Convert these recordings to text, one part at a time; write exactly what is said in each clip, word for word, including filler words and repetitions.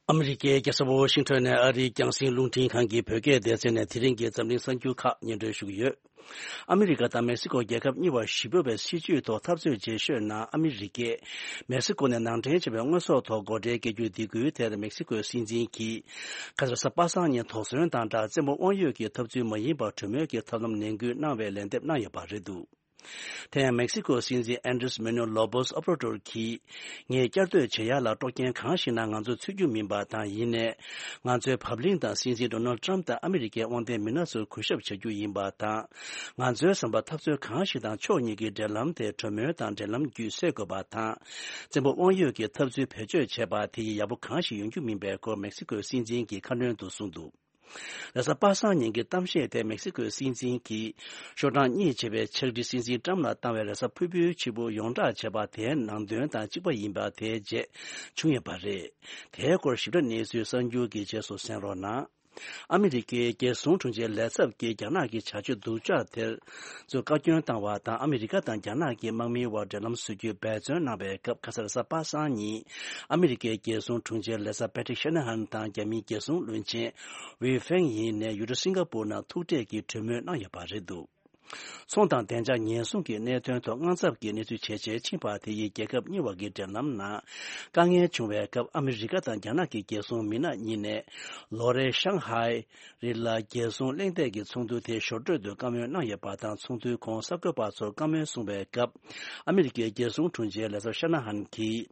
ཨ་མི་རི་ཀའི་རྒྱལ་ས་ཝོ་ཤིང་ཊོན་ནས་ཨ་རིའི་རྒྱང་སྲིང་རླུང་འཕྲིན་ཁང་གི་བོད་སྐད་སྡེ་ཚན་ནས་དེ་རིང་གི་འཛམ་གླིང་གསར་འགྱུར་ཁག་སྙན་སྒྲོན་ཞུ་གི་ཡོད། ཨ་མི་རི་ཀ་དང་མེག་སི་ཀོ་རྒྱལ་ཁབ་གཉིས་བར་ཞི་འབོད་པའི་སྲིད་བྱུས་ཐོག་འཐབ་རྩོད་བྱེད་ཤོད་ནང་ཨ་མི་རི་ཀས་མེག་སི་ཀོ་ནས་ནང་འདྲེན་བྱས་པའི་དངོས་ཟོག་ཐོག་སྒོ་ཁྲལ་བཀལ་རྒྱུ་འདེད་སྐུལ་དེར་མེག་སི་ཀོའི་སྲིད་འཛིན་གྱིས་ཁ་སང་གཟའ་པ་སངས་ཉིན་དོགས་ཟོན་དང་སྦྲགས་བཙན་པོ་དབང་ཡོད་ཀྱི་འཐབ་རྩོད་མ་ཡིན་པར་གྲོས་མོལ་གྱི་ཐབས་ལམ་ནན་སྐུལ་གནང་བའི་ལན་འདེབས་གནང་ཡོད་པ་རེད་འདུག་དེ་ཡང་མེག་སི་ཀོ་སྲིད་འཛིན་ཨན་དྲེས་མེ་ནུ་ལོ་པོས་ཨོབ་ར་ཏོར་གྱིས། ངས་བསྐྱར་ཟློས་བྱེད་ཡག་ལ་དཀྲོག་རྐྱེན་གང་ཞིག་ནང་ང་ཚོ་ཚུད་རྒྱུ་མིན་པ་དང་། ཡིན་ནའི། ང་ཚོའི་བབ་བརླིང་དང་སྲིད་འཛིན་ཌོ་ནལ་ཏྲམ་དང་ཨ་མི་རི་ཀའི་དབང་ལྡན་མི་སྣ་ཚོར་གུས་ཞབས་བྱ་རྒྱུ་ཡིན་པ་དང་། ང་ཚོའི་བསམ་པར་འཐབ་རྩོད་གང་ཞིག་དང་ཕྱོགས་གཉིས་ཀྱི་འབྲེལ་ལམ་དེ་གྲོས་མོལ་དང་འབྲེལ་ལམ་བརྒྱུད་སེལ་དགོས་པ་དང་། བཙན་པོ་དབང་ཡོད་ཀྱི་འཐབ་རྩོད་བེད་སྤྱོད་བྱས་པ་དེ་ཡིས་ཡག་པོ་གང་ཞིག་ཡོང་རྒྱུ་མིན་པའི་སྐོར་མེག་སི་ཀོའི་སྲིད་འཛིན་གྱིས་ཁ་སྣོན་དུ་གསུངས་འདུག་རེས་གཟའ་པ་སངས་ཉིན་གྱི་གཏམ་བཤད་དེ་མེག་སི་ཀོའི་སྲིད་འཛིན་གྱིས་ཤོག་གྲངས་གཉིས་བྱས་པའི་ཕྱག་བྲིས་སྲིད་འཛིན་ཏྲམ་ལ་བཏང་བའི་རེས་གཟའ་ཕུར་བུའི་ཕྱི་པོ་ཡོངས་བསྒྲགས་བྱས་པ་དེའི་ནང་དོན་དང་གཅིག་པ་ཡིན་པ་དེའི་རྗེས་བྱུང་ཡོད་པ་རེད། དེའི་སྐོར་ཞིབ་ཕྲ་གནས་ཚུལ་གསར་འགྱུར་གྱི་རྗེས་སུ་གསན་རོགས་གནང་། ཨ་མི་རི་ཀའི་རྒྱལ་སྲུང་དྲུང་ཆེའི་ལས་ཚབ་ཀྱིས་རྒྱ་ནག་གི་བྱ་སྤྱོད་སྡུག་ཅག་དེར་ཚོས་བཀའ་བཀྱོན་བཏང་བ་དང་། ཨ་མི་རི་ཀ་དང་རྒྱ་ནག་གི་དམག་མིའི་དབར་འབྲེལ་ལམ་བཟོ་རྒྱུའི་འབད་བརྩོན་གནང་བའི་སྐབས། ཁ་སང་རེས་གཟའ་པ་སངས་ཉིན་ཨ་མི་རི་ཀའི་རྒྱལ་སྲུང་དྲུང་ཆེ་ལས་ཚབ་པེ་ཏྲིག་ཤ་ན་ཧན་དང་རྒྱ་མིའི་རྒྱལ་སྲུང་བློན་ཆེན་ཝེ་ཧྥེང་ཡིན་ནས་ཡུལ་གྲུ་སིང་ག་པུར་ནང་ཐུག་འཕྲད་ཀྱིས་གྲོས་མོལ་གནང་ཡོད་པ་རེད་འདུག་ཚོང་དང་བདེ་འཇགས་ཉེན་སྲུང་གི་གནད་དོན་ཐོག་དངངས་འཚབ་ཀྱི་གནས་ཚུལ་ཇེ་ཆེར་ཕྱིན་པ་དེ་ཡིས་རྒྱལ་ཁབ་གཉིས་བར་གྱི་འབྲེལ་ལམ་ནང་དཀའ་ངལ་བྱུང་བའི་སྐབས། ཨ་མི་རི་ཀ་དང་རྒྱ་ནག་གི་རྒྱལ་སྲུང་མི་སྣ་གཉིས་ནས་ལོ་རེའི་ཤང་ཧའེ་རི་ལ་རྒྱལ་སྲུང་གླེང་སྟེགས་ཀྱི་ཚོགས་འདུ་དེ་ཞོར་འཕྲོས་དུ་བཀའ་མོལ་གནང་ཡོད་པ་དང་། ཚོགས་འདུའི་གོང་གསར་འགོད་པ་ཚོར་བཀའ་མོལ་གསུངས་པའི་སྐབས། ཨ་མི་རི་ཀའི་རྒྱལ་སྲུང་དྲུང་ཆེ་ལས་ཚབ་ཤ་ན་ཧན་གྱིས།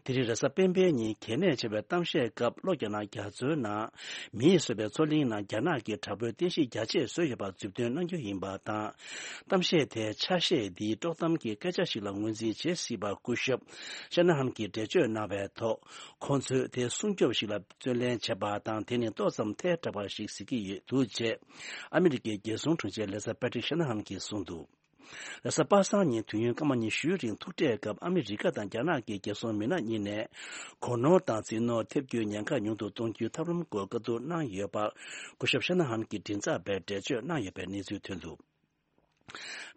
དེ་རིང་རེས་གཟའ་སྤེན་པའི་ཉིན་གལ་གནད་ཆེ་བའི་གཏམ་བཤད་སྐབས། ལྷོ་རྒྱ་ནག་རྒྱ་མཚོའི་ནང་མིས་བཟོས་པའི་མཚོ་གླིང་ནང་རྒྱ་ནག་གིས་དྲག་པོའི་རྟེན་གཞི་རྒྱ་ཆེ་བཟོས་ཡོད་པར་མཛུབ་སྟོན་གནང་རྒྱུ་ཡིན་པ་དང་། གཏམ་བཤད་དེའི་ཆ་ཤས་འདིའི་དཀྲོག་གཏམ་གྱི་སྐད་ཆ་ཞིག་ལ་ངོས་འཛིན་བྱེད་སྲིད་པར་སྐུ་ཞབས་ཤ་ན་ཧམ་གྱིས་འགྲེལ་བརྗོད་གནང་བའི་ཐོག་ཁོང་ཚོས་དེ་སྲུང་སྐྱོབ་ཞིག་ལ་བརྩོན་ལེན་བྱས་པ་དང་། དེ་ནི་ཏོག་ཙམ་ཐལ་དྲགས་པ་ཞིག་གཟིགས་ཀྱི་ཡོད་འདུག་ཅེས་ཨ་མི་རི་ཀའི་རྒྱལ་སྲུང་དྲུང་ཆེ་ལས་ཚབ་པེ་ཏྲིག་ཤ་ན་ཧམ་གྱིས་གསུངས་འདུག་རེས་གཟའ་པ་སངས་ཉིན་དུས་ཡུན་སྐར་མ་ཉི་ཤུའི་རིང་ཐུག་འཕྲད་སྐབས། ཨ་མི་རི་ཀ་དང་རྒྱ་ནག་གི་རྒྱལ་སྲུང་མི་སྣ་གཉིས་ནས་སྒོ་ནོར་དང་རྩིས་ནོར་ཐེབས་རྒྱུའི་ཉེན་ཁ་ཉུང་དུ་གཏོང་རྒྱུའི་ཐབས་ལམ་སྐོར་བཀའ་བསྡུར་གནང་ཡོད་པར་སྐུ་ཞབས་ཤ་ན་ཧམ་གྱི་མགྲིན་ཚབ་པས་འགྲེལ་བརྗོད་གནང་ཡོད་པའི་གནས་ཚུལ་ཐོན་འདུག་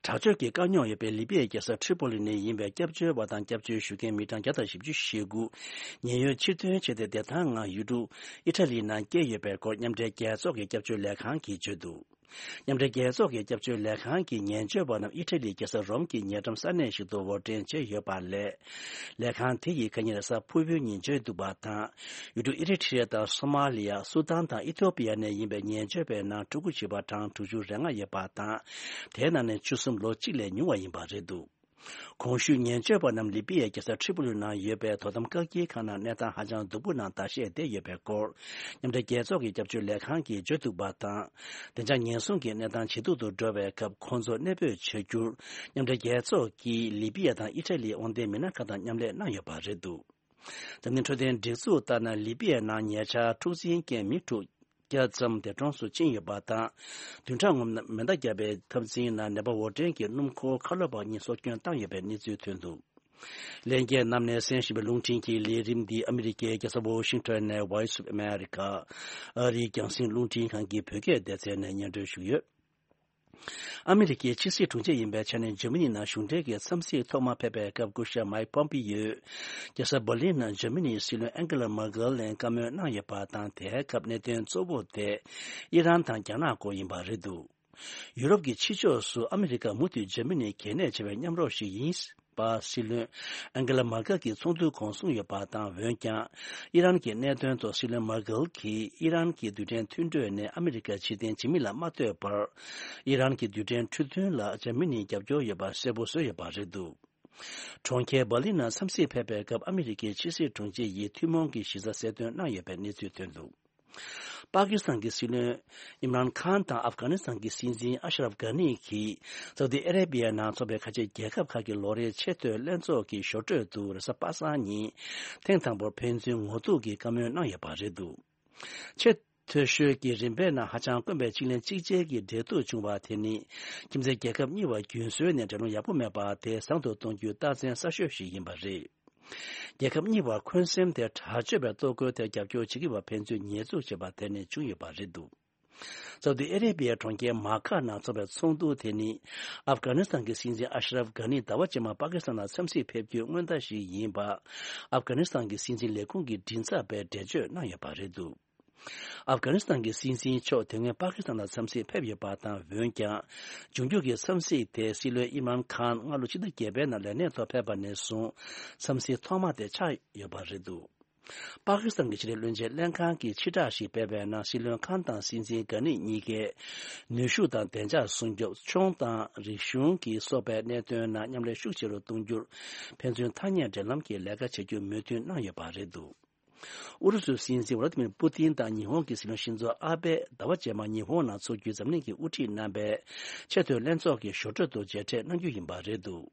དྲག་སྤྱོད་ཀྱི་དཀའ་རྙོག་ཡོད་པའི་ལི་པི་ཡའི་རྒྱལ་ས་ཁྲི་པོ་ལི་ནས་ཡིན་པའི་སྐྱབས་བཅོལ་བ་དང་སྐྱབས་བཅོལ་ཞུ་མཁན་མི་གྲངས་བརྒྱ་དང་བཞི་བཅུ་ཞེ་དགུ་ཉེན་གཡོལ་ཕྱིར་ཐོན་བྱས་ཏེ། བདེ་ཐང་ངང་ཡུལ་གྲུ་ཨི་ཊ་ལི་ནང་བསྐྱལ་ཡོད་པའི་སྐོར་མཉམ་འབྲེལ་རྒྱལ་ཚོགས་ཀྱི་སྐྱབས་བཅོལ་ལས་ཁང་གིས་བརྗོད་འདུག་མཉམ་འབྲེལ་རྒྱལ་ཚོགས་ཀྱི་སྐྱབས་བཅོལ་ལས་ཁང་གིས་ཉེན་བཅོལ་བ་རྣམས་ཨི་ཊ་ལིའི་རྒྱལ་ས་རོམ་གྱི་ཉེ་འགྲམ་ས་གནས་ཤིག་ཏུ་དབོར་འདྲེན་བྱས་ཡོད་པ་ལས། ལས་ཁང་དེ་ཡིས་ཁ་ཉིན་རེས་གཟའ་ཕུར་བུའི་ཉིན་བརྗོད་འདུག་པ་དང་། ཡུལ་གྲུ་ཨི་རི་ཊི་རི་ཡ་དང་སོ་མ་ལི་ཡ། སུ་དཱན་དང་ཨི་ཐོ་པི་ཡ་ནས་ཡིན་པའི་ཉེན་བཅོལ་བའི་ནང་ཕྲུ་གུ་བྱིས་པ་གྲངས་དྲུག་ཅུ་རེ་ལྔ་ཡོད་པ་དང་། དེའི་ནང་ནས་བཅུ་གསུམ་ལོ་གཅིག་ལས་ཉུང་བ་ཡིན་པ་རེད་འདུག་གོང་ཞུས་ཉེན་བཅོལ་བ་རྣམས་ལི་པི་ཡའི་རྒྱལ་ས་ཁྲི་པོ་ལི་ནང་ཡོད་པའི་དོ་དམ་བཀག་སྐྱིལ་ཁང་ནང་གནས་སྟངས་ཧ་ཅང་སྡུག་པོ་ནང་ཟླ་ཤས་བསྡད་ཡོད་པའི་སྐོར། མཉམ་འབྲེལ་རྒྱལ་ཚོགས་ཀྱི་སྐྱབས་བཅོལ་ལས་ཁང་གིས་བརྗོད་འདུག་པ་དང་། བདེ་འཇགས་ཉེན་སྲུང་གི་གནས་སྟངས་ཇེ་སྡུག་ཏུ་འགྲོ་བའི་སྐབས། ཁོང་ཚོ་གནས་སྤོས་བྱ་རྒྱུར་མཉམ་འབྲེལ་རྒྱལ་ཚོགས་ཀྱིས་ལི་པི་ཡ་དང་ཨི་ཊ་ལིའི་དབང་ལྡན་མི་སྣ་ཁག་དང་མཉམ་ལས་གནང་ཡོད་པ་རེད་འདུག་འཛམ་གླིང་འཕྲོད་བསྟེན་སྒྲིག་འཛུགས་ལྟར་ན། ལི་པི་ཡའི་ནང་ཉེ་ཆར་འཁྲུག་འཛིང་རྐྱེན་མི་དྲུག་བརྒྱ་ཙམ་འདས་གྲོངས་སུ་ཕྱིན་ཡོད་པ་དང་། བདུན་ཕྲག་སྔོན་མེ་མདའ་བརྒྱབ་པའི་འཐབ་འཛིང་ནང་ནད་པ་འབོར་འདྲེན་གྱི་སྣུམ་འཁོར་ཁ་ལོ་བ་གཉིས་སྲོག་སྐྱོན་བཏང་ཡོད་པའི་གནས་ཚུལ་ཐོན་འདུག་ལྷན་རྒྱས་རྣམས་ནས་གསན་བཞིན་པའི་རླུང་འཕྲིན་གྱི་ལས་རིམ་འདི་ཨ་མི་རི་ཀའི་རྒྱལ་ས་ཝོ་ཤིང་ཊོན་ནས་Voice of America ཨ་རིའི་རྒྱང་སྲིང་རླུང་འཕྲིན་ཁང་གི་བོད་སྐད་སྡེ་ཚན་ནས་སྙན་སྒྲོན་ཞུས་ཡོད། ཨ་མི་རི་ཀའི་ཕྱི་སྲིད་དྲུང་ཆེ་ཡིན་པའི་ཆ་ནས་འཇར་མ་ནི་ནང་གཞུང་འབྲེལ་གྱི་འཚམས་གཟིགས་ཐོག་མ་ཕེབས་པའི་སྐབས། སྐུ་ཞབས་མའིག་པོམ་པི་ཡོས་རྒྱལ་ས་འབར་ལིན་ནང་འཇར་མ་ནིའི་སྲིད་བློན་ཨན་ཀེ་ལ་མར་ཀེལ་ལ་བཀའ་མོལ་གནང་ཡོད་པ་དང་། དེའི་སྐབས་གནད་དོན་གཙོ་བོ་དེ་ཨི་རན་དང་རྒྱ་ནག་སྐོར་ཡིན་པ་རེད་འདུག་ཡུ་རོབ་ཀྱི་ཕྱི་ཕྱོགས་སུ་ཨ་མི་རི་ཀ་མུ་མཐུད་འཇར་མ་ནི་གལ་གནད་ཆེ་བའི་མཉམ་རོགས་ཤིག་ཡིན་པ་སྲིད་བློན་ཨན་ཀེ་ལ་མར་ཀེལ་གྱིས་ཚོགས་འདུའི་གོང་གསུངས་ཡོད་པ་དང་། འོན་ཀྱང་ཨི་རན་གྱི་གནད་དོན་ཐོག་སྲིད་བློན་མར་ཀེལ་གྱིས་ཨི་རན་གྱི་རྡུལ་ཕྲན་མཐུན་གྲོས་ནས་ཨ་མི་རི་ཀ་ཕྱིར་འཐེན་བྱེད་མིན་ལ་མ་ལྟོས་པར། ཨི་རན་གྱི་རྡུལ་ཕྲན་འཕྲོད་མཐུན་ལ་འཇར་མ་ནིའི་རྒྱབ་སྐྱོར་ཡོད་པ་གསལ་པོ་བཟོས་ཡོད་པ་རེད་འདུག་གྲོང་ཁྱེར་འབར་ལིན་ནང་འཚམས་གཟིགས་ཕེབས་པའི་སྐབས། ཨ་མི་རི་ཀའི་ཕྱི་སྲིད་དྲུང་ཆེ་ཡིས་ཐུན་མོང་གི་གཞི་རྩ་གསལ་སྟོན་གནང་ཡོད་པའི་གནས་ཚུལ་ཐོན་འདུག་པ་ཀི་སི་ཐན་གྱི་སྲིད་བློན་ཨིམ་རན་ཁཱན་དང་ཨབ་གྷ་ནི་སི་ཐན་གྱི་སྲིད་འཛིན་ཨ་ཤ་རབ་གྷ་ནི་གྱིས་སའུ་ཏི་ཨ་རེ་བི་ཡ་ནང་འཚོགས་པའི་ཁ་ཆེ་རྒྱལ་ཁབ་ཁག་གི་ལོ་རེའི་ཆེས་མཐོའི་ལྷན་ཚོགས་ཀྱི་ཞོར་འཕྲོས་དུ་རེས་གཟའ་པ་སངས་ཉིན་ཐེངས་དང་པོར་ཕན་ཚུན་ངོ་ཐུག་གིས་བཀའ་མོལ་གནང་ཡོད་པ་རེད་འདུག་ཆེས་མཐོ་ཤོས་ཀྱི་རིམ་པའི་ནང་ཧ་ཅང་དཀོན་པའི་གཅིག་ལན་གཅིག་བྱེད་ཀྱི་འབྲེལ་གཏུག་བྱུང་བ་དེ་ནི། ཁྱིམ་མཚེས་རྒྱལ་ཁབ་གཉིས་བར་རྒྱུན་སྲོལ་ནས་འབྲེལ་ལམ་ཡག་པོ་མེད་པ་དེ་བཟང་དུ་གཏོང་རྒྱུའི་རྟགས་མཚན་གསར་ཤོས་ཤིག་ཡིན་པ་རེད། རྒྱལ་ཁབ་གཉིས་བར་འཁོན་སེམས་དེ་དྲག་སྤྱོད་པའི་གཏོར་རྒོལ་དེར་རྒྱབ་སྐྱོར་བྱེད་ཀྱི་བར་ཕན་ཚུན་ཉེས་འཛུགས་བྱས་པ་དེ་ནས་བྱུང་ཡོད་པ་རེད་འདུག་སའུ་ཏི་ཨ་རེ་བྷི་ཡའི་གྲོང་ཁྱེར་མ་ཀ་ནང་འཚོགས་པའི་ཚོགས་འདུ་དེ་ནི། ཨབ་གྷ་ནི་སི་ཐན་གྱི་སྲིད་འཛིན་ཨ་ཤ་རབ་གྷ་ནི་ཟླ་བ་རྗེས་མ་པ་ཀི་སི་ཐན་ལ་འཚམས་གཟིགས་ཕེབས་རྒྱུའི་སྔོན་བརྡ་ཞིག་ཡིན་པ། ཨབ་གྷ་ནི་སི་ཐན་གྱི་སྲིད་འཛིན་ལས་ཁུངས་ཀྱི་མགྲིན་ཚབ་པས་འགྲེལ་བརྗོད་གནང་ཡོད་པ་རེད་འདུག་ཨབ་གྷ་ནི་སི་ཐན་གྱི་སྲིད་འཛིན་མཆོག་དེ་སྔོན་པ་ཀི་སི་ཐན་ལ་འཚམས་གཟིགས་ཕེབས་ཡོད་པ་དང་། འོན་ཀྱང་། འབྱུང་འགྱུར་གྱི་འཚམས་གཟིགས་དེ་སྲིད་བློན་ཨིམ་རཱན་ཁཱན་སྔ་ལོ་ཕྱི་ཟླ་བརྒྱད་པའི་ནང་ལས་གནས་ཐོག་ཕེབས་པ་ནས་བཟུང་འཚམས་གཟིགས་ཐོག་མ་དེ་ཆགས་ཡོད་པ་རེད་འདུག་པ་ཀི་སི་ཐན་གྱི་ཕྱི་དྲིལ་བློན་ཆེན་ལྷན་ཁང་གིས་ཕྱིར་བསྒྲགས་ཤིག་སྤེལ་བའི་ནང་། སྲིད་བློན་ཁཱན་དང་སྲིད་འཛིན་གྷ་ནི་གཉིས་ཀས་ནུས་ཤུགས་དང་བདེ་འཇགས་སྲུང་སྐྱོབ། ཆུང་དང་རིག་གཞུང་གི་སོགས་པའི་གནད་དོན་ནང་མཉམ་ལས་ཤུགས་ཆེ་རུ་གཏོང་རྒྱུར་ཕན་ཚུན་ཐ་སྙད་འབྲེལ་ལམ་གྱི་ལས་ཀ་བྱེད་རྒྱུར་མོས་མཐུན་གནང་ཡོད་པ་རེད་འདུག་ཨུ་རུ་སུའི་སྲིད་འཛིན་ཝ་ལ་ཏི་མིར་པུ་ཏིན་དང་ཉི་ཧོང་གི་སྲིད་བློན་ཤིན་ཛོ་ཨ་བྷེ་ཟླ་བ་རྗེས་མ་ཉི་ཧོང་ནང་འཚོགས་རྒྱུའི་འཛམ་གླིང་གི་དབུ་ཁྲིད་རྣམ་པའི་ཆེས་མཐོའི་ལྷན་ཚོགས་ཀྱི་ཞོར་འཕྲོས་སུ་མཇལ་འཕྲད་གནང་རྒྱུ་ཡིན་པ་རེད་འདུག་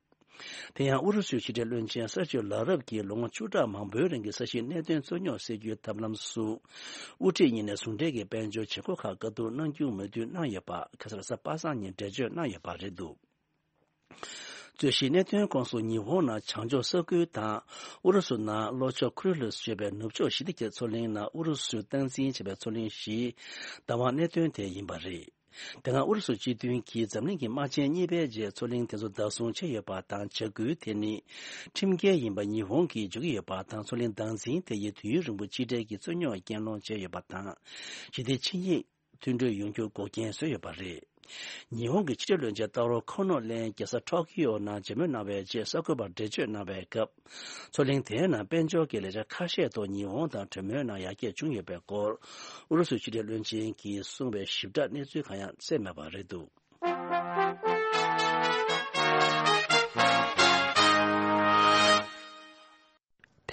དེ་ཡང་ཨུ་རུ་སུའི་ཕྱི་དྲིལ་བློན་ཆེན་སར་ཇིའོ་ལ་རབ་ཀྱིས་ལོ་ངོ་བཅུ་ཕྲག་མང་པོའི་རིང་གི་ས་ཞིང་གནད་དོན་རྩོད་རྙོག་སེལ་རྒྱུའི་ཐབས་ལམ་སུ། དབུ་ཁྲིད་གཉིས་ནས་ཟུང་འབྲེལ་གྱི་དཔལ་འབྱོར་བྱེད་སྒོ་ཁག་བཀའ་བསྡུར་གནང་རྒྱུའི་མོས་མཐུན་གནང་ཡོད་པ། ཁ་སང་རེས་གཟའ་པ་སངས་ཉིན་འགྲེལ་བརྗོད་གནང་ཡོད་པ་རེད་འདུག་རྩོད་གཞིའི་གནད་དོན་ཁོངས་སུ་ཉི་ཧོང་ནང་བྱང་ཕྱོགས་ས་ཁུལ་དང་། ཨུ་རུ་སུ་ནང་ལྷོ་ཕྱོགས་ཁུ་རི་ལུས་ཞེས་པའི་ནུབ་ཕྱོགས་ཞི་བདེ་ཀྱི་མཚོ་གླིང་ནང་ཨུ་རུ་སུས་སྟངས་འཛིན་བྱས་པའི་མཚོ་གླིང་བཞིའི་བདག་དབང་གནད་དོན་དེ་ཡིན་པ་རེད། དེ་སྔ་ཨུ་རུ་སུ་སྤྱི་མཐུན་གྱིས་འཛམ་གླིང་གི་དམག་ཆེན་གཉིས་པའི་རྗེས་མཚོ་གླིང་དེ་ཚོ་བདག་བཟུང་བྱས་ཡོད་པ་དང་། བྱ་འགུལ་དེ་ནི་ཁྲིམས་འགལ་ཡིན་པ་ཉི་ཧོང་གིས་བརྗོད་ཀྱི་ཡོད་པ་དང་། མཚོ་གླིང་བདག་འཛིན་དེ་ཡིས་དུས་ཡུན་རིང་པོ་ཕྱི་འབྲེལ་གྱི་རྩོད་རྙོག་རྐྱེན་སློང་བྱས་ཡོད་པ་དང་། ཞི་བདེ་ཆིངས་ཡིག་མཐུན་གྲོས་ཡོང་རྒྱུར་འགོག་རྐྱེན་བཟོས་ཡོད་པ་རེད། ཉི་ཧོང་གི་ཕྱི་དྲིལ་བློན་ཆེན་ཏཱ་རོ་ཁོ་ནོ་གླིང་རྒྱལ་ས་ཊོ་ཀི་ཡོ་ནང་མཇལ་མོལ་གནང་བའི་རྗེས་གསར་འགོད་པར་འགྲེལ་བརྗོད་གནང་བའི་སྐབས། མཚོ་གླིང་དེའི་ནང་དཔལ་འབྱོར་གྱི་ལས་འཆར་ཁ་ཤས་ཐོག་ཉི་ཧོང་དང་གྲོས་མོལ་གནང་ཡར་རྒྱས་བྱུང་ཡོད་པའི་སྐོར། ཨུ་རུ་སུའི་ཕྱི་དྲིལ་བློན་ཆེན་གྱིས་གསུངས་པའི་ཞིབ་ཕྲ་གནས་ཚུལ་གང་ཡང་གསལ་མེད་པ་རེད་འདུག་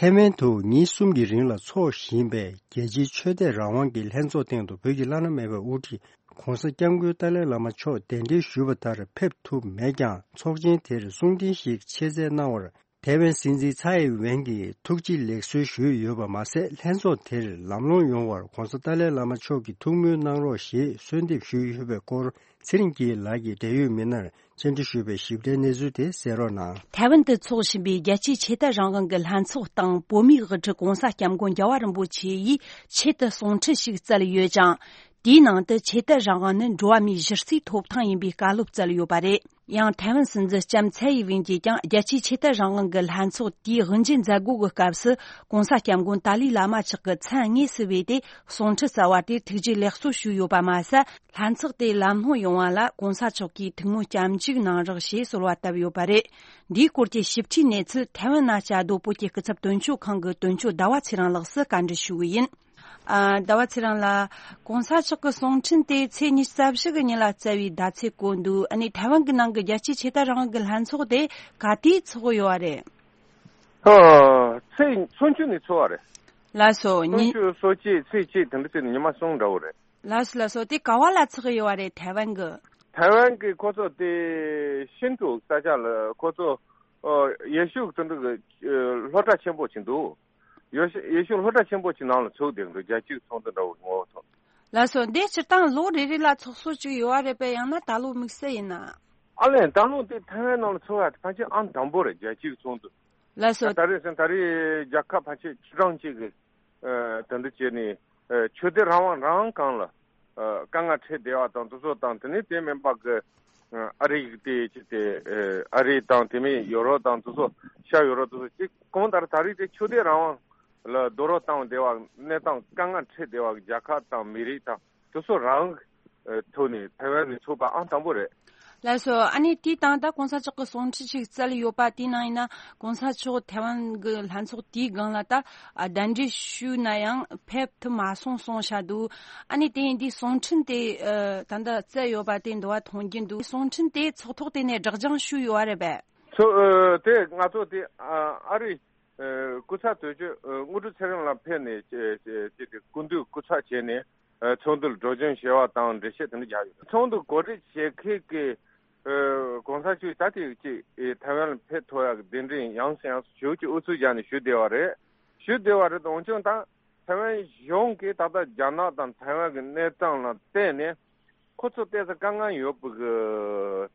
ཐའེ་ཝན་དུ་ཉིན་གསུམ་གྱི་རིང་ལ་འཚོགས་བཞིན་པའི་རྒྱལ་སྤྱིའི་ཆོས་དད་རང་དབང་གི་ལྷན་ཚོགས་སྟེང་དུ་བོད་ཀྱི་བླ་ན་མེད་པའི་དབུ་ཁྲིད་༧གོང་ས་༧སྐྱབས་མགོན་ཏཱ་ལའི་བླ་མ་མཆོག་གདན་འདྲེན་ཞུས་པ་ལྟར་ཕེབས་ཐུབ་མེད་ཀྱང་། ཚོགས་ཆེན་དེར་གསུང་འཕྲིན་ཞིག་ཆེད་མཛད་གནང་བར་ཐའེ་ཝན་སྲིད་འཛིན་ཚའེ་ཝེན་གྱིས་ཐུགས་རྗེ་ལེགས་གསོལ་ཞུས་ཡོད་པ་མ་ཟད། ལྷན་ཚོགས་དེར་ལམ་ལྷོང་ཡོང་བར་༧གོང་ས་ཏཱ་ལའི་བླ་མ་མཆོག་གིས་ཐུགས་སྨོན་གནང་རོགས་ཞེས་གསོལ་འདེབས་ཞུས་ཡོད་པའི་སྐོར། ཚེ་རིང་སྐྱིད་ལགས་ཀྱིས་འབྲེལ་ཡོད་མི་སྣར་བཅར་འདྲི་ཞུས་པའི་ཞིབ་ཕྲའི་གནས་ཚུལ་དེ་གསན་རོགས་གནང་། ཐའེ་ཝན་དུ་འཚོགས་བཞིན་པའི་རྒྱལ་སྤྱིའི་ཆོས་དད་རང་དབང་གི་ལྷན་ཚོགས་སྟེང་། བོད་མིའི་དབུ་ཁྲིད་༧གོང་ས་༧སྐྱབས་མགོན་རྒྱལ་བ་རིན་པོ་ཆེ་ཡིས་ཆེད་དུ་གསུང་འཕྲིན་ཞིག་བསྩལ་ཡོད་ཅིང་། དེའི་ནང་དུ་ཆོས་དད་རང་དབང་ནི་འགྲོ་བ་མིའི་གཞི་རྩའི་ཐོབ་ཐང་ཡིན་པའི་བཀའ་སློབ་བསྩལ་ཡོད་པ་རེད། ཡང་ཐའེ་ཝན་སྲིད་འཛིན་ལྕམ་ཚའེ་ཡི་ཝེན་གྱིས་ཀྱང་རྒྱལ་སྤྱིའི་ཆོས་དད་རང་དབང་གི་ལྷན་ཚོགས་དེའི་དབུ་འབྱེད་མཛད་སྒོ་གི་སྐབས་སུ།༧གོང་ས་༧སྐྱབས་མགོན་ཏཱ་ལའི་བླ་མ་མཆོག་གི་མཚན་དངོས་སུ་བོས་ཏེ་གསུང་འཕྲིན་བསྩལ་བ་དེར་ཐུགས་རྗེ་ལེགས་གསོལ་ཞུས་ཡོད་པ་མ་ཟད། ལྷན་ཚོགས་དེ་ལམ་ལྷོང་ཡོང་བ་ལ་༧གོང་ས་མཆོག་གིས་ཐུགས་སྨོན་སྐྱབས་འཇུག་གནང་རོགས་ཞེས་གསོལ་བ་བཏབ་ཡོད་པ་རེད། འདིའི་སྐོར་གྱི་ཞིབ་ཕྲའི་གནས་ཚུལ་ཐའེ་ཝན་ན་བཅའ་སྡོད་བོད་ཀྱི་སྐུ་ཚབ་དོན་གཅོད་ཁང་གི་དོན་གཅོད་ཟླ་བ་ཚེ་རིང་ལགས་སུ་བཀའ་འདྲི་ཞུ་གི་ཡིན། ཨ། ཟླ་བ་ཚེ་རིང་ལགས། གོང་ས་མཆོག་གི་གསུང་འཕྲིན་དེ་ཚེས་ཉི་ཤུ་རྩ་བཞི་གི་ཉིན་ལ་བསྩལ་བའི་ཟླ་ཚེས་བཀོད་འདུག་ཨ་ནི་ཐའེ་ཝན་གྱི་ནང་གི་རྒྱལ་སྤྱིའི་ཆོས་དད་རང་དབང་གི་ལྷན་ཚོགས་དེ་ག་དུས་འཚོགས་ཡོད་པ་རེད། ཨ། ཚེས་ཚོགས་མཆོད་ནས་འཚོགས་པ་རེད། ལགས་སོ། ཚོགས་ཉིན་མཆོད་སོ་གཅིག་ཚེས་གཅིག་དེ་འདྲ་བྱས་ནས་ཉི་མ་གསུམ་འདྲ་བོ་རེད། ལགས་སོ་ལགས་སོ། དེ་ག་བ་ལ་འཚོགས་ཡོད་པ་རེད། ཐའེ་ཝན་གྱི། ཐའེ་ཝན་གྱི་ཁོ་ཚོ་དེ་ཤིན་ཀྲུའུ་ས་ཆ་ལ་ཁོ་ཚོ། ཨ། ཡེ་ཤུ་དེ་འདྲ་གི། ཨ། སློབ་གྲྭ་ཆེན་པོ་ཅིག་འདུག་ཡེ་ཤུ་ཡེ་ཤུ་སློབ་གྲྭ་ཆེན་པོ་ཅིག་ནང་ལ་ཚོགས་བསྡད་འདུག་རྒྱལ་སྤྱིའི་ཚོགས་འདུ་འདྲ་བོ་ངོ་བོ་ཐོག་ལགས་སོ། འདི་སྤྱིར་བཏང་ལོ་རེ་རེ་ལ་ཚོགས་སྲོལ་ཅིག་ཡོད་པ་རེད་པས། ཡང་ན་ད་ལོ་དམིགས་བསལ་ཡིན་ན། ཨ་ལས། ད་ལོ་དེ་ཐའེ་ཝན་ནང་ལ་ཚོགས་ཡ་དེ་ཕལ་ཆེར་ཨང་དང་པོ་རེད། རྒྱལ་སྤྱིའི་ཚོགས་འདུ། ལགས་སོ། ད་རེས་ཟིན་ད་རེས་རྒྱལ་ཁབ་ཕལ་ཆེར་བཅུ་གྲངས་གཅིག་གིས། ཨ། དེ་འདྲ་བྱས་ནས། ཨ། ཆོས་དད་རང་དབང་རང་དབང་སྒང་ལ། ཨ། དཀའ་ངལ་འཕྲད་བསྡད་པ་དང་དེ་ཚོ་དང་། དེ་ནས་དེ་མིན་པ་གི། ཨ། ཨ་རི་དེ་ཅི་སྟེ། ཨ། ཨ་རི་དང་དེ་མིན་ཡོ་རོབ་དང་དེ་ཚོ། ཤར་ཡོ་རོབ་དེ་ཚོ་ཅིག་གང་ལྟར་ད་རེས་དེ་ཆོས་དད་རང་དབང་ལ་རྡོག་རོལ་བཏང་བསྡད་པ། གནས་སྟངས་དཀའ་ངལ་འཕྲད་བསྡད་པ་གི་རྒྱལ་ཁབ་དང་མི་རིགས་དང་དེ་ཚོ་རང་། ཨ། ཐོག་ནས་ཐའེ་ཝན་ནས་ཚོགས་པ་ཨང་དང་པོ་རེད། ལགས་སོ། ཨ་ནི་དེའི་སྟེང་ད་གོང་ས་མཆོག་གི་གསུང་འཕྲིན་ཞིག་བསྩལ་ཡོད་པ་དེའི་ནང་ཡིན་ན། གོང་ས་མཆོག་ཐའེ་ཝན་གྱི་ལྷན་ཚོགས་དེའི་སྒང་ལ་ད། ཨ། གདན་འདྲེན་ཞུས་ན་ཡང་ཕེབས་ཐུབ་མ་སོང་གསུངས་བཞག་འདུག་ཨ་ནི་དེ་ཡིན་དུས་གསུང་འཕྲིན་དེ། ཨ། ད་ལྟ་བསྩལ་ཡོད་པ་དེ་འདུག་པ་མཐོང་རྒྱུ་འདུག་གསུང་འཕྲིན་དེ་ཚོགས་ཐོག་དེ་ནས་སྒྲོག་སྦྱང་ཞུས་ཡོད་པ་རེད་པས། ཚོ། ཨ། དེ་ང་ཚོ་དེ། ཨ། ཨ་རི། ཨ། སྐུ་ཚབ་དོན་གཅོད། ཨ། དངོས་གྲུབ་ཚེ་རིང་ལགས་ཕེབས་ནས་ཅེས་ཅེས་ཅེས་དེ་སྐུ་མདུན་སྐུ་ཚབ་བྱས་ནས། ཨ། ཚོགས་འདུར་སྒྲོག་སྦྱང་བྱས་པ་དང་འགྲེལ་བཤད་དེ་འདྲ་རྒྱག་ཡོད། ཚོགས་འདུ་གོ་སྒྲིག་བྱེད་མཁན་གྱི། ཨ། གོང་ས་མཆོག་ད་དེ་ཅིག་ཨེ། ཐའེ་ཝན་ལ་ཕེབས་ཐུབ་ཡག་གི་གདན་འདྲེན་ཡང་སེ་ཡང་སེ་ཞུ་ཅིག་ཨུ་ཚུགས་བརྒྱབ་ནས་ཞུས་བསྡད་པ་རེད། ཞུས་བསྡད་པ་རེད། འོན་ཀྱང་ད་ཐའེ་ཝན་གཞུང་གིས་ད་ལྟ་རྒྱ་ནག་དང་ཐའེ་ཝན་གྱི་གནས་སྟངས་ལ་བལྟས་ནས། ཁོ་ཚོ་ཏོག་ཙམ་དཀའ་ངལ་ཡོད་པའི་གི་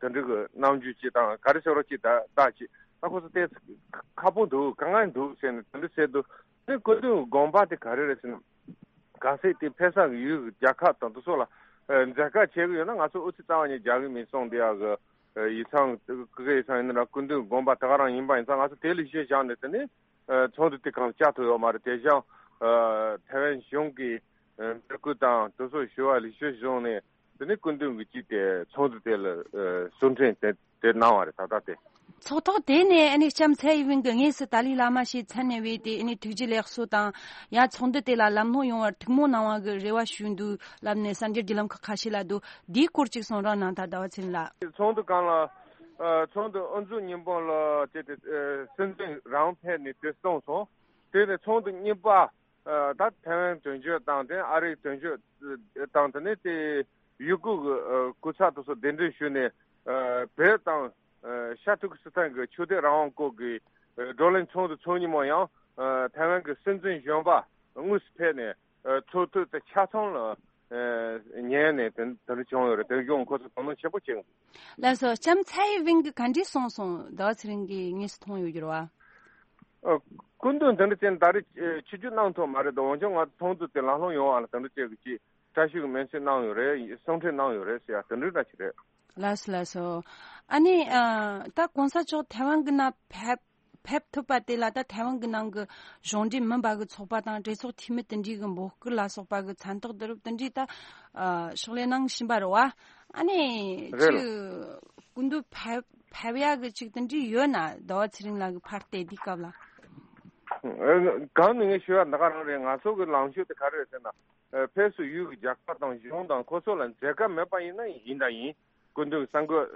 དེ་འདྲ་གི་རྣམ་འགྱུར་ཅིག་དང་། ག་རེ་ཟེར་རོ་ཅིག་ད་ད་ཅིག་ད་ཁོ་ཚོ་ཏོག་ཙམ་ཁག་པོ་འདུག་དཀའ་ངལ་འདུག་ཟེར་ནས་དེ་འདྲ་ཟེར་འདུག་དེ་སྐུ་མདུན་དགོངས་པ་དེ་ག་རེ་རེད་ཟེར་ན། གལ་སྲིད་དེ་ཕེབས་ས་གི་ཡུལ་གྱི་རྒྱལ་ཁབ་དང་དེ་ཚོ་ལ་ མཛད་དཀའ་བྱེད་ཀྱི་ཡོད་ན་ང་ཚོ་ཨུ་ཚུགས་རྩ་བ་ནས་རྒྱག་གི་མིན་གསུངས་བསྡད་ཡག་གི། ཡིག་ཚང་ཀུ་ཀུ་ཡིག་ཚང་ཡིན་ན་ར་སྐུ་མདུན་དགོངས་པ་ད་ག་རང་ཡིན་པ་ཡིན་ཙང་ང་ཚོ་དེ་ལ་གཞི་བཞག་ནས་དེ་ནས་ཚོགས་འདུ་དེ་གང་བཅར་ཐུབ་ཡོད་མ་རེད། དེ་བཞིན་ཐའེ་ཝན་གཞུང་གི་འབོད་སྐུལ་དང་དུས་ཚོད་ཞུ་བ་ལེགས་ཤོས་བྱུང་ནས་དེ་ནས་སྐུ་མདུན་གྱི་ཅིག་དེ་ཚོགས་འདུ་དེ་ལ་གསུང་འཕྲིན་དེ་དེ་གནང་བ་རེད་ད་ལྟ་དེ། ཚོགས་ཐོག་དེ་ནས་ཨ་ནི་ལྕམ་ཚའེ་ཝེན་གྱིས་དངོས་སུ་ཏཱ་ལའི་བླ་མ་ཞིག་མཚན་གནས་པས་དེ་ཨ་ནི་ཐུགས་རྗེ་ལེགས་གསོ་དང་ཡང་ཚོགས་འདུ་དེ་ལ་ལམ་ལྷོང་ཡོང་བར་ཐུགས་སྨོན་གནང་བ་གི་རེ་བ་ཞུས་འདུག་ལབ་ནས་གསར་འགྱུར་བརྒྱུད་ལམ་ཁག་ཁ་ཤས་ལ་འདུག་འདིའི་སྐོར་ཅིག་གསུང་རོགས་གནང་དང་ཟླ་བ་ཚེ་རིང་ལགས། ཚོགས་འདུ་སྒང་ལ་ཚོགས་འདུ་དབུ་འཛུགས་ཉིན་མོ་ལ་བྱས་ཏེ་སྲིད་འཛིན་རང་ཕེབས་ནས་དེ་གསུངས་སོང་། དེ་ནས་ཚོགས་འདུ་གཉིས་པ། ད་ཐའེ་ཝན་དོན་གཅོད་དང་དེ་ཨ་རིའི་དོན་གཅོད་དང་དེ་ནས་དེ་ཡུ་གུར་གྱི་སྐུ་ཚབ་དེ་ཚོ་གདན་འདྲེན་ཞུས་ནས་བོད་དང་ཤར་ཏུར་ཀི་སི་ཐན་གྱི་ཆོས་དད་རང་དབང་སྐོར་གྱི་བགྲོ་གླེང་ཚོགས་འདུ་ཚོགས་ཉིན་མོ་ཡང་ཐའེ་ཝན་གྱི་སྲིད་འཛིན་གཞོན་པ་དངོས་སུ་ཕེབས་ནས་ཚོགས་ཐུག་དེ་ཆ་ཚང་ལ་ཉན་ནས་དེ་འདྲ་བྱུང་ཡོད་རེད། དེ་བཞིན་ཁོ་ཚོ་དོ་སྣང་ཆེན་པོ་བྱེད། ལགས་སོ། ལྕམ་ཚའེ་ཝེན་གྱིས་ག་འདྲས་གསུངས་སོང་ཟླ་བ་ཚེ་རིང་གིས་དངོས་སུ་མཐོང་ཡོད་རྒྱུ་རེད་བ། སྐུ་མདུན་དེ་འདྲ་ཅན་ད་རེས་ཆིབས་བསྒྱུར་གནང་ཐུབ་མ་རེད་དོ། འོན་ཀྱང་ང་ཚོ་ཚོགས་འདུ་དེ་ལམ་ལྷོང་ཡོང་བ་ལ་དེ་འདྲ་ཅིག་གི་ཅིག་བཀྲ་ཤིས་ཀྱི་སྨོན་ཚིག་གནང་ཡོད་རེད། གསུང་འཕྲིན་གནང་ཡོད་རེད་ཟེར་ཡ་དེ་འདྲ་འདྲ་ཅིག་རེད། ལགས་སོ་ལགས་སོ། ཨ་ནི་ད་གོང་ས་མཆོག་ཐའེ་ཝན་གྱི་ནང་ཕེབས་ཕེབས་ཐུབ་པ་དེ་ལ་ད་ཐའེ་ཝན་གྱི་ནང་གི་གཞུང་འབྲེལ་མིན་པ་གི་ཚོགས་པ་དང་གྲོས་ཚོགས་འཐུས་མི་དེ་འདྲའི་གི་འབོད་སྐུལ་ལ་སོགས་པ་གི་མཚན་རྟགས་དེ་རུ་དེ་འདྲའི་ད་ཕྱག་ལས་གནང་བཞིན་པ་རེད་བ། ཨ་ནི་རེད། ཅིག་སྐུ་མདུན་ཕེབས་ཕེབས་ཡག་གི་ཅིག་དེ་འདྲའི་ཡོད་ན་ཟླ་བ་ཚེ་རིང་ལགས་ཀྱི་ཕར་བལྟས་དུས་སྐབས་ལ། གང་ནས་ངས་ཞུ་ཡ་འདི་ག་རང་རེད། ང་ཚོ་གི་ལངས་ཕྱོགས་དེ་ག་རེ་རེད་ཟེར་ན། ཕེབས་བསུ་ཡུལ་གྱི་རྒྱལ་ཁབ་དང་གཞུང་དང་ཁོ་ཚོ་ལ་མཛད་དཀའ་མེད་པ་ཡིན་ན་ཡིན་དང་ཡིན། སྐུ་མདུན་གསར་འགོད་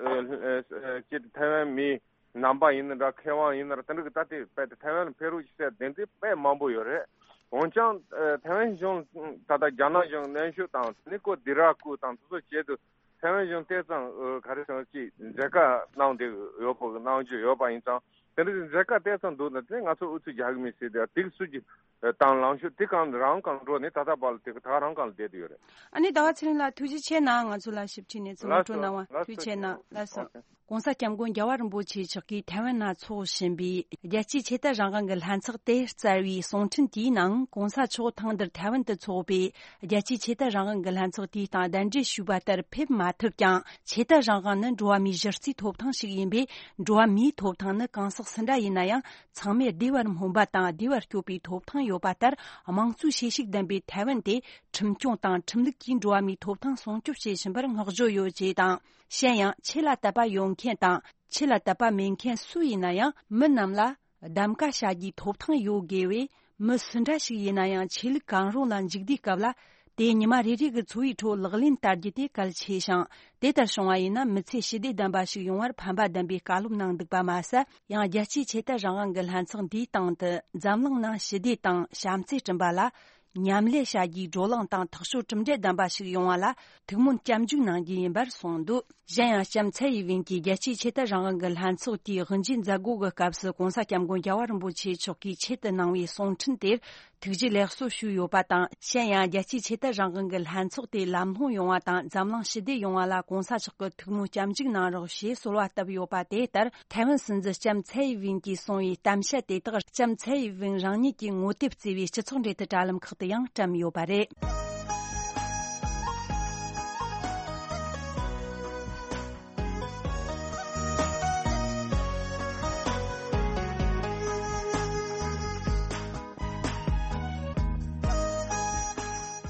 ཅིག་ཐའེ་ཝན་མི་ནང་པ་ཡིན་ན་འདྲ་མཁས་དབང་ཡིན་ན་འདྲ་དེ་འདྲ་གི་ད་ལྟའི་དཔེ་དེ་ཐའེ་ཝན་ལ་ཕེབས་རོགས་ཞེས་ཟེར་གདན་འདྲེན་དཔེ་མང་པོ་ཡོད་རེད། འོན་ཀྱང་ཐའེ་ཝན་གཞུང་ད་ལྟ་རྒྱ་ནག་གཞུང་གནོན་ཤུགས་དང་དེ་ནས་ཁོ་སྡེ་ར་སྐུ་དང་དེ་ཚོ་བྱེད་དུ་ཐའེ་ཝན་གཞུང་ཏོག་ཙམ་ག་རེ་ཟེར་ཅིག་མཛད་དཀའ་གནང་བསྡད་ཡོད་པ་གནང་རྒྱུ་ཡོད་པ་ཡིན་ཙང་དེ་འདྲ་མཛད་དཀའ་ཏོག་ཙམ་འདུག་ན་དེ་ང་ཚོ་ཨུ་ཚུགས་རྒྱག་གི་མིན་ཟེར་དེ་དེ་སུ་གི་དང་ལངས་ཕྱོགས་དེ་གང་རང་གང་འགྲོ་ནས་ད་ལྟ་བར་ལ་དེ་ག་ད་ག་རང་གང་ལ་བསྡད་དུ་ཡོད་རེད། ཨ་ནི་ཟླ་བ་ཚེ་རིང་ལགས་ཐུགས་རྗེ་ཆེ་གནང་། ང་ཚོ་ལ་ཞིབ་ཕྲའི་གནས་ཚུལ་ངོ་སྤྲོད་གནང་བ་ཐུགས་རྗེ་ཆེ་གནང་། ལགས་སོ། གོང་ས་སྐྱབས་མགོན་རྒྱལ་བ་རིན་པོ་ཆེ་མཆོག་གིས་ཐའེ་ཝན་ན་འཚོགས་བཞིན་པའི་རྒྱལ་སྤྱིའི་ཆོས་དད་རང་དབང་གི་ལྷན་ཚོགས་དེ་བསྩལ་བའི་གསུང་འཕྲིན་དེའི་ནང་གོང་ས་མཆོག་ཐེངས་འདིར་ཐའེ་ཝན་དུ་འཚོགས་པའི་རྒྱལ་སྤྱིའི་ཆོས་དད་རང་དབང་གི་ལྷན་ཚོགས་དེའི་སྟེང་གདན་འདྲེན་ཞུས་པ་ལྟར་ཕེབས་མ་ཐུབ་ཀྱང་ཆོས་དད་རང་དབང་ནི་འགྲོ་བ་མིའི་གཞི་རྩའི་ཐོབ་ཐང་ཞིག་ཡིན་པས་འགྲོ་བ་མིའི་ཐོབ་ཐང་ནི་གང་ཟག་སུ་འདྲ་ཡིན་ན་ཡང་ཚང་མས་བདེ་བར་སྨོན་པ་དང་བདེ་བར་སྐྱོབ་པའི་ཐོབ་ཐང་ཡོད་པ་ལྟར་དམངས་གཙོའི་ཤེས་བྱའི་བདེན་པའི་ཐའེ་ཝན་དེ་ཁྲིམས་སྐྱོང་དང་ཁྲིམས་ལུགས་ཀྱིས་འགྲོ་བ་མིའི་ཐོབ་ཐང་སྲུང་སྐྱོབ་བྱེད་བཞིན་པར་བསྔགས་བརྗོད་ཡོད་ཅེས་དང་། གཞན་ཡང་ཆོས་ལ་དད་པ་ཡོད་མཁན་དང་ཆོས་ལ་དད་པ་མེད་མཁན་སུ་ཡིན་ན་ཡང་མི་རྣམས་ལ་གདམ་ག་བྱ་རྒྱུའི་ཐོབ་ཐང་ཡོད་དགོས་པས་མི་སུ་འདྲ་ཞིག་ཡིན་ན་ཡང་ཆོས་ལུགས་གང་རུང་ལ་འཇུག་དུས་སྐབས་ལ་དེ་ཉི་མ་རེ་རེ་གི་འཚོ་བའི་ཁྲོད་ལག་ལེན་བསྟར་རྒྱུ་དེ་གལ་ཆེ་ཞིང་དེ་ལྟར་བྱུང་བ་ཡིན་ན་མི་ཚེ་ཞི་བདེ་ལྡན་པ་ཞིག་ཡོང་བར་ཕན་པ་ལྡན་པའི་བཀའ་སློབ་གནང་འདུག་པ་མ་ཟད་ཡང་རྒྱལ་སྤྱིའི་ཆོས་དད་རང་དབང་གི་ལྷན་ཚོགས་འདིའི་སྟེང་དུ་འཛམ་གླིང་ནང་ཞི་བདེ་དང་བྱམས་བརྩེ་བསྐྲུན་པ་ལ། མཉམ་ལས་བྱ་རྒྱུའི་བགྲོ་གླེང་དང་ཐག་གཅོད་གྲུབ་འབྲས་ལྡན་པ་ཞིག་ཡོང་བ་ལ་ཐུགས་སྨོན་སྐྱབས་འཇུག་གནང་རྒྱུ་ཡིན་པར་གསུངས་འདུག་གཞན་ཡང་ལྕམ་ཚའེ་ཡི་ཝེན་གྱིས་རྒྱལ་སྤྱིའི་ཆོས་དད་རང་དབང་གི་ལྷན་ཚོགས་དེའི་དབུ་འབྱེད་མཛད་སྒོ་གི་སྐབས་སུ་གོང་ས་སྐྱབས་མགོན་རྒྱལ་བ་རིན་པོ་ཆེ་མཆོག་གིས་ཆེད་དུ་གནང་བའི་གསུང་འཕྲིན་དེར་ཐུགས་རྗེ་ལེགས་གསོ་ཞུས་ཡོད་པ་དང་། གཞན་ཡང་རྒྱལ་སྤྱིའི་ཆོས་དད་རང་དབང་གི་ལྷན་ཚོགས་དེ་ལམ་ལྷོང་ཡོང་བ་དང་འཛམ་གླིང་ཞི་བདེ་ཡོང་བ་ལ་གོང་ས་མཆོག་གི་ཐུགས་སྨོན་སྐྱབས་འཇུག་གནང་རོགས་ཞེས་གསོལ་བ་བཏབ་ཡོད་པ་དེ་ལྟར། ཐའེ་ཝན་སྲིད་འཛིན་ལྕམ་ཚའེ་ཡི་ཝེན་གྱིས་གསུངས་པའི་གཏམ་བཤད་དེ་དག་ལྕམ་ཚའེ་ཡི་ཝེན་རང་ཉིད་ཀྱིས་ངོ་དེབ་བརྩེ་བའི་སྤྱི་ཚོགས་འབྲེལ་མཐུད་དྲ་ལམ་ཁག་ཏུ་ཡང་བཀྲམ་ཡོད་པ་རེད།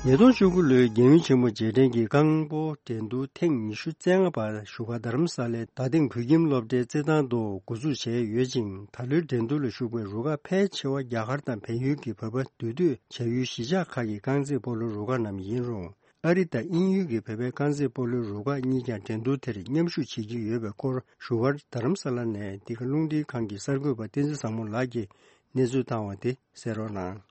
ཉིས་སྟོང་བཅུ་དགུ་ལོའི་རྒྱལ་ཡུམ་ཆེན་མོ་རྗེས་དྲན་གྱི་རྐང་སྤོལ་འགྲན་བསྡུར་ཐེངས་ཉི་ཤུ་རྩ་ལྔ་པ་བཞུགས་སྒར་རྡ་རམ་ས་ལའི་རྡ་སྟེང་བོད་ཁྱིམ་སློབ་གྲྭའི་རྩེད་ཐང་དུ་འགོ་འཛུགས་བྱས་ཡོད་ཅིང་། ད་ལོའི་འགྲན་བསྡུར་ལ་ཞུགས་པའི་རུ་ཁག་ཕལ་ཆེ་བ་རྒྱ་གར་དང་བལ་ཡུལ་གྱི་བོད་པ་འདུས་སྡོད་བྱ་ཡུལ་གཞིས་ཆགས་ཁག་གི་རྐང་རྩེད་སྤོ་ལོའི་རུ་ཁག་རྣམས་ཡིན་རུང་། ཨ་རི་དང་དབྱིན་ཡུལ་གྱི་བོད་པའི་རྐང་རྩེད་སྤོ་ལོའི་རུ་ཁག་གཉིས་ཀྱང་འགྲན་བསྡུར་དེར་མཉམ་ཞུགས་བྱེད་ཀྱི་ཡོད་པའི་སྐོར་བཞུགས་སྒར་རྡ་རམ་ས་ལ་ནས་འདི་ག་རླུང་འཕྲིན་ཁང་གི་གསར་འགོད་པ་བསྟན་འཛིན་བཟང་མོ་ལགས་ཀྱིས་གནས་ཚུལ་བཏང་བ་དེ་གསན་རོགས་གནང་།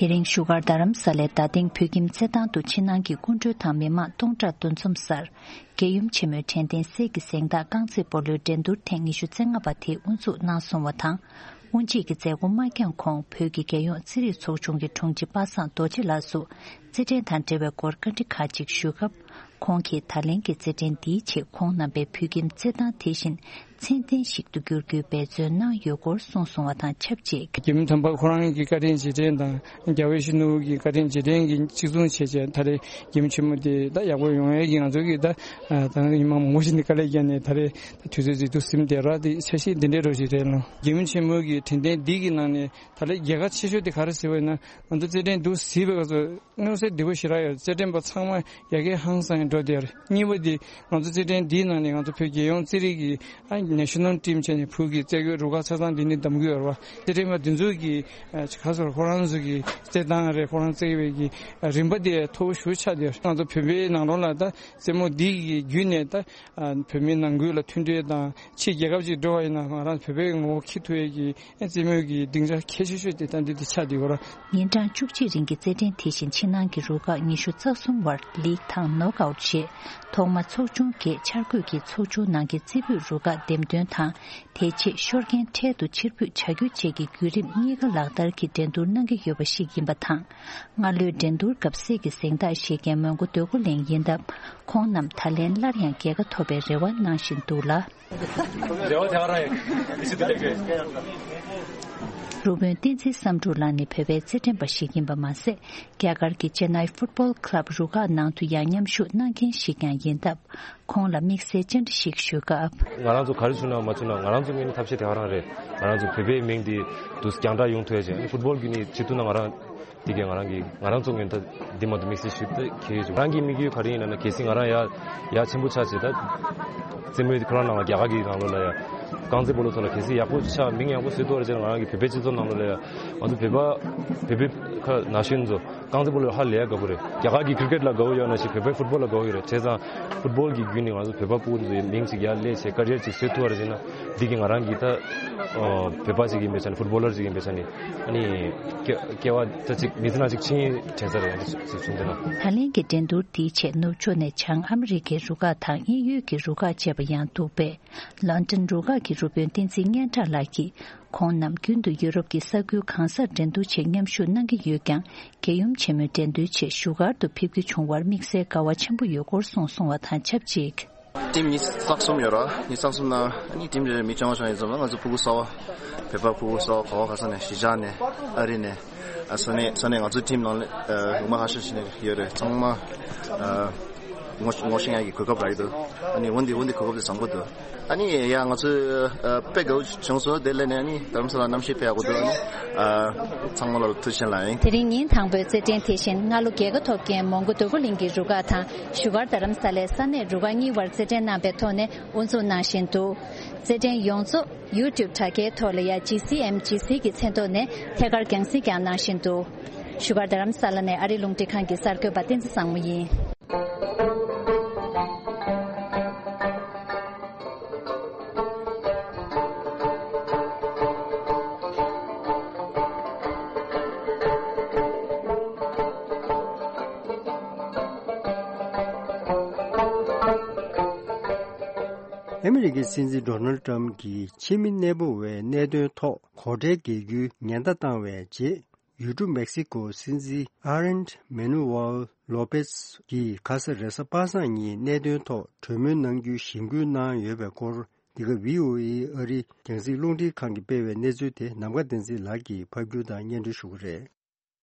དེ་རིང་བཞུགས་སྒར་རྡ་རམ་ས་ལའི་རྡ་སྟེང་བོད་ཁྱིམ་རྩེད་ཐང་དུ་ཕྱི་ནང་གི་སྐུ་མགྲོན་དང་མི་མང་སྟོང་ཕྲག་འདུ་འཛོམས་སར། རྒྱལ་ཡུམ་ཆེན་མོའི་དྲན་རྟེན་གསེར་གྱི་གཟེངས་རྟགས་རྐང་རྩེད་སྤོ་ལོའི་འགྲན་བསྡུར་ཐེངས་ཉི་ཤུ་རྩ་ལྔ་པ་དེ་དབུ་འཛུགས་གནང་སོང་བ་དང་། དབུ་འབྱེད་ཀྱི་མཛད་སྒོ་མ་འགྱངས་གོང་བོད་ཀྱི་རྒྱལ་ཡོངས་རྩེད་རིགས་ཚོགས་ཆུང་གི་དྲུང་ཆེ་པ་སངས་རྡོ་རྗེ་ལགས་སུ་རྩེད་འགྲན་དང་འབྲེལ་བའི་སྐོར་བཀའ་འདྲི་ཁག་ཅིག་ཞུས་སྐབས། ཁོང་གིས་ད་ལན་གྱི་རྩེད་འགྲན་འདིའི་ཆེད་ཁོང་རྣམ་པས་བོད་ཁྱིམ་རྩེད་ཐང་དེ་བཞིན། ཚད་ལྡན་ཞིག་ཏུ་འགྱུར་རྒྱུའི་འབད་བརྩོན་གནང་ཡོད་སྐོར་གསུངས་སོང་བ་དང་ཆབས་ཅིག་རྒྱལ་མོ་དམ་པ་ཁོ་རང་གི་བཀའ་དྲིན་རྗེས་དྲན་དང་རྒྱལ་བའི་གཞོན་ནུ་གི་བཀའ་དྲིན་རྗེས་དྲན་གྱི་གཅིག་མཚུངས་བྱས་བྱས་ད་རེས་རྒྱལ་མོ་ཆེན་མོ་དེ་ད་ཡག་པོ་ཡོང་ཡས་ཀྱི་ང་ཚོ་གི་ད་ད་ཉི་མ་མང་པོ་ཞིག་ནས་དཀའ་ལས་བརྒྱབ་ནས་ད་རེས་ད་དུས་ཚོད་ཅིག་ཏུ་ཟིན་བསྡད་ར་དེ་འཆར་གཞི་འདི་འདྲའི་རོ་ཞིག་རེད་ལ། རྒྱལ་མོ་ཆེན་མོ་གི་དྲན་རྟེན་འདི་གི་ནང་ནས་ད་རེས་རྒྱལ་ཁ་ཆེ་ཤོས་དེ་ག་རེ་ཟེར་བ་ཡིན་ན་ང་ཚོ་རྩེད་འགྲན་འདུག་ཟིན་པའི་སྐབས་སུ། མངོན་གསལ་དོད་པོ་ཞེ་དྲག་ཡོད། རྩེད་འགྲན་པ་ཚང་མ་ཡ་གི་ཧང་སང་འགྲོ་བསྡད་ཡོད་རེད། གཉིས་པ་དེ་ང་ཚོ་རྩེད་འགྲན་འདིའི་ནང་ནས་ང་ཚོ་བོད་རྒྱལ་ཡོངས་རྩེད་རིགས་ཀྱི་ཨ་ནེ་ཤ་ནལ་ཊིམ་བྱས་ནས་བོད་ཀྱི་རྩེད་རྒོད་རུ་ཁག་ཆ་ཚང་འདི་ནས་བདམས་ཀྱི་ཡོད་རེད་བ། རྩེད་འགྲན་པ་འདི་ཚོ་གི་ཨ་ག་ཟེར་ཁོ་རང་ཚོ་གི་རྩེད་སྟངས་རེད། ཁོ་རང་རྩེད་པའི་གི་ཨ་རིམ་པ་དེ་མཐོ་པོ་ཞེ་པོ་ཆགས་བསྡད་ཡོད་རེད། ང་ཚོ་བོད་པའི་ནང་ལོགས་ལ་ད་རྩེད་མོ་འདི་གི་བརྒྱུད་ནས་ད་ཨ་བོད་མིའི་ནང་ཁུལ་ལ་མཐུན་སྒྲིལ་དང་ཕྱི་རྒྱལ་ཁབ་ཅིག་འགྲོ་བ་ཡིན་ན་ང་རང་བོད་པའི་ངོ་བོ་འཁྱེར་ཐུབ་ཡས་ཀྱི་རྩེད་མོ་གི་སྡིངས་ཆ་གལ་ཆེ་ཤོས་དེ་ད་འདི་འདི་ཆགས་བསྡད་ཡོད་རེད། ཉིན་གྲངས་བཅུ་གཅིག་རིང་གི་རྩེད་འགྲན་དེ་བཞིན་ཕྱི་ནང་གི་རུ་ཁག་ཉི་ཤུ་རྩ་གསུམ་བར་ལིག་དང་ནོག་ཨའུཊ་བྱས། ཐོག་མ་ཚོགས་ཆུང་བརྒྱད་འཆར་འགོད་ཀྱིས་ཚོགས་ཆུང་ནང་གི་རྩེ་ཕུད་རུ་ཁག་འདེམས་ཐོན་དང་། དེ་རྗེས་ཤོར་མཁན་འཕྲལ་དུ་ཕྱིར་འབུད་བྱ་རྒྱུ་བཅས་ཀྱི་བརྒྱུད་རིམ་གཉིས་ཀ་ལག་བསྟར་གྱིས་འགྲན་བསྡུར་གནང་གི་ཡོད་པ་ཞིག་ཡིན་པ་དང་། སྔ་ལོའི་འགྲན་བསྡུར་སྐབས་གསེར་གྱི་གཟེངས་རྟགས་བཞེས་མཁན་མོན་གྷོ་འདོད་རྒུ་གླིང་ཡིན་སྟབས། ཁོང་རྣམས་ད་ལན་སླར་ཡང་རྒྱལ་ཁ་ཐོབ་པའི་རེ་བ་གནང་བཞིན་འདུག་ལ། རེ་བ་དེ་ག་རང་ཡིན། མི་སྲིད་དུ་ལེགས་རེད། རུ་དཔོན་བསྟན་འཛིན་བསམ་འགྲུབ་ལགས་ནི་བོད་པའི་རྩེད་འགྲན་པ་ཞིག་ཡིན་པ་མ་ཟད། རྒྱ་གར་གྱི་ཅེ་ནའི་ཕུཊ་བོལ་ཁི་ལབ་རུ་ཁག་ནང་དུ་ཡང་མཉམ་ཞུགས་གནང་མཁན་ཞིག་ཀྱང་ཡིན་སྟབས། ཁོང་ལ་དམིགས་བསལ་བཅར་འདྲི་ཞིག་ཞུས་སྐབས། ང་རང་ཚོ་ག་རེ་བྱུང་ན་མ་བྱུང་ན་ང་རང་ཚོ་ངོས་ནས་ཐབས་ཤེས་དེ་ག་རང་རེད། ང་རང་ཚོ་བོད་པའི་མིང་འདི་དུ་རྒྱང་བསྒྲགས་ཡོང་ཐུབ་ཡ་ཅིག་ཕུཊ་བོལ་གྱི་ནི་བྱེད་ཐུབ་ན་ང་རང་། འདི་གས་ང་རང་གི་ང་རང་ཚོ་ངོས་ནས་ད་འདི་མ་གཏོགས་དམིགས་བསལ་ཞིག་ད་གལ་ཡོད་ཅིག་ང་རང་གི་དམིགས་ཡུལ་ག་རེ་ཡིན་ན་ན་གལ་སྲིད་ང་རང་ཡ་ཡ་ཆེན་པོ་ཆགས་ཆེ་ད་རྩེད་མོའི་ཁོ་རང་ནང་ལ་རྒྱ་གར་གྱི་ནང་ལོགས་ལ་ཡ་རྐང་རྩེད་སྤོ་ལོ་ཐོག་ལ་གལ་སྲིད་ཡག་པོ་ཆགས་མིང་ཡག་པོ་བཟོས་ཐུབ་པ་རེད་ཅེ་ན་ང་རང་གི་བོད་པའི་སྤྱི་ཚོགས་ནང་ལོགས་ལ་ཡ་ང་ཚོ་བོད་པ་བོད་པའི་ཁ་ན་གཞོན་ཚོ་རྐང་རྩེད་སྤོ་ལོ་ཧ་ལས་ཡ་དགའ་པོ་རེད། རྒྱ་གར་གྱི་ཀི་རི་ཀེཊ་ལ་དགའ་པོ་ཡོད་ན་ཞིག་བོད་པའི་ཕུཊ་བོལ་ལ་དགའ་པོ་ཡོད་རེད། བྱས་ཙང་ཕུཊ་བོལ་གྱི་བརྒྱུད་ནས་ང་ཚོ་བོད་པ་སྤོ་བོ་ཚོའི་མིང་ཅིག་ཡར་སླེབས་བྱས་ཀ་རི་ཡར་ཅིག་བཟོས་ཐུབ་པ་རེད་ཅེ་ན་འདི་གི་ང་རང་གི་ད་བོད་པ་ཅིག་ཡིན་པའི་ཆ་ནས་ཕུཊ་བོ་ལར་ཅིག་ཡིན་པའི་ཆ་ནས། ཨ་ནི། སྐྱེ་སྐྱེ་བ་ད་ཅིག་མི་ཚེ་ནང་ཅིག་ཕྱིན་དྲན་ས་རེད་ཅིག་བྱུང་འདུག་ན། ད་ལན་གྱི་འགྲན་བསྡུར་འདིའི་ཆེད་ནུབ་ཕྱོགས་ནས་བྱང་ཨ་མི་རི་ཀའི་རུ་ཁག་དང་དབྱིན་ཡུལ་གྱི་རུ་ཁག་བཅས་པ་ཡང་འདུག་པས། ལོན་ཏན་རུ་ཁག་གི་རུ་དཔོན་བསྟན་འཛིན་སྙན་གྲགས་ལགས་ཀྱིས་ཁོང་རྣམས་རྒྱུན་དུ་ཡུ་རོབ་ཀྱི་ས་ཁུལ་གང་སར་འགྲན་བསྡུར་ཆེད་མཉམ་ཞུགས་གནང་གི་ཡོད་ཀྱང་། རྒྱལ་ཡུམ་ཆེན་མོའི་འགྲན་བསྡུར་ཆེད་བཞུགས་སྒར་དུ་ཕེབས་རྒྱུ་བྱུང་བར་དམིགས་བསལ་དགའ་བ་ཆེན་པོ་ཡོད་སྐོར་གསུངས་སོང་བ་དང་ཆབས་ཅིག་ཊིམ་ཉི་ཤུ་རྩ་གསུམ་ཡོད་ར། ཉི་ཤུ་རྩ་གསུམ་ནང་ཨ་ནི་ཊིམ་རེ་མི་ཆུང་བ་ཆུང་ཡིན་ཙམ་ལ་ང་ཚོ་ཕྲུ་གུ་གསར་པ་བོད་པ་ཕྲུ་གུ་གསར་པ་ག་བ་ག་ས་ནས་གཞིས་ཆགས་ནས་ཨ་རི་ནས་ཨ་ས་གནས་ས་གནས་ང་ཚོ་ཊིམ་ནང་ལ་ཨ་ལུང་པ་ཧ་ཤ་ཤི་ནས་ཡོད་རེད། ཚང་མ་ཨ་ངོ་ངོ་ཤེས་ཡག་གི་གོ་སྐབས་རག་གི་འདུག་ཨ་ནི་འོན་ཏེ་འོན་ཏེ་གོ་སྐབས་དེ་བཟང་པོ་འདུག་ཨ་ནི་ཡ་ང་ཚོ་ཨ་དཔེ་དགའ་བོ་བྱུང་སོང་། དེ་ལས་ནས་ཨ་ནི་རྡ་རམ་ས་ལ་གནམ་གཤིས་དཔེ་ཡག་པོ་འདུག་ཨ་ནི་ཨ་ཚང་མ་ལ་ཐུགས་རྗེ་ཆེ་ལགས། དེ་རིང་ཉིན་དང་པོའི་རྩེད་འགྲན་དེ་བཞིན་སྔ་ལོ་རྒྱལ་ཁ་ཐོབ་མཁན་མོན་གྷོ་འདོད་རྒུ་གླིང་གི་རུ་ཁག་དང་བཞུགས་སྒར་རྡ་རམ་ས་ལའི་ས་གནས་རུ་ཁག་གཉིས་བར་རྩེད་འགྲན་གནང་པའི་ཐོག་ནས་དབུ་འཛུགས་གནང་བཞིན་འདུག་རྩེད་འགྲན་ཡོངས་རྫོགས་ཡུ་ཊུབ་དྲ་རྒྱའི་ཐོག་ལ་ཡ་ཇི་སི་ཨེམ་ཇི་སི་གི་མཚན་ཐོག་ནས་ཐད་ཀར་རྒྱང་སྲིང་ཀྱང་གནང་བཞིན་འདུག་བཞུགས་སྒར་རྡ་རམ་ས་ལ་ནས་ཨ་རིའི་རླུང་འཕྲིན་ཁང་གི་གསར་འགོད་པ་བསྟན་འཛིན་བཟང་མོ་ཡིན། ཨ་མི་རི་ཀའི་སྲིད་འཛིན་ཌོ་ནལ་ཊམ་གྱིས་ཕྱི་མི་གནས་སྤོ་བའི་གནད་དོན་ཐོག་གོ་གྲལ་འགེལ་རྒྱུའི་ཉེན་བརྡ་བཏང་བའི་རྗེས། ཡུལ་གྲུ་མེག་སི་ཀོའི་སྲིད་འཛིན་ཨ་རེན་མེ་ནུ་ཝལ་ལོ་པེས་ཀྱིས་ཁ་ས་རེས་གཟའ་པ་སངས་ཉིན་གནད་དོན་ཐོག་གྲོས་མོལ་གནང་རྒྱུའི་གཞེན་སྐུལ་གནང་ཡོད་པའི་སྐོར། འདི་ག་བྷི་ཨོ་ཨེ་ཨ་རིའི་རྒྱང་སྲིང་རླུང་འཕྲིན་ཁང་གིས་སྤེལ་བའི་གནས་ཚུལ་དེ་ནམ་མཁའ་བསྟན་འཛིན་ལགས་ཀྱིས་ཕབ་སྒྱུར་དང་སྙན་སྒྲོན་ཞུ་གི་རེད།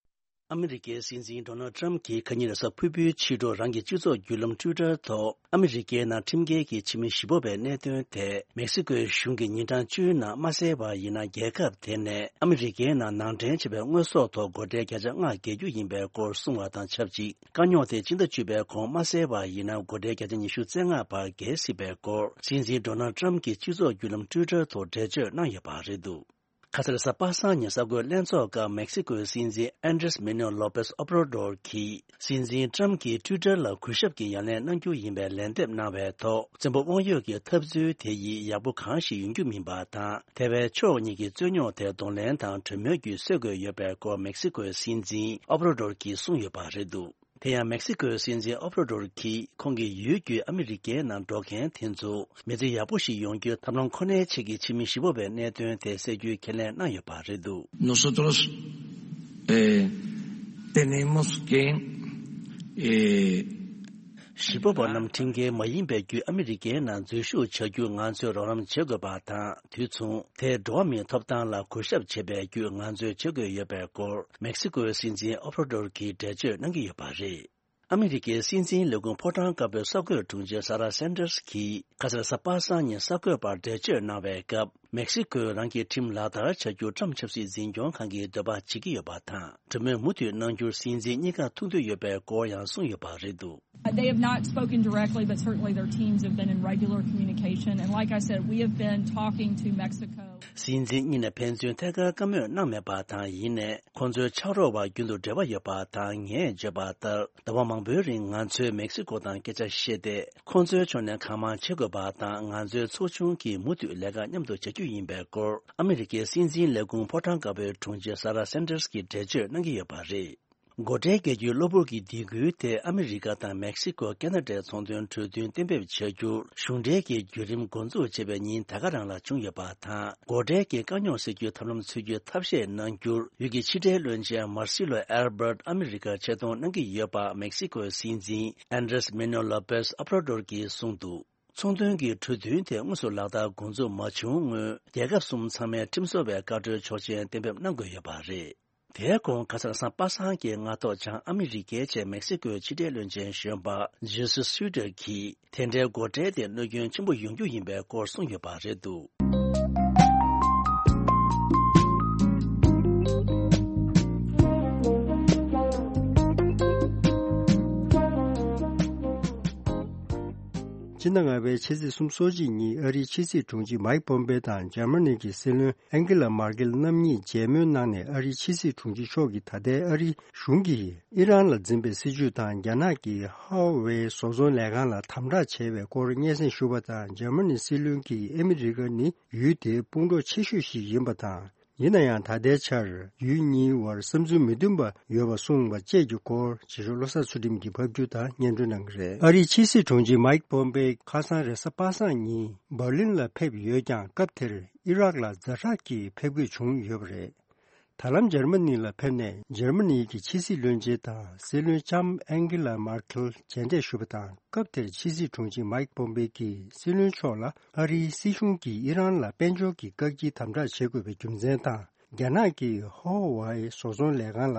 ཨ་མི་རི་ཀའི་སྲིད་འཛིན་ཌོ་ནལ་ཊམ་གྱིས་ཁ་ཉིན་རེས་གཟའ་ཕུར་བུའི་ཕྱི་དྲོ་རང་གི་སྤྱི་ཚོགས་བརྒྱུད་ལམ་ཊུའི་ཊར་ཐོག་ཨ་མི་རི་ཀའི་ནང་ཁྲིམས་འགལ་གྱི་ཕྱི་མི་བཞི་སྤོ་བའི་གནད་དོན་ཐད། མེག་སི་ཀོའི་གཞུང་གིས་ཉིན་གྲངས་བཅུའི་ནང་མ་སེལ་བ་ཡིན་ན། རྒྱལ་ཁབ་དེ་ནས་ཨ་མི་རི་ཀའི་ནང་ནང་འདྲེན་བྱས་པའི་དངོས་ཟོག་ཐོག་སྒོ་ཁྲལ་བརྒྱ་ཆ་ལྔ་འགེལ་རྒྱུ་ཡིན་པའི་སྐོར་གསུངས་བ་དང་ཆབས་ཅིག་དཀའ་རྙོག་དེ་སྤྱི་ཟླ་བཅུ་པའི་གོང་མ་སེལ་བ་ཡིན་ན། སྒོ་ཁྲལ་བརྒྱ་ཆ་ཉི་ཤུ་རྩ་ལྔ་བར་འགེལ་སྲིད་པའི་སྐོར། སྲིད་འཛིན་ཌོ་ནལ་ཊམ་གྱིས་སྤྱི་ཚོགས་བརྒྱུད་ལམ་ཊུའི་ཊར་ཐོག་འགྲེལ་བརྗོད་གནང་ཡོད་པ་རེད་འདུག་ཁ་སང་རེས་གཟའ་པ་སངས་ཉིན་གསར་འགོད་ལྷན་ཚོགས་སྐབས་མེག་སི་ཀོའི་སྲིད་འཛིན་ཨན་ཌྲེས་མེ་ནུ་ལོ་པེས་ཨོབ་ར་ཌོར་གྱིས། སྲིད་འཛིན་ཊམ་གྱིས་ཊུའི་ཊར་ལ་གུས་ཞབས་ཀྱི་ཡ་ལན་གནང་རྒྱུ་ཡིན་པའི་ལན་འདེབས་གནང་བའི་ཐོག་བཙན་པོ་དབང་ཡོད་ཀྱི་འཐབ་རྩོད་དེ་ཡིས་ཡག་པོ་གང་ཞིག་ཡོང་རྒྱུ་མིན་པ་དང་། ཐེ་ཝན་ཕྱོགས་གཉིས་ཀྱི་རྩོད་རྙོག་དེ་གདོང་ལེན་དང་གྲོས་མོལ་བརྒྱུད་སེལ་དགོས་ཡོད་པའི་སྐོར་མེག་སི་ཀོའི་སྲིད་འཛིན་ཨོབ་ར་ཌོར་གྱིས་གསུངས་ཡོད་པ་རེད་འདུག་དེ་ཡང་མེག་སི་ཀོའི་སྲིད་འཛིན་ཨོབ་ར་ཌོར་གྱིས་ཁོང་གི་ཡུལ་བརྒྱུད་ཨ་མི་རི་ཀའི་ནང་འགྲོ་མཁན་དེ་ཚོ་མི་ཚེ་ཡག་པོ་ཞིག་ཡོང་རྒྱུའི་ཐབས་ལམ་ཁོ་ནའི་ཆེད་ཀྱི་ཕྱི་མི་བཞི་པོ་བའི་གནད་དོན་དེ་སེལ་རྒྱུའི་ཁས་ལེན་གནང་ཡོད་པ་རེད་འདུག Nosotros, eh, tenemos que, eh, ཞིག་སྤོབས་པ་རྣམས་ཁྲིམས་འགལ་མ་ཡིན་པའི་བརྒྱུད་ཨ་མི་རི་ཀའི་ནང་འཛུལ་ཞུགས་བྱ་རྒྱུ་ང་ཚོས་རོགས་རམ་བྱེད་དགོས་པ་དང་། དུས་མཚུངས་དེས་འགྲོ་བ་མིའི་ཐོབ་ཐང་ལ་གུས་ཞབས་བྱེད་པའི་བརྒྱུད་ང་ཚོས་བྱེད་དགོས་ཡོད་པའི་སྐོར་མེག་སི་ཀོའི་སྲིད་འཛིན་ཨོ་བྷ་ར་ཌོར་གྱིས་འགྲེལ་བརྗོད་གནང་གི་ཡོད་པ་རེད། ཨ་མི་རི་ཀའི་སྲིད་འཛིན་ལས་ཁུངས་ཕོ་བྲང་དཀར་པོའི་གསར་འགོད་དྲུང་ཆེ་ས་ར་སན་ཏར་སི་གིས་ཁ་སང་གཟའ་པ་སངས་ཉིན་གསར་འགོད་པར་འགྲེལ་བརྗོད་གནང་བའི་སྐབས། མེག་སི་ཀོས་རང་གི་ཁྲིམས་ལག་བསྟར་བྱ་རྒྱུ་ཊམ་ཆབ་སྲིད་འཛིན་སྐྱོང་ཁང་གིས་འདོད་པ་བྱེད་ཀྱི་ཡོད་པ་དང་། གྲོས་མོལ་མུ་མཐུད་གནང་རྒྱུར་སྲིད་འཛིན་གཉིས་ཀ་ཐུགས་འདོད་ཡོད་པའི་སྐོར་ཡང་གསུངས་ཡོད་པ་རེད་འདུག། They have not spoken directly, but certainly their teams have been in regular communication. And like I said, we have been talking to Mexico. སྲིད་འཛིན་གཉིས་ནས་ཕན་ཚུན་ཐད་ཀར་བཀའ་མོལ་གནང་མེད་པ་དང་། ཡིན་ནའི་ཁོང་ཚོའི་ཕྱག་རོགས་བར་རྒྱུན་དུ་འབྲེལ་བ་ཡོད་པ་དང་། ངས་བརྗོད་པ་ལྟར། ཟླ་བ་མང་པོའི་རིང་ང་ཚོས་མེག་སི་ཀོ་དང་སྐད་ཆ་བཤད་དེ། ཁོང་ཚོའི་ཕྱོགས་ནས་གང་མང་བྱེད་དགོས་པ་དང་། ང་ཚོའི་ཚོགས་ཆུང་གིས་མུ་མཐུད་ལས་ཀ་མཉམ་དུ་བྱ་རྒྱུ་ཡིན་པའི་སྐོར། ཨ་མི་རི་ཀའི་སྲིད་འཛིན་ལས་ཁུངས་ཕོ་བྲང་དཀར་པོའི་དྲུང་ཆེ་ས་ར་སན་ཏར་སི་གིས་འགྲེལ་བརྗོད་གནང་གི་ཡོད་པ་རེད། སྒོ་ཁྲལ་བཀལ་རྒྱུའི་གློ་བུར་གྱི་སྡིགས་སྐུལ་དེ་ཨ་མི་རི་ཀ་དང་མེག་སི་ཀོ་ཁེ་ན་ཌའི་ཚོང་དོན་གྲོས་མཐུན་གཏན་འབེབས་བྱ་རྒྱུར་གཞུང་འབྲེལ་གྱི་བརྒྱུད་རིམ་འགོ་འཛུགས་བྱས་པའི་ཉིན་ད་ག་རང་ལ་བྱུང་ཡོད་པ་དང་། སྒོ་ཁྲལ་གྱི་དཀའ་རྙོག་སེལ་རྒྱུའི་ཐབས་ལམ་འཚོལ་རྒྱུའི་ཐབས་ཤེས་གནང་རྒྱུར། ཡུལ་གྱི་ཕྱི་འབྲེལ་བློན་ཆེན་མར་སི་ལོ་ཨེལ་བར་ཨ་མི་རི་ཀར་ཆེད་གཏོང་གནང་གི་ཡོད་པ་མེག་སི་ཀོའི་སྲིད་འཛིན་ཨན་ཌྲེས་མེ་ནོ་ལོ་པེས་ཨོ་བྷ་ར་ཌོར་གྱིས་གསུངས་འདུག། ཚོང་དོན་གྱི་གྲོས་མཐུན་དེ་དངོས་སུ་ལག་བསྟར་འགོ་འཛུགས་མ་བྱུང་སྔོན། རྒྱལ་ཁབ་གསུམ་ཚང་མས་ཁྲིམས་བཟོ་བའི་བཀའ་འཁྲོལ་ཆོག་མཆན་གཏན་འབེབས་གནང་དགོས་ཡོད་པ་རེད། དེའི་གོང་ཁ་སང་གཟའ་པ་སངས་ཀྱི་སྔ་ཐོག་བྱང་ཨ་མི་རི་ཀའི་ཆེད་མེག་སི་ཀོའི་ཕྱི་འབྲེལ་བློན་ཆེན་གཞོན་པ་ཇེ་སུ་སུའི་ཏྲེར་གྱིས། དེ་འདྲའི་སྒོ་ཁྲལ་དེ་གནོད་སྐྱོན་ཆེན་པོ་ཡོང་རྒྱུ་ཡིན་པའི་སྐོར་གསུངས་ཡོད་པ་རེད་འདུག། སྤྱི་ཟླ་ལྔ་པའི་ཕྱི་ཚེས་སོ་གཅིག་ཉིན་ཨ་རིའི་ཕྱི་སྲིད་དྲུང་ཆེ་མཱིག་པོམ་པེ་དང་འཇར་མ་ནི་གི་སྲིད་བློན་ཨན་ཀི་ལ་མར་ཀེལ་རྣམ་གཉིས་མཇལ་མོལ་གནང་ནས། ཨ་རིའི་ཕྱི་སྲིད་དྲུང་ཆེ་མཆོག་གིས་ད་ལྟའི་ཨ་རིའི་གཞུང་གིས་ཨི་རན་ལ་འཛིན་པའི་སྲིད་བྱུས་དང་། རྒྱ་ནག་གིས་ཧྭ་ཝེ་བཟོ་ཚོང་ལས་ཁང་ལ་དམ་དྲག་བྱས་པའི་སྐོར་སྙན་སེང་ཞུས་པ་དང་། འཇར་མ་ནི་སྲིད་བློན་གྱིས་ཨ་མི་རི་ཀ་ནི་ཡུལ་དེའི་དཔུང་གྲོགས་ཆེ་ཤོས་ཤིག་ཡིན་པ་དང་། ཡིན་ན་ཡང་ད་ལྟའི་ཆར་ཡུལ་གཉིས་བར་བསམ་ཚུལ་མི་མཐུན་པ་ཡོད་པ་གསུངས་པ་བཅས་ཀྱི་སྐོར། རྗེ་ཤོག་བློ་བཟང་ཚུལ་ཁྲིམས་ཀྱིས་ཕབ་སྒྱུར་དང་སྙན་སྒྲོན་གནང་གི་རེད། ཨ་རིའི་ཕྱི་སྲིད་དྲུང་ཆེ་མཱིག་པོམ་པེ་ཁ་སང་རེས་གཟའ་པ་སངས་ཉིན་འབར་ལིན་ལ་ཕེབས་ཡོད་ཀྱང་། སྐབས་དེར་ཨི་རག་ལ་ཛ་དྲག་གི་ཕེབས་འཁོད་བྱུང་ཡོད་པ་རེད། ད་ལམ་འཇར་མ་ནི་ལ་ཕེབས་ནས་འཇར་མ་ནི་གི་ཕྱི་སྲིད་བློན་ཆེན་དང་སྲིད་བློན་ལྕམ་ཨན་ཀི་ལ་མར་ཁེལ་མཇལ་འཕྲད་ཞུས་པ་དང་། སྐབས་དེར་ཕྱི་སྲིད་དྲུང་ཆེ་མཱིག་པོམ་པེ་གིས་སྲིད་བློན་མཆོག་ལ་ཨ་རིའི་སྲིད་གཞུང་གིས་ཨི་རན་ལ་དཔལ་འབྱོར་གྱི་བཀག་སྐྱིལ་དམ་དྲག་བྱེད་དགོས་པའི་རྒྱུ་མཚན་དང་། རྒྱ་ནག་གིས་ཧོ་ཝའི་བཟོ་ཚོང་ལས་ཁང་ལ་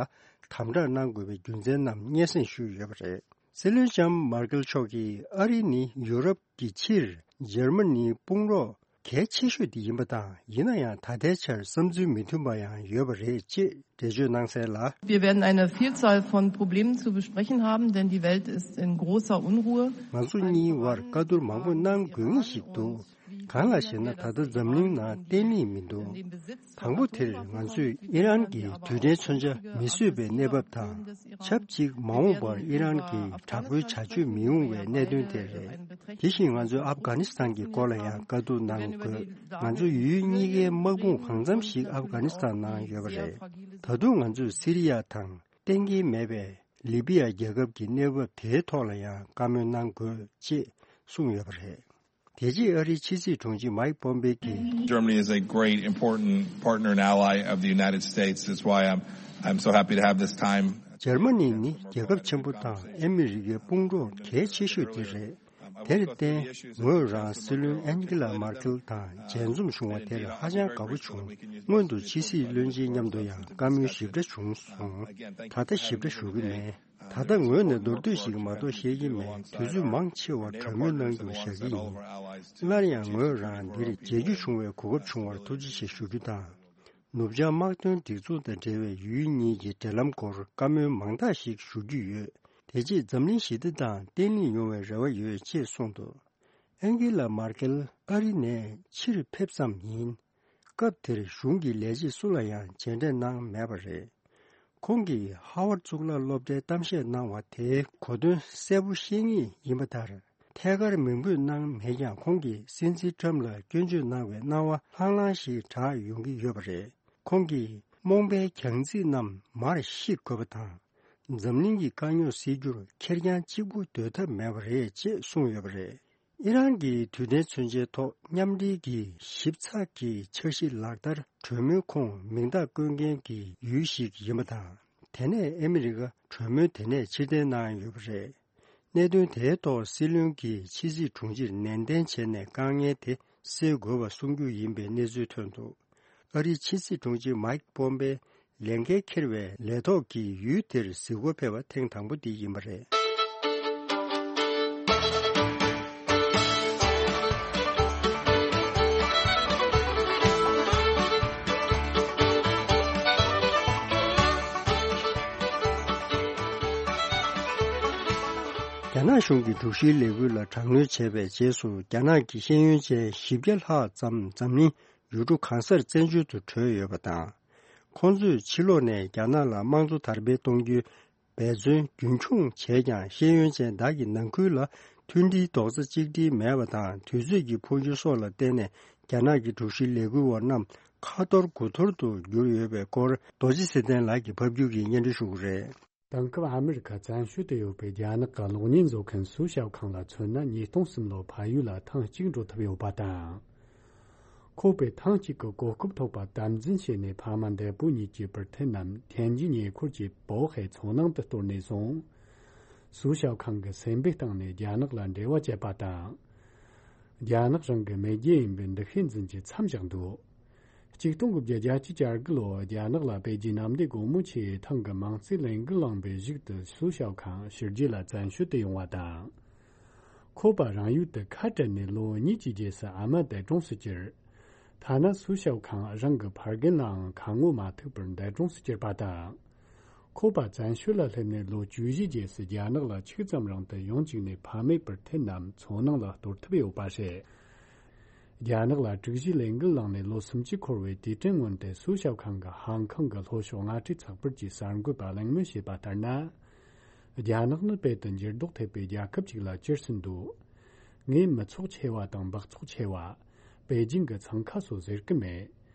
དམ་དྲག་གནང་དགོས་པའི་རྒྱུ་མཚན་རྣམས་སྙན་སེང་ཞུས་ཡོད་པ་རེད། སྲིད་བློན་ལྕམ་མར་ཀེལ་མཆོག་གིས་ཨ་རི་ནི་ཡུ་རོབ་ཀྱི་ཕྱིར་འཇར་མ་ནིའི་དཔུང་རོགས་གལ་ཆེ་ཤོས་དེ་ཡིན་པ་དང་། ཡིན་ན་ཡང་ད་ལྟའི་ཆར་བསམ་ཚུལ་མི་མཐུན་པ་ཡང་ཡོད་པ་རེད་ཅེས་འགྲེལ་བརྗོད་གནང་གསལ་ལ། Wir werden eine Vielzahl von Problemen zu besprechen haben, denn die Welt ist in großer Unruhe. ང་ཚོ་གཉིས་བར་བཀའ་བསྡུར་མང་པོ་གནང་དགོས་ངེས་ཤིག་འདུག། གང་ལགས་ཤེ་ན། ད་ལྟ་འཛམ་གླིང་ནང་བརྟན་ལྷིང་མི་འདུག། དང་པོ་དེར་ང་ཚོས་ཨི་རན་གྱི་རྡུལ་ཕྲན་མཚོན་ཆ་མི་བཟོས་པའི་གནས་བབ་དང་། ཆབས་ཅིག་མ་འོངས་པར་ཨི་རན་གྱི་དྲག་པོའི་བྱ་སྤྱོད་མི་ཡོང་བའི་གནད་དོན་དེ་རེད། དེ་བཞིན་ང་ཚོས་ཨབ་གྷ་ནི་སི་ཐན་གྱི་སྐོར་ལ་ཡང་བཀའ་བསྡུར་གནང་དགོས། ང་ཚོ་ཡུལ་གཉིས་ཀའི་དམག་དཔུང་གང་འཚམ་ཞིག་ཨབ་གྷ་ནི་སི་ཐན་ནང་ཡོད་པ་རེད། ད་དུང་ང་ཚོས་སི་རི་ཡ་དང་གཏན་འཁེལ་མེད་པའི་ལི་བི་ཡ་རྒྱལ་ཁབ་ཀྱི་གནས་བབ་དེའི་ཐོག་ལ་ཡང་བཀའ་མོལ་གནང་དགོས་ཅེས་གསུངས་ཡོད་པ་རེད། དེ་རྗེས་ཨ་རིའི་ཕྱི་སྲིད་དྲུང་ཆེ་མཱིག་པོམ་པེ་གིས། Germany is a great, important partner and ally of the United States. That's why I'm, I'm so happy to have this time. འཇར་མ་ནི་ནི་རྒྱལ་ཁབ་ཆེན་པོ་དང་ཨ་མི་རི་ཀའི་དཔུང་གྲོགས་གལ་ཆེ་ཤོས་དེ་རེད། དེར་བརྟེན་ངོས་རང་སྲིད་བློན་ཨན་ཀི་ལ་མར་ཀེལ་དང་མཇལ་འཛོམས་བྱུང་བ་དེར་ཧ་ཅང་དགའ་པོ་བྱུང་། སྔོན་དུ་ཕྱི་སྲིད་བློན་ཆེན་མཉམ་དུ་ཡང་བཀའ་མོལ་ཞིབ་ཕྲ་བྱུང་སོང་། ད་ལྟ་ཞིབ་ཕྲ་ཞུ་གི་མེད། ད་ལྟ་ངོས་ནས་མདོར་བསྡུས་ཤིག་མ་གཏོགས་བཤད་ཀྱི་མེད། དུས་ཚོད་མང་ཆེ་བ་གྲོས་མོལ་གནང་རྒྱུར་བཞག་གི་ཡིན། སླར་ཡང་ངོས་རང་འདིར་མཇལ་རྒྱུ་བྱུང་བའི་གོ་སྐབས་བྱུང་བར་ཐུགས་རྗེ་ཆེ་ཞུ་རྒྱུ་དང་། ནུབ་བྱང་དམག་དོན་སྒྲིག་འཛུགས་དང་འབྲེལ་བའི་ཡུལ་གཉིས་ཀྱི་འབྲེལ་ལམ་སྐོར་བཀའ་མོལ་མང་དག་ཞིག་ཞུ་རྒྱུ་ཡོད། དེ་རྗེས་འཛམ་གླིང་ཞི་བདེ་དང་བརྟན་ལྷིང་ཡོང་བའི་རེ་བ་ཡོད་ཅེས་གསུངས་འདུག། ཨན་ཀི་ལ་མར་ཀེལ་ཨ་རི་ནས་ཕྱིར་ཕེབས་ཙམ་ཡིན། སྐབས་དེར་གཞུང་གི་ལས་བྱེད་སུ་ལ་ཡང་མཇལ་འཕྲད་གནང་མེད་པ་རེད། ཁོང་གིས་ཧ་ཝར་གཙུག་ལག་སློབ་གྲྭའི་གཏམ་བཤད་གནང་བ་དེའི་གོ་དོན་གསལ་པོ་ཤེས་ངེས་ཡིན་པ་ལྟར། ཐད་ཀར་མིང་འབོད་གནང་མེད་ཀྱང་། ཁོང་གིས་སྲིད་འཛིན་ཊམ་ལ་སྐྱོན་བརྗོད་གནང་བའི་སྣང་བ་ལྷང་ལྷང་ཞིག་གྲགས་ཡོང་གི་ཡོད་པ་རེད། ཁོང་གིས་རྨོངས་པའི་གྱང་ཚིག་རྣམས་མར་བཤིག་དགོས་པ་དང་། འཛམ་གླིང་གི་དཀའ་རྙོག་སེལ་རྒྱུར་ཁེར་རྐྱང་གཅིག་པུ་སྡོད་ཐབས་མེད་པ་རེད་ཅེས་གསུངས་ཡོད་པ་རེད། ཨི་རན་གྱི་རྡུལ་ཕྲན་མཚོན་ཆའི་ཐོག་མཉམ་འབྲེལ་གྱི་ཞིབ་ཚགས་ཀྱི་འཆར་གཞི་ལག་བསྟར་གྲོས་མོལ་ཁོངས་མིང་རྟགས་བཀོད་མཁན་གྱི་ཡུལ་ཞིག་ཡིན་པ་དང་། དེ་ནས་ཨ་མི་རི་ཀ་གྲོས་མོལ་དེ་ནས་ཕྱིར་འཐེན་གནང་ཡོད་པ་རེད། གནད་དོན་དེའི་ཐོག་སྲིད་བློན་གྱིས་ཕྱི་སྲིད་དྲུང་ཆེར་ནན་ཏན་བྱས་ནས་དཀའ་ངལ་དེ་སེལ་དགོས་པ་གསུང་རྒྱུ་ཡིན་པའི་གནས་ཚུལ་ཐོན་འདུག་ཨ་རིའི་ཕྱི་སྲིད་དྲུང་ཆེ་མཱིག་པོམ་པེ་ལས་འགན་འཁྱེར་བའི་ལས་ཐོག་གི་ཡུལ་དེར་གཟིགས་སྐོར་ཕེབས་པ་ཐེངས་དང་པོ་དེ་ཡིན་པ་རེད། རྒྱ་ནག་གཞུང་གིས་དྲུག་བཞིའི་ལས་འགུལ་ལ་དྲག་གནོན་བྱས་པའི་རྗེས་སུ། རྒྱ་ནག་གི་ཤེས་ཡོན་ཅན་བཞི་བརྒྱ་ལྷག་ཙམ་འཛམ་གླིང་ཡུལ་གྲུ་གང་སར་བཙན་བྱོལ་དུ་བྲོས་ཡོད་པ་དང་། ཁོང་ཚོས་ཕྱི་ལོགས་ནས་རྒྱ་ནག་ལ་དམངས་གཙོ་དར་སྤེལ་གཏོང་རྒྱུའི་འབད་བརྩོན་རྒྱུན་འཁྱོངས་བྱས་ཀྱང་། ཤེས་ཡོན་ཅན་དག་གི་ནང་ཁུལ་ལ་མཐུན་སྒྲིལ་རྡོག་རྩ་གཅིག་སྒྲིལ་མེད་པ་དང་། དུས་ཚོད་ཀྱི་འཕོ་འགྱུར་སོགས་ལ་བརྟེན་ནས། རྒྱ་ནག་གི་དྲུག་བཞིའི་ལས་འགུལ་བ་རྣམས་ཁ་འཐོར་དགུ་འཐོར་དུ་གྱུར་ཡོད་པའི་སྐོར། རྡོ་རྗེ་ཚེ་བརྟན་ལགས་ཀྱིས་ཕབ་སྒྱུར་གྱིས་སྙན་སྒྲོན་ཞུ་གི་རེད། དེང་སྐབས་ཨ་མི་རི་ཁ་བཙན་བྱོལ་དུ་ཡོད་པའི་རྒྱ་ནག་གི་གློག་བརྙན་བཟོ་མཁན་སུའུ་ཞའོ་ཁང་ལ་མཚོན་ན། ཉིས་སྟོང་གསུམ་ལོར་ཕ་ཡུལ་ལ་ཐེངས་གཅིག་འགྲོ་ཐུབ་ཡོད་པ་དང་། ཁོ་པས་ཐེངས་གཅིག་གི་གོ་སྐབས་ཐོབ་པ་དམ་འཛིན་བྱས་ནས། ཕ་མ་འདས་པོ་གཉིས་ཀྱི་པར་ཐེན་ནམ་ཐེན་ཇི་ཉེ་འཁོར་གྱི་པའོ་ཧེ་མཚོ་ནང་དུ་གཏོར་ནས་བཟུང་། སུའུ་ཞའོ་ཁང་གི་སེམས་པའི་སྟེང་ནས་རྒྱ་ནག་ལ་འབྲེལ་བ་བཅད་པ་དང་། རྒྱ་ནག་རང་གི་མེས་རྒྱལ་ཡིན་པའི་འདུ་ཤེས་འཛིན་རྒྱུ་མཚམས་བཞག་འདུག་གཅིག་སྟོང་དགུ་བརྒྱ་བརྒྱད་ཅུ་གྱ་དགུ་ལོར་རྒྱ་ནག་ལ་པེ་ཅིན་གནམ་བདེ་སྒོ་མོ་ཆེའི་ཐང་གི་དམངས་གཙོའི་ལས་འགུལ་བསླངས་པའི་གཞུག་ཏུ། སུའུ་ཞའོ་ཁང་ཕྱི་རྒྱལ་ལ་བཙན་བྱོལ་དུ་ཡོང་བ་དང་། ཁོ་པ་རང་ཡུལ་དུ་ཁ་བྲལ་ནས་ལོ་གཉིས་ཀྱི་རྗེས་སུ་ཨ་མ་འདས་གྲོངས་སུ་གྱུར། ཐ་ན་སུའུ་ཞའོ་ཁང་རང་གི་ཕ་རྒན་ལའང་ཁ་ངོ་མ་ཐུག་པར་འདས་གྲོངས་སུ་གྱུར་པ་དང་། ཁོ་པ་བཙན་བྱོལ་ལ་སླེབས་ནས་ལོ་བཅུ་བཞིའི་རྗེས་སུ་རྒྱ་ནག་ལ་ཆིག་ཙམ་རིང་དུ་ཡང་བཅུག་ནས། ཕ་མེས་པར་ཐེན་ནམ་མཚོ་ནང་ལ་གཏོར་ཐུབ་ཡོད་པ་རེད། རྒྱ་ནག་ལ་དྲུག་བཞིའི་ལས་འགུལ་བསླངས་ནས་ལོ་སུམ་ཅུ་འཁོར་བའི་དུས་དྲན་སྔོན་དུ། སུའུ་ཞའོ་ཁང་གིས་ཧང་ཀང་གི་ལྷོ་ཕྱོགས་མངའ་སྡེ་ཚགས་པར་གྱི་གསར་འགོད་པར་གླེང་མོལ་བྱས་པ་ལྟར་ན། རྒྱ་ནག་ནི་དཔལ་དུ་འགྱུར་ལྡོག་ཐེབས་པའི་རྒྱལ་ཁབ་ཅིག་ལ་གྱུར་ཟིན་འདུག་ངས་མི་ཚོགས་ཆེ་བ་དང་སྦགས་ཚོགས་ཆེ་བ། པེ་ཅིང་གི་འཚང་ཁ་སོགས་ཟེར་གི་མེད།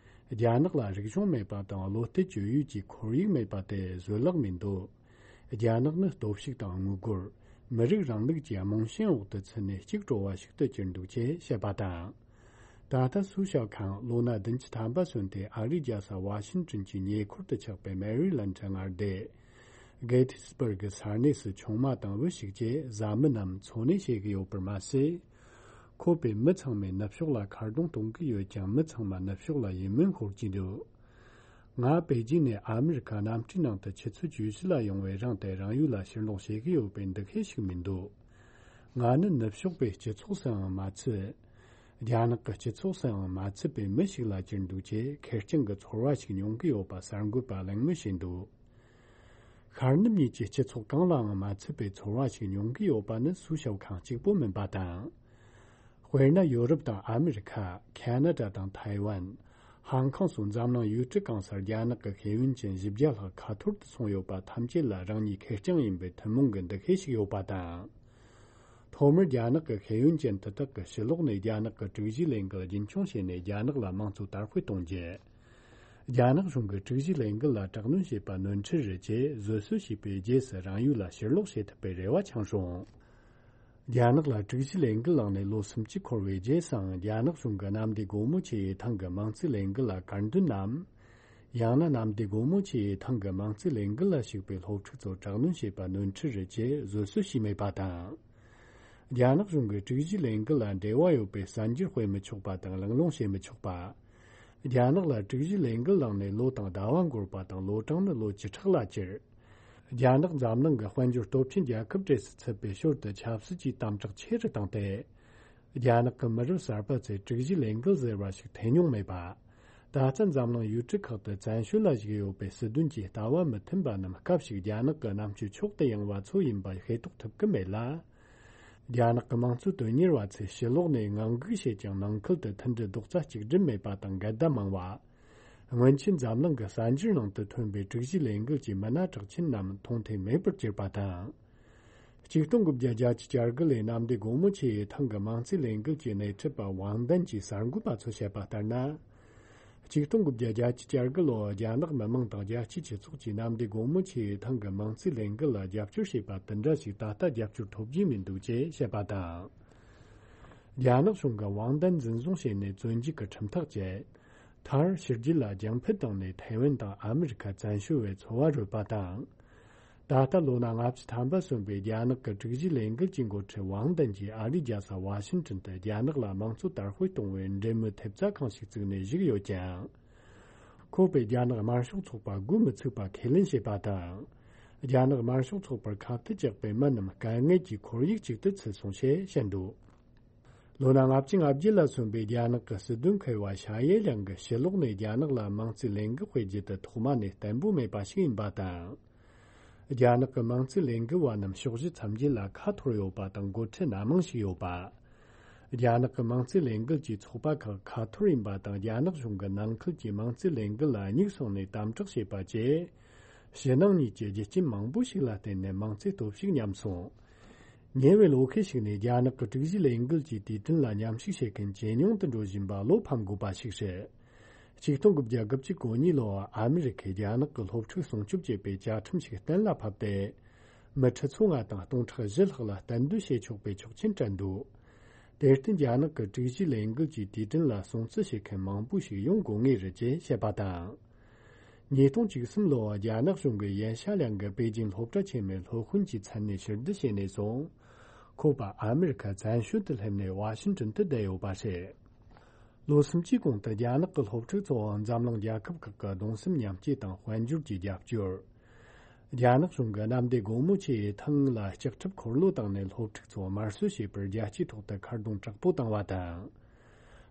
རྒྱ་ནག་ལ་རིག་གཞུང་མེད་པ་དང་། བློ་གཏད་བཅོལ་ཡུལ་གྱི་ཁོར་ཡུག་མེད་པ་དེ་བཟོད་གླགས་མི་འདུག་རྒྱ་ནག་ནི་སྟོབས་ཤུགས་དང་དངུལ་སྒོར། མི་རིགས་རིང་ལུགས་ཀྱི་རྨང་ཆེན་འོག་ཏུ་ཚུད་ནས་གཅིག་གྲོལ་བ་ཞིག་ཏུ་གྱུར་འདུག་ཅེས་བཤད་པ་དང་། ད་ལྟ་སུའུ་ཞའོ་ཁང་ལོ་ན་བདུན་ཅུ་ཐམ་པ་སོན་ཏེ། ཨ་རིའི་རྒྱལ་ས་ཝ་ཤིན་ཏོན་གྱི་ཉེ་འཁོར་དུ་ཆགས་པའི་མེ་རི་ལན་ཌི་མངའ་སྡེ་གེ་ཐི་སི་བར་གི་ས་གནས་སུ་ཆུང་མ་དང་བུ་ཞིག་བཅས་བཟའ་མི་རྣམས་འཚོ་གནས་བྱེད་ཀྱི་ཡོད་པར་མ་ཟད། ཁོ་པས་མི་ཚང་མས་ནུབ་ཕྱོགས་ལ་ཁ་རྡུང་གཏོང་གི་ཡོད་ཀྱང་། མི་ཚང་མ་ནུབ་ཕྱོགས་ལ་ཡིད་སྨོན་འཁོར་གྱི་འདུག་ང་པེ་ཅིན་ནས་ཨ་མི་རི་ཁ་གནམ་གྲུའི་ནང་དུ་ཆུ་ཚོད་བཅུ་བཞི་ལ་ཡོང་བའི་རིང་དུ་རང་ཡུལ་ལ་ཕྱིར་ལོག་བྱེད་ཀྱི་ཡོད་པའི་འདུ་ཤེས་ཤིག་མི་འདུག་ང་ནི་ནུབ་ཕྱོགས་པའི་སྤྱི་ཚོགས་སུའང་མ་ཚུད། རྒྱ་ནག་གི་སྤྱི་ཚོགས་སུའང་མ་ཚུད་པའི་མི་ཞིག་ལ་གྱུར་འདུག་ཅེས་ཁེར་རྐྱང་གི་ཚོར་བ་ཞིག་མྱོང་གི་ཡོད་པ་གསར་འགོད་པ་གླེང་མོལ་བྱས་འདུག་ཤར་ནུབ་གཉིས་ཀྱི་སྤྱི་ཚོགས་གང་ལའང་མ་ཚུད་པའི་ཚོར་བ་ཞིག་མྱོང་གི་ཡོད་པ་ནི་སུའུ་ཞའོ་ཁང་གཅིག་པོ་མིན་པ་དང་། དཔེར་ན། ཡོ་རོབ་དང་ཨ་མི་རི་ཁ། ཁ་ན་ཌ་དང་ཐའེ་ཝན། ཧང་ཀང་སོགས་འཛམ་གླིང་ཡུལ་གྲུ་གང་སར་རྒྱ་ནག་གི་ཤེས་ཡོན་ཅན་བཞི་བརྒྱ་ལྷག་ཁ་འཐོར་དུ་སོང་ཡོད་པ་ཐམས་ཅད་ལ་རང་ཉིད་ཁེར་རྐྱང་ཡིན་པའི་ཐུན་མོང་གི་འདུ་ཤེས་ཤིག་ཡོད་པ་དང་། ཐོག་མར་རྒྱ་ནག་གི་ཤེས་ཡོན་ཅན་དེ་དག་གིས་ཕྱི་ལོགས་ནས་རྒྱ་ནག་གི་དྲུག་བཞིའི་ལས་འགུལ་རྒྱུན་འཁྱོངས་བྱས་ནས་རྒྱ་ནག་ལ་དམངས་གཙོ་དར་སྤེལ་གཏོང་རྒྱུ། རྒྱ་ནག་གཞུང་གིས་དྲུག་བཞིའི་ལས་འགུལ་ལ་དྲག་གནོན་བྱས་པ་ནོར་འཁྲུལ་རེད་ཅེས་བཟོད་གསོལ་ཞུས་པའི་རྗེས་སུ་རང་ཡུལ་ལ་ཕྱིར་ལོག་བྱེད་ཐུབ་པའི་རེ་བ་འཆང་རུང་། རྒྱ་ནག་ལ་དྲུག་བཞིའི་ལས་འགུལ་བསླངས་ནས་ལོ་སུམ་ཅུ་འཁོར་བའི་རྗེས་སུའང་རྒྱ་ནག་གཞུང་གིས་གནམ་བདེ་སྒོ་མོ་ཆེའི་ཐང་གི་དམངས་གཙོའི་ལས་འགུལ་ལ་དཀར་འདོན་ནམ། ཡང་ན་གནམ་བདེ་སྒོ་མོ་ཆེའི་ཐང་གི་དམངས་གཙོའི་ལས་འགུལ་ལ་ཞུགས་པའི་སློབ་ཕྲུག་ཚོར་དྲག་གནོན་བྱས་པ་ནོར་འཁྲུལ་རེད་ཅེས་བཟོད་གསོལ་ཞུས་མེད་པ་དང་། རྒྱ་ནག་གཞུང་གིས་དྲུག་བཞིའི་ལས་འགུལ་ལ་འབྲེལ་བ་ཡོད་པའི་གསར་འགྱུར་སྤེལ་མི་ཆོག་པ་དང་གླེང་སློང་བྱེད་མི་ཆོག་པ། རྒྱ་ནག་ལ་དྲུག་བཞིའི་ལས་འགུལ་བསླངས་ནས་ལོ་དང་ཟླ་བ་འགོར་བ་དང་། ལོ་གྲངས་ནི་ལོ་བཅུ་ཕྲག་ལ་གྱུར། རྒྱ་ནག་འཛམ་གླིང་གི་དཔལ་འབྱོར་སྟོབས་ཆེན་རྒྱལ་ཁབ་གྲས་སུ་ཚུད་པའི་ཞོར་དུ་ཆབ་སྲིད་ཀྱི་དམ་དྲག་ཆེ་རུ་བཏང་སྟེ། རྒྱ་ནག་གི་མི་རབས་གསར་པ་ཚོས་དྲུག་བཞིའི་ལས་འགུལ་ཟེར་བ་ཞིག་ཐོས་མྱོང་མེད་པ། ད་ལྟ་འཛམ་གླིང་ཡུལ་གྲུ་ཁག་ཏུ་བཙན་བྱོལ་ལ་བཞུགས་ཡོད་པའི་སྲིད་དོན་གྱི་ལྟ་བ་མི་མཐུན་པ་རྣམས་སྐབས་ཤིག་རྒྱ་ནག་གི་རྣམ་དཔྱོད་མཆོག་ཏུ་ཡངས་པ་ཚོ་ཡིན་པ་ཤེས་རྟོགས་ཐུབ་ཀྱི་མེད་ལ། རྒྱ་ནག་གི་དམངས་གཙོ་དོན་གཉེར་བ་ཚོས་ཕྱི་ལོགས་ནས་ངང་སྒུག་བྱེད་ཀྱང་ནང་ཁུལ་དུ་མཐུན་སྒྲིལ་རྡོག་རྩ་གཅིག་སྒྲིལ་མེད་པ་དང་འགལ་ཟླ་མང་བ། སྔོན་ཆད་འཛམ་གླིང་གི་གསར་འགྱུར་ནང་དུ་ཐོན་པའི་དྲུག་བཞིའི་ལས་འགུལ་གྱི་མི་སྣ་གྲགས་ཆེན་རྣམས་མཐོང་ཐོས་མེད་པར་གྱུར་པ་དང་། གཅིག་སྟོང་དགུ་བརྒྱ་བརྒྱད་ཅུ་གྱ་དགུ་ལོའི་གནམ་བདེ་སྒོ་མོ་ཆེའི་ཐང་གི་དམངས་གཙོའི་ལས་འགུལ་གྱི་སྣེ་ཁྲིད་པ་ཝང་ཏན་གྱིས་གསར་འགོད་པ་ཚོར་བཤད་པ་ལྟར་ན། གཅིག་སྟོང་དགུ་བརྒྱ་བརྒྱད་ཅུ་གྱ་དགུ་ལོར་རྒྱ་ནག་མི་དམངས་དང་རྒྱལ་སྤྱིའི་སྤྱི་ཚོགས་ཀྱིས་གནམ་བདེ་སྒོ་མོ་ཆེའི་ཐང་གི་དམངས་གཙོའི་ལས་འགུལ་ལ་རྒྱབ་སྐྱོར་བྱས་པ་དེ་འདྲ་ཞིག་ད་ལྟ་རྒྱབ་སྐྱོར་ཐོབ་རྒྱུ་མི་འདུག་ཅེས་བཤད་པ་དང་། རྒྱ་ནག་གཞུང་གིས་ཝང་ཏན་འཛིན་བཟུང་བྱས་ནས་བཙོན་འཇུག་གི་ཁྲིམས་ཐག་བཅད། མཐར་ཕྱི་རྒྱལ་ལ་རྒྱང་འཕུར་བཏང་ནས་ཐའེ་ཝན་དང་ཨ་མི་རི་ཁ་བཙན་བྱོལ་བའི་འཚོ་བ་རོལ་པ་དང་། ད་ལྟ་ལོ་ན་ལྔ་བཅུ་ཐམ་པ་སོན་པའི་རྒྱ་ནག་གི་དྲུག་བཞིའི་ལས་འགུལ་གྱི་འགོ་ཁྲིད་ཝང་ཏན་གྱིས་ཨ་རིའི་རྒྱལ་ས་ཝ་ཤིང་ཏོན་དུ་རྒྱ་ནག་ལ་དམངས་གཙོ་དར་སྤེལ་གཏོང་བའི་འབྲེལ་མོལ་ཐེབས་རྩ་ཁང་ཞིག་བཙུགས་ནས་བཞུགས་ཡོད་ཀྱང་། ཁོ་པས་རྒྱ་ནག་དམར་ཤོག་ཚོགས་པ་སྒོ་མི་ཚུགས་པ་ཁས་ལེན་བྱས་པ་དང་། རྒྱ་ནག་དམར་ཤོག་ཚོགས་པར་ཁ་གཏད་བཅག་པའི་མི་རྣམས་དཀའ་ངལ་གྱི་ཁོར་ཡུག་ཅིག་ཏུ་ཚུད་སོང་ཞེས་བཤད་འདུག་ལོ་ན་ལྔ་བཅུ་ང་བརྒྱད་ལ་སོན་པའི་རྒྱ་ནག་གི་སྲིད་དོན་མཁས་པ་ཤ་ཡེ་ལིང་གིས་ཕྱི་ལོགས་ནས་རྒྱ་ནག་ལ་དམངས་གཙོའི་ལས་འགུལ་སྤེལ་རྒྱུ་དེ་ཐོག་མ་ནས་བརྟན་པོ་མེད་པ་ཞིག་ཡིན་པ་དང་། རྒྱ་ནག་གི་དམངས་གཙོའི་ལས་འགུལ་བ་རྣམས་ཕྱོགས་བཞི་མཚམས་བརྒྱད་ལ་ཁ་འཐོར་ཡོད་པ་དང་འགོ་ཁྲིད་སྣ་མང་ཞིག་ཡོད་པ། རྒྱ་ནག་གི་དམངས་གཙོའི་ལས་འགུལ་གྱི་ཚོགས་པ་ཁག་ཁ་འཐོར་ཡིན་པ་དང་རྒྱ་ནག་གཞུང་གི་ནང་ཁུལ་གྱི་དམངས་གཙོའི་ལས་འགུལ་ལ་སྙུག་སོང་ནས་དམ་དྲག་བྱས་པ་བཅས། ཕྱི་ནང་གཉིས་ཀྱི་རྒྱུ་རྐྱེན་མང་པོ་ཞིག་ལ་བརྟེན་ནས་དམངས་གཙོའི་སྟོབས་ཤུགས་ཉམས་སོང་། ཉེ་བའི་ལོ་ཤས་ཤིག་ནས་རྒྱ་ནག་གི་དྲུག་བཞིའི་ལས་འགུལ་གྱི་དུས་དྲན་ལ་མཉམ་ཞུགས་བྱེད་མཁན་ཇེ་ཉུང་དུ་འགྲོ་བཞིན་པ་བློ་ཕམ་དགོས་པ་ཞིག་རེད། ཆིག་སྟོང་དགུ་བརྒྱ་དགུ་བཅུ་གོ་གཉིས་ལོར་ཨ་མི་རི་ཁས་རྒྱ་ནག་གི་སློབ་ཕྲུག་སྲུང་སྐྱོབ་བྱེད་པའི་བཅའ་ཁྲིམས་ཤིག་གཏན་ལ་ཕབ་སྟེ། མི་ཁྲི་ཚོ་ལྔ་དང་སྟོང་ཕྲག་བཞི་ལྷག་ལ་གཏན་སྡོད་བྱེད་ཆོག་པའི་ཆོག་མཆན་སྤྲད་འདུག་དེར་བརྟེན་རྒྱ་ནག་གི་དྲུག་བཞིའི་ལས་འགུལ་གྱི་དུས་དྲན་ལ་སྲུང་བརྩི་བྱེད་མཁན་མང་པོ་ཞིག་ཡོང་དགོས་ངེས་རེད་ཅེས་བཤད་པ་དང་། ཉིས་སྟོང་བཅུ་གསུམ་ལོར་རྒྱ་ནག་གཞུང་གིས་ཡན་ཤ་ལིང་གིས་པེ་ཅིང་སློབ་གྲྭ་ཆེན་མོའི་སློབ་དཔོན་གྱི་མཚན་ནས་ཕྱིར་བསྡུ་བྱས་ནས་བཟུང་། ཁོ་པ་ཨ་མི་རི་ཁ་བཙན་བྱོལ་དུ་སླེབས་ནས་ཝ་ཤིང་ཏོན་དུ་བསྡད་ཡོད་པ་རེད། ལོ་གསུམ་གྱི་གོང་དུ་རྒྱ་ནག་གི་སློབ་ཕྲུག་ཚོ་འཛམ་གླིང་རྒྱལ་ཁབ་ཁག་གི་གདུང་སེམས་མཉམ་སྐྱེད་དང་དཔལ་འབྱོར་གྱི་རྒྱབ་སྐྱོར། རྒྱ་ནག་གཞུང་གིས་གནམ་བདེ་སྒོ་མོ་ཆེའི་ཐང་ལ་ལྕགས་ཁྲབ་འཁོར་ལོ་བཏང་ནས་སློབ་ཕྲུག་ཚོ་དམར་གསོད་བྱས་པར་རྒྱལ་སྤྱིའི་ཐོག་ཏུ་ཁ་རྡུང་དྲག་པོ་བཏང་བ་དང་།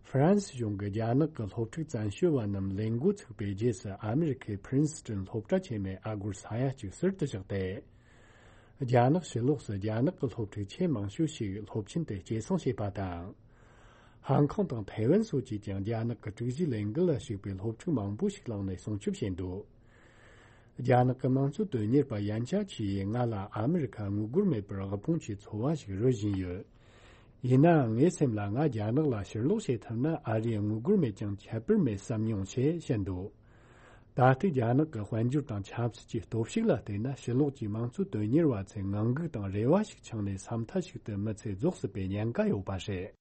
ཧྥ་རན་སི་གཞུང་གིས་རྒྱ་ནག་གི་སློབ་ཕྲུག་བཙན་བྱོལ་བ་རྣམས་ལས་འགོ་ཚུགས་པའི་རྗེས་སུ་ཨ་མི་རི་ཁའི་ཕི་རིན་སི་ཏོན་སློབ་གྲྭ་ཆེན་མོའི་ཨ་སྒོར་ས་ཡ་གཅིག་ཟུར་དུ་བཞག་སྟེ། རྒྱ་ནག་ཕྱི་ལོགས་སུ་རྒྱ་ནག་གི་སློབ་ཕྲུག་ཆེས་མང་ཤོས་ཤིག་སློབ་ཆེན་དུ་སྐྱེད་སྲིང་བྱས་པ་དང་། ཧང་ཀོང་དང་ཐའེ་ཝན་སོགས་ཀྱིས་ཀྱང་རྒྱ་ནག་གི་དྲུག་བཞིའི་ལས་འགུལ་ལ་ཞུགས་པའི་སློབ་ཕྲུག་མང་པོ་ཞིག་བླངས་ནས་སྲུང་སྐྱོབ་བྱས་འདུག་རྒྱ་ནག་གི་དམངས་གཙོ་དོན་གཉེར་པ་ཡན་ཅཱ་ཆི་ཡིས་ང་ལ་ཨ་མི་རི་ཁ་དངུལ་སྒོར་མེད་པར་དབུལ་ཕོངས་ཀྱི་འཚོ་བ་ཞིག་རོལ་བཞིན་ཡོད། ཡིན་ནའང་ངའི་སེམས་ལ་ང་རྒྱ་ནག་ལ་ཕྱིར་ལོག་བྱེད་ཐུབ་ན་ཨ་རིའི་དངུལ་སྒོར་མེད་ཀྱང་ཁྱད་པར་མེད་བསམ་མྱོང་ཞེས་བཤད་འདུག་ད་ལྟའི་རྒྱ་ནག་གི་དཔལ་འབྱོར་དང་ཆབ་སྲིད་ཀྱི་སྟོབས་ཤུགས་ལ་བལྟས་ན་ཕྱི་ལོགས་ཀྱི་དམངས་གཙོ་དོན་གཉེར་བ་ཚོས་ངང་སྒུག་དང་རེ་བ་ཞིག་འཆང་ནས་ས་མཐའ་ཞིག་ཏུ་མི་ཚེ་རྫོགས་སྲིད་པའི་ཉེན་ཁ་ཡོད་པ་རེད།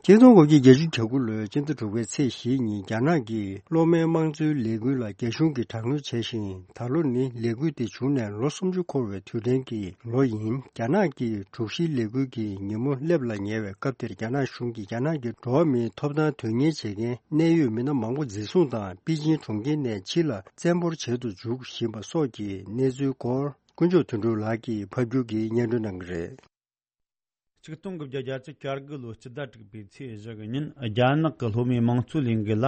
ཆིག་སྟོང་དགུ་བརྒྱ་བརྒྱད་ཅུ་གྱ་དགུ་ལོའི་སྤྱི་ཟླ་དྲུག་པའི་ཚེས་བཞི་ཉིན་རྒྱ་ནག་གིས་གློག་མེའི་དམངས་གཙོའི་ལས་འགུལ་ལ་རྒྱ་གཞུང་གིས་དྲག་གནོན་བྱས་ཤིང་། ད་ལོ་ནི་ལས་འགུལ་དེ་བྱུང་ནས་ལོ་སུམ་ཅུ་འཁོར་བའི་དུས་དྲན་གྱི་ལོ་ཡིན། རྒྱ་ནག་གི་དྲུག་བཞིའི་ལས་འགུལ་གྱི་ཉིན་མོ་སླེབས་ལ་ཉེ་བའི་སྐབས་དེར་རྒྱ་ནག་གཞུང་གིས་རྒྱ་ནག་གི་འགྲོ་བ་མིའི་ཐོབ་ཐང་དོན་གཉེར་བྱེད་མཁན་གནད་ཡོད་མི་སྣ་མང་པོ་འཛིན་བཟུང་དང་པེ་ཅིན་གྲོང་ཁྱེར་ནས་ཕྱི་ལ་བཙན་འབོར་བྱེད་དུ་འཇུག་བཞིན་པ་སོགས་ཀྱི་གནས་ཚུལ་སྐོར་དཀོན་མཆོག་དོན་གྲུབ་ལགས་ཀྱིས་ཕབ་སྒྱུར་གྱིས་སྙན་སྒྲོན་གནང་གི་རེད། ཆིག་སྟོང་དགུ་བརྒྱ་བརྒྱད་ཅུ་གྱ་དགུ་ལོའི་སྤྱི་ཟླ་དྲུག་པའི་ཚེས་བཞི་གི་ཉིན་རྒྱ་ནག་གི་སློབ་མའི་དམངས་གཙོའི་ལས་འགུལ་ལ་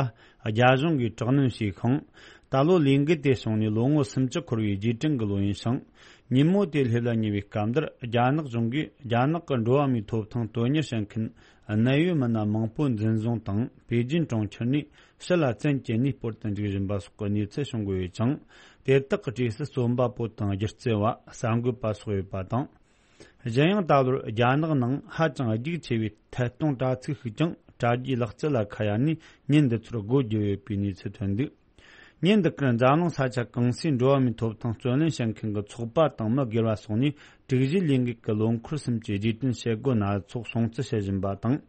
རྒྱ་གཞུང་གིས་དྲག་གནོན་བྱས་ཤིང་། ད་ལོ་ལས་འགུལ་དེ་བྱུང་ནས་ལོ་ངོ་སུམ་ཅུ་འཁོར་བའི་རྗེས་དྲན་གྱི་ལོ་ཡིན་ཞིང་། ཉིན་མོ་དེ་སླེབས་ལ་ཉེ་བའི་སྐབས་འདིར་རྒྱ་ནག་གཞུང་གིས་རྒྱ་ནག་གི་འགྲོ་བ་མིའི་ཐོབ་ཐང་དོན་གཉེར་བྱེད་མཁན་གནད་ཡོད་མི་སྣ་མང་པོ་འཛིན་བཟུང་དང་པེ་ཅིན་གྲོང་ཁྱེར་ནས་ཕྱི་ལ་བཙན་གྱིས་གནས་སྤོར་དུ་འཇུག་བཞིན་པ་སོགས་ཀྱི་གནས་ཚུལ་བྱུང་གི་ཡོད་ཅིང་། དེ་དག་གི་གྲས་སུ་རྩོམ་པ་པོ་དང་སྒྱུ་རྩལ་བ། གསར་འགོད་པ་སོགས་ཡོད་པ་དང་། གཞན་ཡང་ད་ལོར་རྒྱ་ནག་ནང་ཧ་ཅང་རྒྱུག་ཆེ་བའི་ཐད་གཏོང་དྲ་ཚིགས་ཤིག་ཀྱང་དྲ་རྒྱའི་ལག་རྩལ་ལ་ཁ་གཡར་ནས་ཉིན་འདི་ཚོར་སྒོ་བརྒྱབ་ཡོད་པའི་གནས་ཚུལ་ཐོན་འདུག་ཉིན་འདི་གར་འཛམ་གླིང་ས་ཆ་གང་སའི་འགྲོ་བ་མིའི་ཐོབ་ཐང་བརྩོན་ལེན་བྱེད་མཁན་གྱི་ཚོགས་པ་དང་མི་སྒེར་བ་སོགས་ནས་དྲུག་བཞིའི་ལས་འགུལ་གྱི་ལོ་འཁོར་གསུམ་གྱི་རྗེས་དྲན་བྱེད་སྒོ་སྣ་ཚོགས་སྲུང་བརྩི་བྱེད་བཞིན་པ་དང་།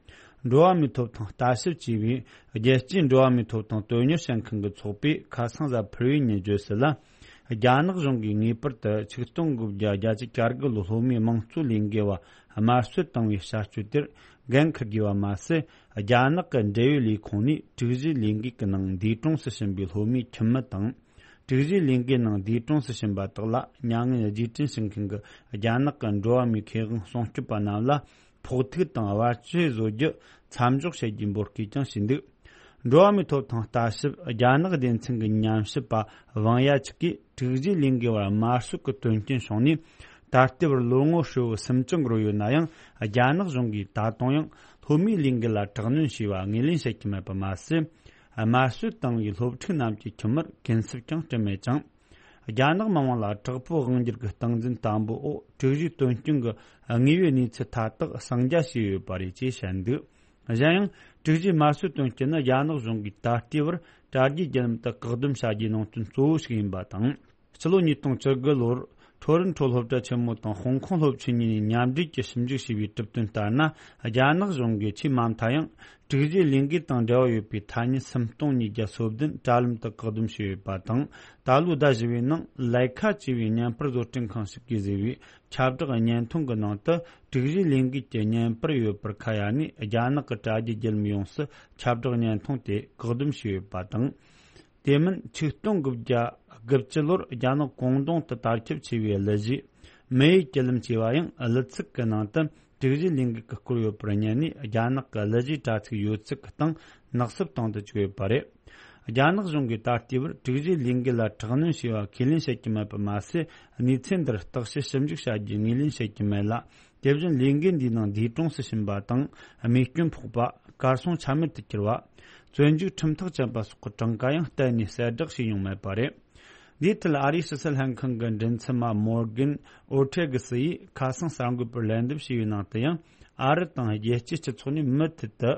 འགྲོ་བ་མིའི་ཐོབ་ཐང་ལྟ་ཞིབ་ཅེས་པའི་རྒྱལ་སྤྱིའི་འགྲོ་བ་མིའི་ཐོབ་ཐང་དོན་གཉེར་བྱེད་མཁན་གྱི་ཚོགས་པས་ཁ་སང་གཟའ་ཕུར་བུའི་ཉིན་བརྗོད་གསལ་ལ། རྒྱ་ནག་གཞུང་གིས་ངེས་པར་དུ་ཆིག་སྟོང་དགུ་བརྒྱ་བརྒྱད་ཅུ་གྱ་དགུ་ལོའི་སློབ་མའི་དམངས་གཙོའི་ལས་འགུལ་བ་དམར་གསོད་བཏང་བའི་བྱ་སྤྱོད་དེར་འགན་འཁུར་དགོས་པ་མ་ཟད། རྒྱ་ནག་གི་འབྲེལ་ཡོད་ལས་ཁུངས་ནས་དྲུག་བཞིའི་ལས་འགུལ་གྱི་ནང་འདས་གྲོངས་སུ་ཕྱིན་པའི་སློབ་མའི་ཁྱིམ་མི་དང་། དྲུག་བཞིའི་ལས་འགུལ་ནང་འདས་གྲོངས་སུ་ཕྱིན་པ་དག་ལ་མྱ་ངན་རྗེས་དྲན་ཞུ་མཁན་གྱི་རྒྱ་ནག་གི་འགྲོ་བ་མིའི་ཁེ་དབང་སྲུང་སྐྱོབ་པ་རྣམས་ལ་ཕོག་ཐུག་དང་བར་ཆད་བཟོ་རྒྱུ་མཚམས་འཇོག་བྱེད་རྒྱུའི་འབོད་སྐུལ་ཀྱང་བྱས་འདུག་འགྲོ་བ་མིའི་ཐོབ་ཐང་ལྟ་ཞིབ་རྒྱ་ནག་སྡེ་ཚན་གྱི་ཉམས་ཞིབ་པ་ཝང་ཡ་ཆིག་གིས་དྲུག་བཞིའི་ལས་འགུལ་བར་དམར་གསོད་ཀྱི་དོན་རྐྱེན་བྱུང་ནས་ད་ལྟའི་བར་ལོ་ངོ་ཧྲིལ་བོ་སུམ་ཅུ་འགོར་ཡོད་ན་ཡང་། རྒྱ་ནག་གཞུང་གིས་ད་དུང་ཡང་སློབ་མའི་ལས་འགུལ་ལ་དྲག་གནོན་བྱས་པ་ངོས་ལེན་བྱེད་ཀྱི་མེད་པ་མ་ཟད། དམར་གསོད་བཏང་བའི་སློབ་ཕྲུག་རྣམས་ཀྱི་ཁྱིམ་མིར་གུན་གསབ་ཀྱང་སྤྲད་མེད་ཅིང་། རྒྱ་ནག་མི་དམངས་ལ་དྲག་པོའི་དབང་སྒྱུར་གྱི་སྟངས་འཛིན་དམ་པོ་འོག་དྲུག་བཞིའི་དོན་རྐྱེན་གྱི་དངོས་ཡོད་གནས་ཚུལ་མཐའ་དག་གསང་རྒྱ་བྱས་ཡོད་པ་རེད་ཅེས་བཤད་འདུག་གཞན་ཡང་། དྲུག་བཞིའི་དམར་གསོད་དོན་རྐྱེན་ནི་རྒྱ་ནག་གཞུང་གིས་ད་ལྟའི་བར་དྲ་རྒྱའི་བརྒྱུད་ལམ་དུ་བཀག་སྡོམ་བྱ་རྒྱུའི་ནང་དོན་གཙོ་བོ་ཞིག་ཡིན་པ་དང་། ཕྱི་ལོ་ཉིས་སྟོང་བཅུ་དགུ་ལོར་ ཐོ་རོན་ཊོ་སློབ་གྲྭ་ཆེན་མོ་དང་ཧོང་ཀོང་སློབ་ཆེན་གཉིས་ནས་མཉམ་འབྲེལ་གྱིས་ཞིབ་འཇུག་བྱས་པའི་གྲུབ་དོན་ལྟར་ན། རྒྱ་ནག་གཞུང་གིས་ཆེས་མ་མཐའ་ཡང་དྲུག་གཞིའི་ལས་འགུལ་དང་འབྲེལ་བ་ཡོད་པའི་ཐ་སྙད་སུམ་སྟོང་ཉིས་བརྒྱ་སོ་བདུན་དྲ་ལམ་དུ་བཀག་སྡོམ་བྱས་ཡོད་པ་དང་། ད་ལོའི་ཟླ་བཞི་བའི་ནང་ལའི་ཁ་ཅེས་པའི་བརྙན་པར་བཟོ་སྐྲུན་ཁང་ཞིག་གིས་བཟོས་པའི་ཁྱབ་བསྒྲགས་བརྙན་ཐུང་གི་ནང་དུ་དྲུག་གཞིའི་ལས་འགུལ་གྱི་བརྙན་པར་ཡོད་པར་ཁ་གཡར་ནས། རྒྱ་ནག་གི་དྲ་རྒྱའི་བརྒྱུད་ལམ་ཡོངས་སུ་ཁྱབ་བསྒྲགས་བརྙན་ཐུང་དེ་བཀག་སྡོམ་བྱས་ཡོད་པ་དང་། དེ་མིན་ཆིག་སྟོང་དགུ་བརྒྱ་དགུ་བཅུ་ལོར་རྒྱ་ནག་ཀོང་ཏུང་དུ་དར་ཁྱབ་ཆེ་བའི་གླུ་གཞས་མེ་ཡི་གྱི་ལམ་ཅེས་པ་ཡང་གླུ་ཚིག་གི་ནང་དུ་དྲུག་གཞིའི་ལས་འགུལ་གྱི་སྐོར་ཡོད་པར་བསྙད་ནས། རྒྱ་ནག་གི་གླུ་གཞས་དྲ་ཚིགས་ཡོད་ཚད་ཀྱི་སྟེང་ནག་སུབ་བཏང་དུ་བཅུག་ཡོད་པ་རེད། རྒྱ་ནག་གཞུང་གིས་ད་ལྟའི་བར་དྲུག་གཞིའི་ལས་འགུལ་ལ་དྲག་གནོན་བྱས་པ་ཁས་ལེན་བྱེད་ཀྱི་མེད་པ་མ་ཟད། གནས་ཚུལ་འདིར་བརྟག་དཔྱད་ཞིབ་འཇུག་བྱ་རྒྱུའི་ངོས་ལེན་བྱེད་ཀྱི་མེད་ལ། དེ་བཞིན་ལས་འགུལ་འདིའི་ནང་འདས་གྲོངས་སུ་ཕྱིན་པ་དང་། རྨས་སྐྱོན་ཕོག་པ། གར་སོང་ཆ་མེད་དུ་གྱུར་བ། བཙོན་འཇུག་ཁྲིམས་ཐག་བཅད་པ་སོགས་ཀྱི་གྲངས་ཀ་ཡང་གཏན་ནས་གསལ་བསྒྲགས་བྱས་མྱོང་མེད་པ་རེད། འདིའི་ཐད་ཨ་རིའི་ཕྱི་སྲིད་ལྷན་ཁང་གི་མགྲིན་ཚབ་པ་མོར་གན་ཨོར་ཐེ་གི་སི་ཡིས་ཁ་སང་གསར་འགོད་པར་ལན་འདེབས་བྱས་པའི་ནང་དུ་ཡང་། ཨ་རི་དང་རྒྱལ་སྤྱིའི་སྤྱི་ཚོགས་ནས་མུ་མཐུད་དུ་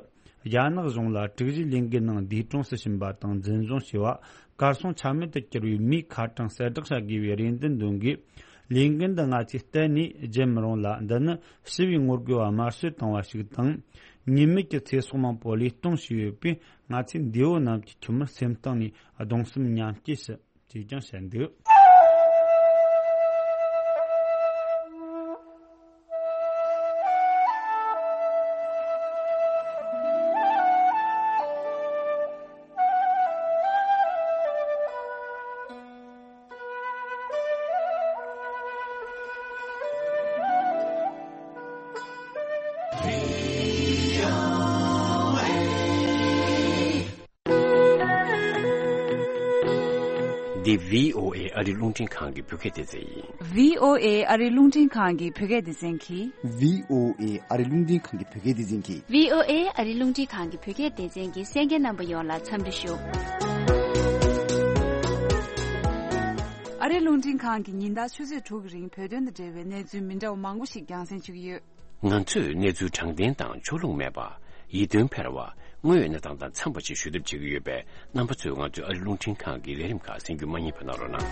རྒྱ་ནག་གཞུང་ལ་དྲུག་གཞིའི་ལས་འགུལ་ནང་འདས་གྲོངས་སུ་ཕྱིན་པ་དང་འཛིན་བཟུང་བྱས་པ། གར་སོང་ཆ་མེད་དུ་གྱུར་བའི་མིའི་ཁ་གྲངས་གསལ་བསྒྲགས་བྱ་དགོས་པའི་རེ་འདུན་འདོན་དགོས། ལས་འགུལ་འདི་ང་ཚོས་གཏན་ནས་བརྗེད་མི་རུང་ལ། འདི་ནི་ཞི་བའི་ངོ་རྒོལ་བ་དམར་གསོད་བཏང་བ་ཞིག་དང་། ཉེས་མེད་ཀྱི་ཚེ་སྲོག་མང་པོ་བློས་གཏོང་བྱས་ཡོད་པས། ང་ཚོས་འདས་པོ་རྣམས་ཀྱི་ཁྱིམ་མི་སེམས་གཏིང་ནས་གདུང་སེམས་མཉམ་སྐྱེད་ཞུ། ཅེས་ཀྱང་བཤད་འདུག་འདི་བྷི་ཨོ་ཨེ་ཨ་རི་རླུང་འཕྲིན་ཁང་གི་བོད་སྐད་སྡེ་ཚན་ཡིན། བྷི་ཨོ་ཨེ་ཨ་རི་རླུང་འཕྲིན་ཁང་གི་བོད་སྐད་སྡེ་ཚན་གྱིས། བྷི་ཨོ་ཨེ་ཨ་རི་རླུང་འཕྲིན་ཁང་གི་བོད་སྐད་སྡེ་ཚན་གྱིས། བྷི་ཨོ་ཨེ་ཨ་རི་རླུང་འཕྲིན་ཁང་གི་བོད་སྐད་སྡེ་ཚན་གྱི་གསན་མཁན་རྣམ་པ་ཡོངས་ལ་འཚམས་འདྲི་ཞུ། ཨ་རི་རླུང་འཕྲིན་ཁང་གིས་ཉིན་ལྟར་ཆུ་ཚོད་དྲུག་གི་རིང་བོད་དོན་དང་འབྲེལ་བའི་གནས་ཚུལ་མི་འདྲ་བ་མང་པོ་ཞིག་རྒྱང་སྲིང་ཞུ་གི་ཡོད། ང་ཚོས་གནས་ཚུལ་དྲང་བདེན་དང་ཕྱོགས་ལྷུང་མེད་པ། ཡིད་རྟོན་འཕེར་བ། དངོས་ཡོད་གནས་སྟངས་དང་འཚམས་པ་ཞིག་ཞུ་ཐབས་བྱེད་ཀྱི་ཡོད་པས། རྣམ་པ་ཚོས་ང་ཚོའི་ཨ་རི་རླུང་འཕྲིན་ཁང་གི་ལས་རིམ་ཁག་གསན་རྒྱུ་མ་བསྙེལ་བ་གནང་རོགས་གནང་།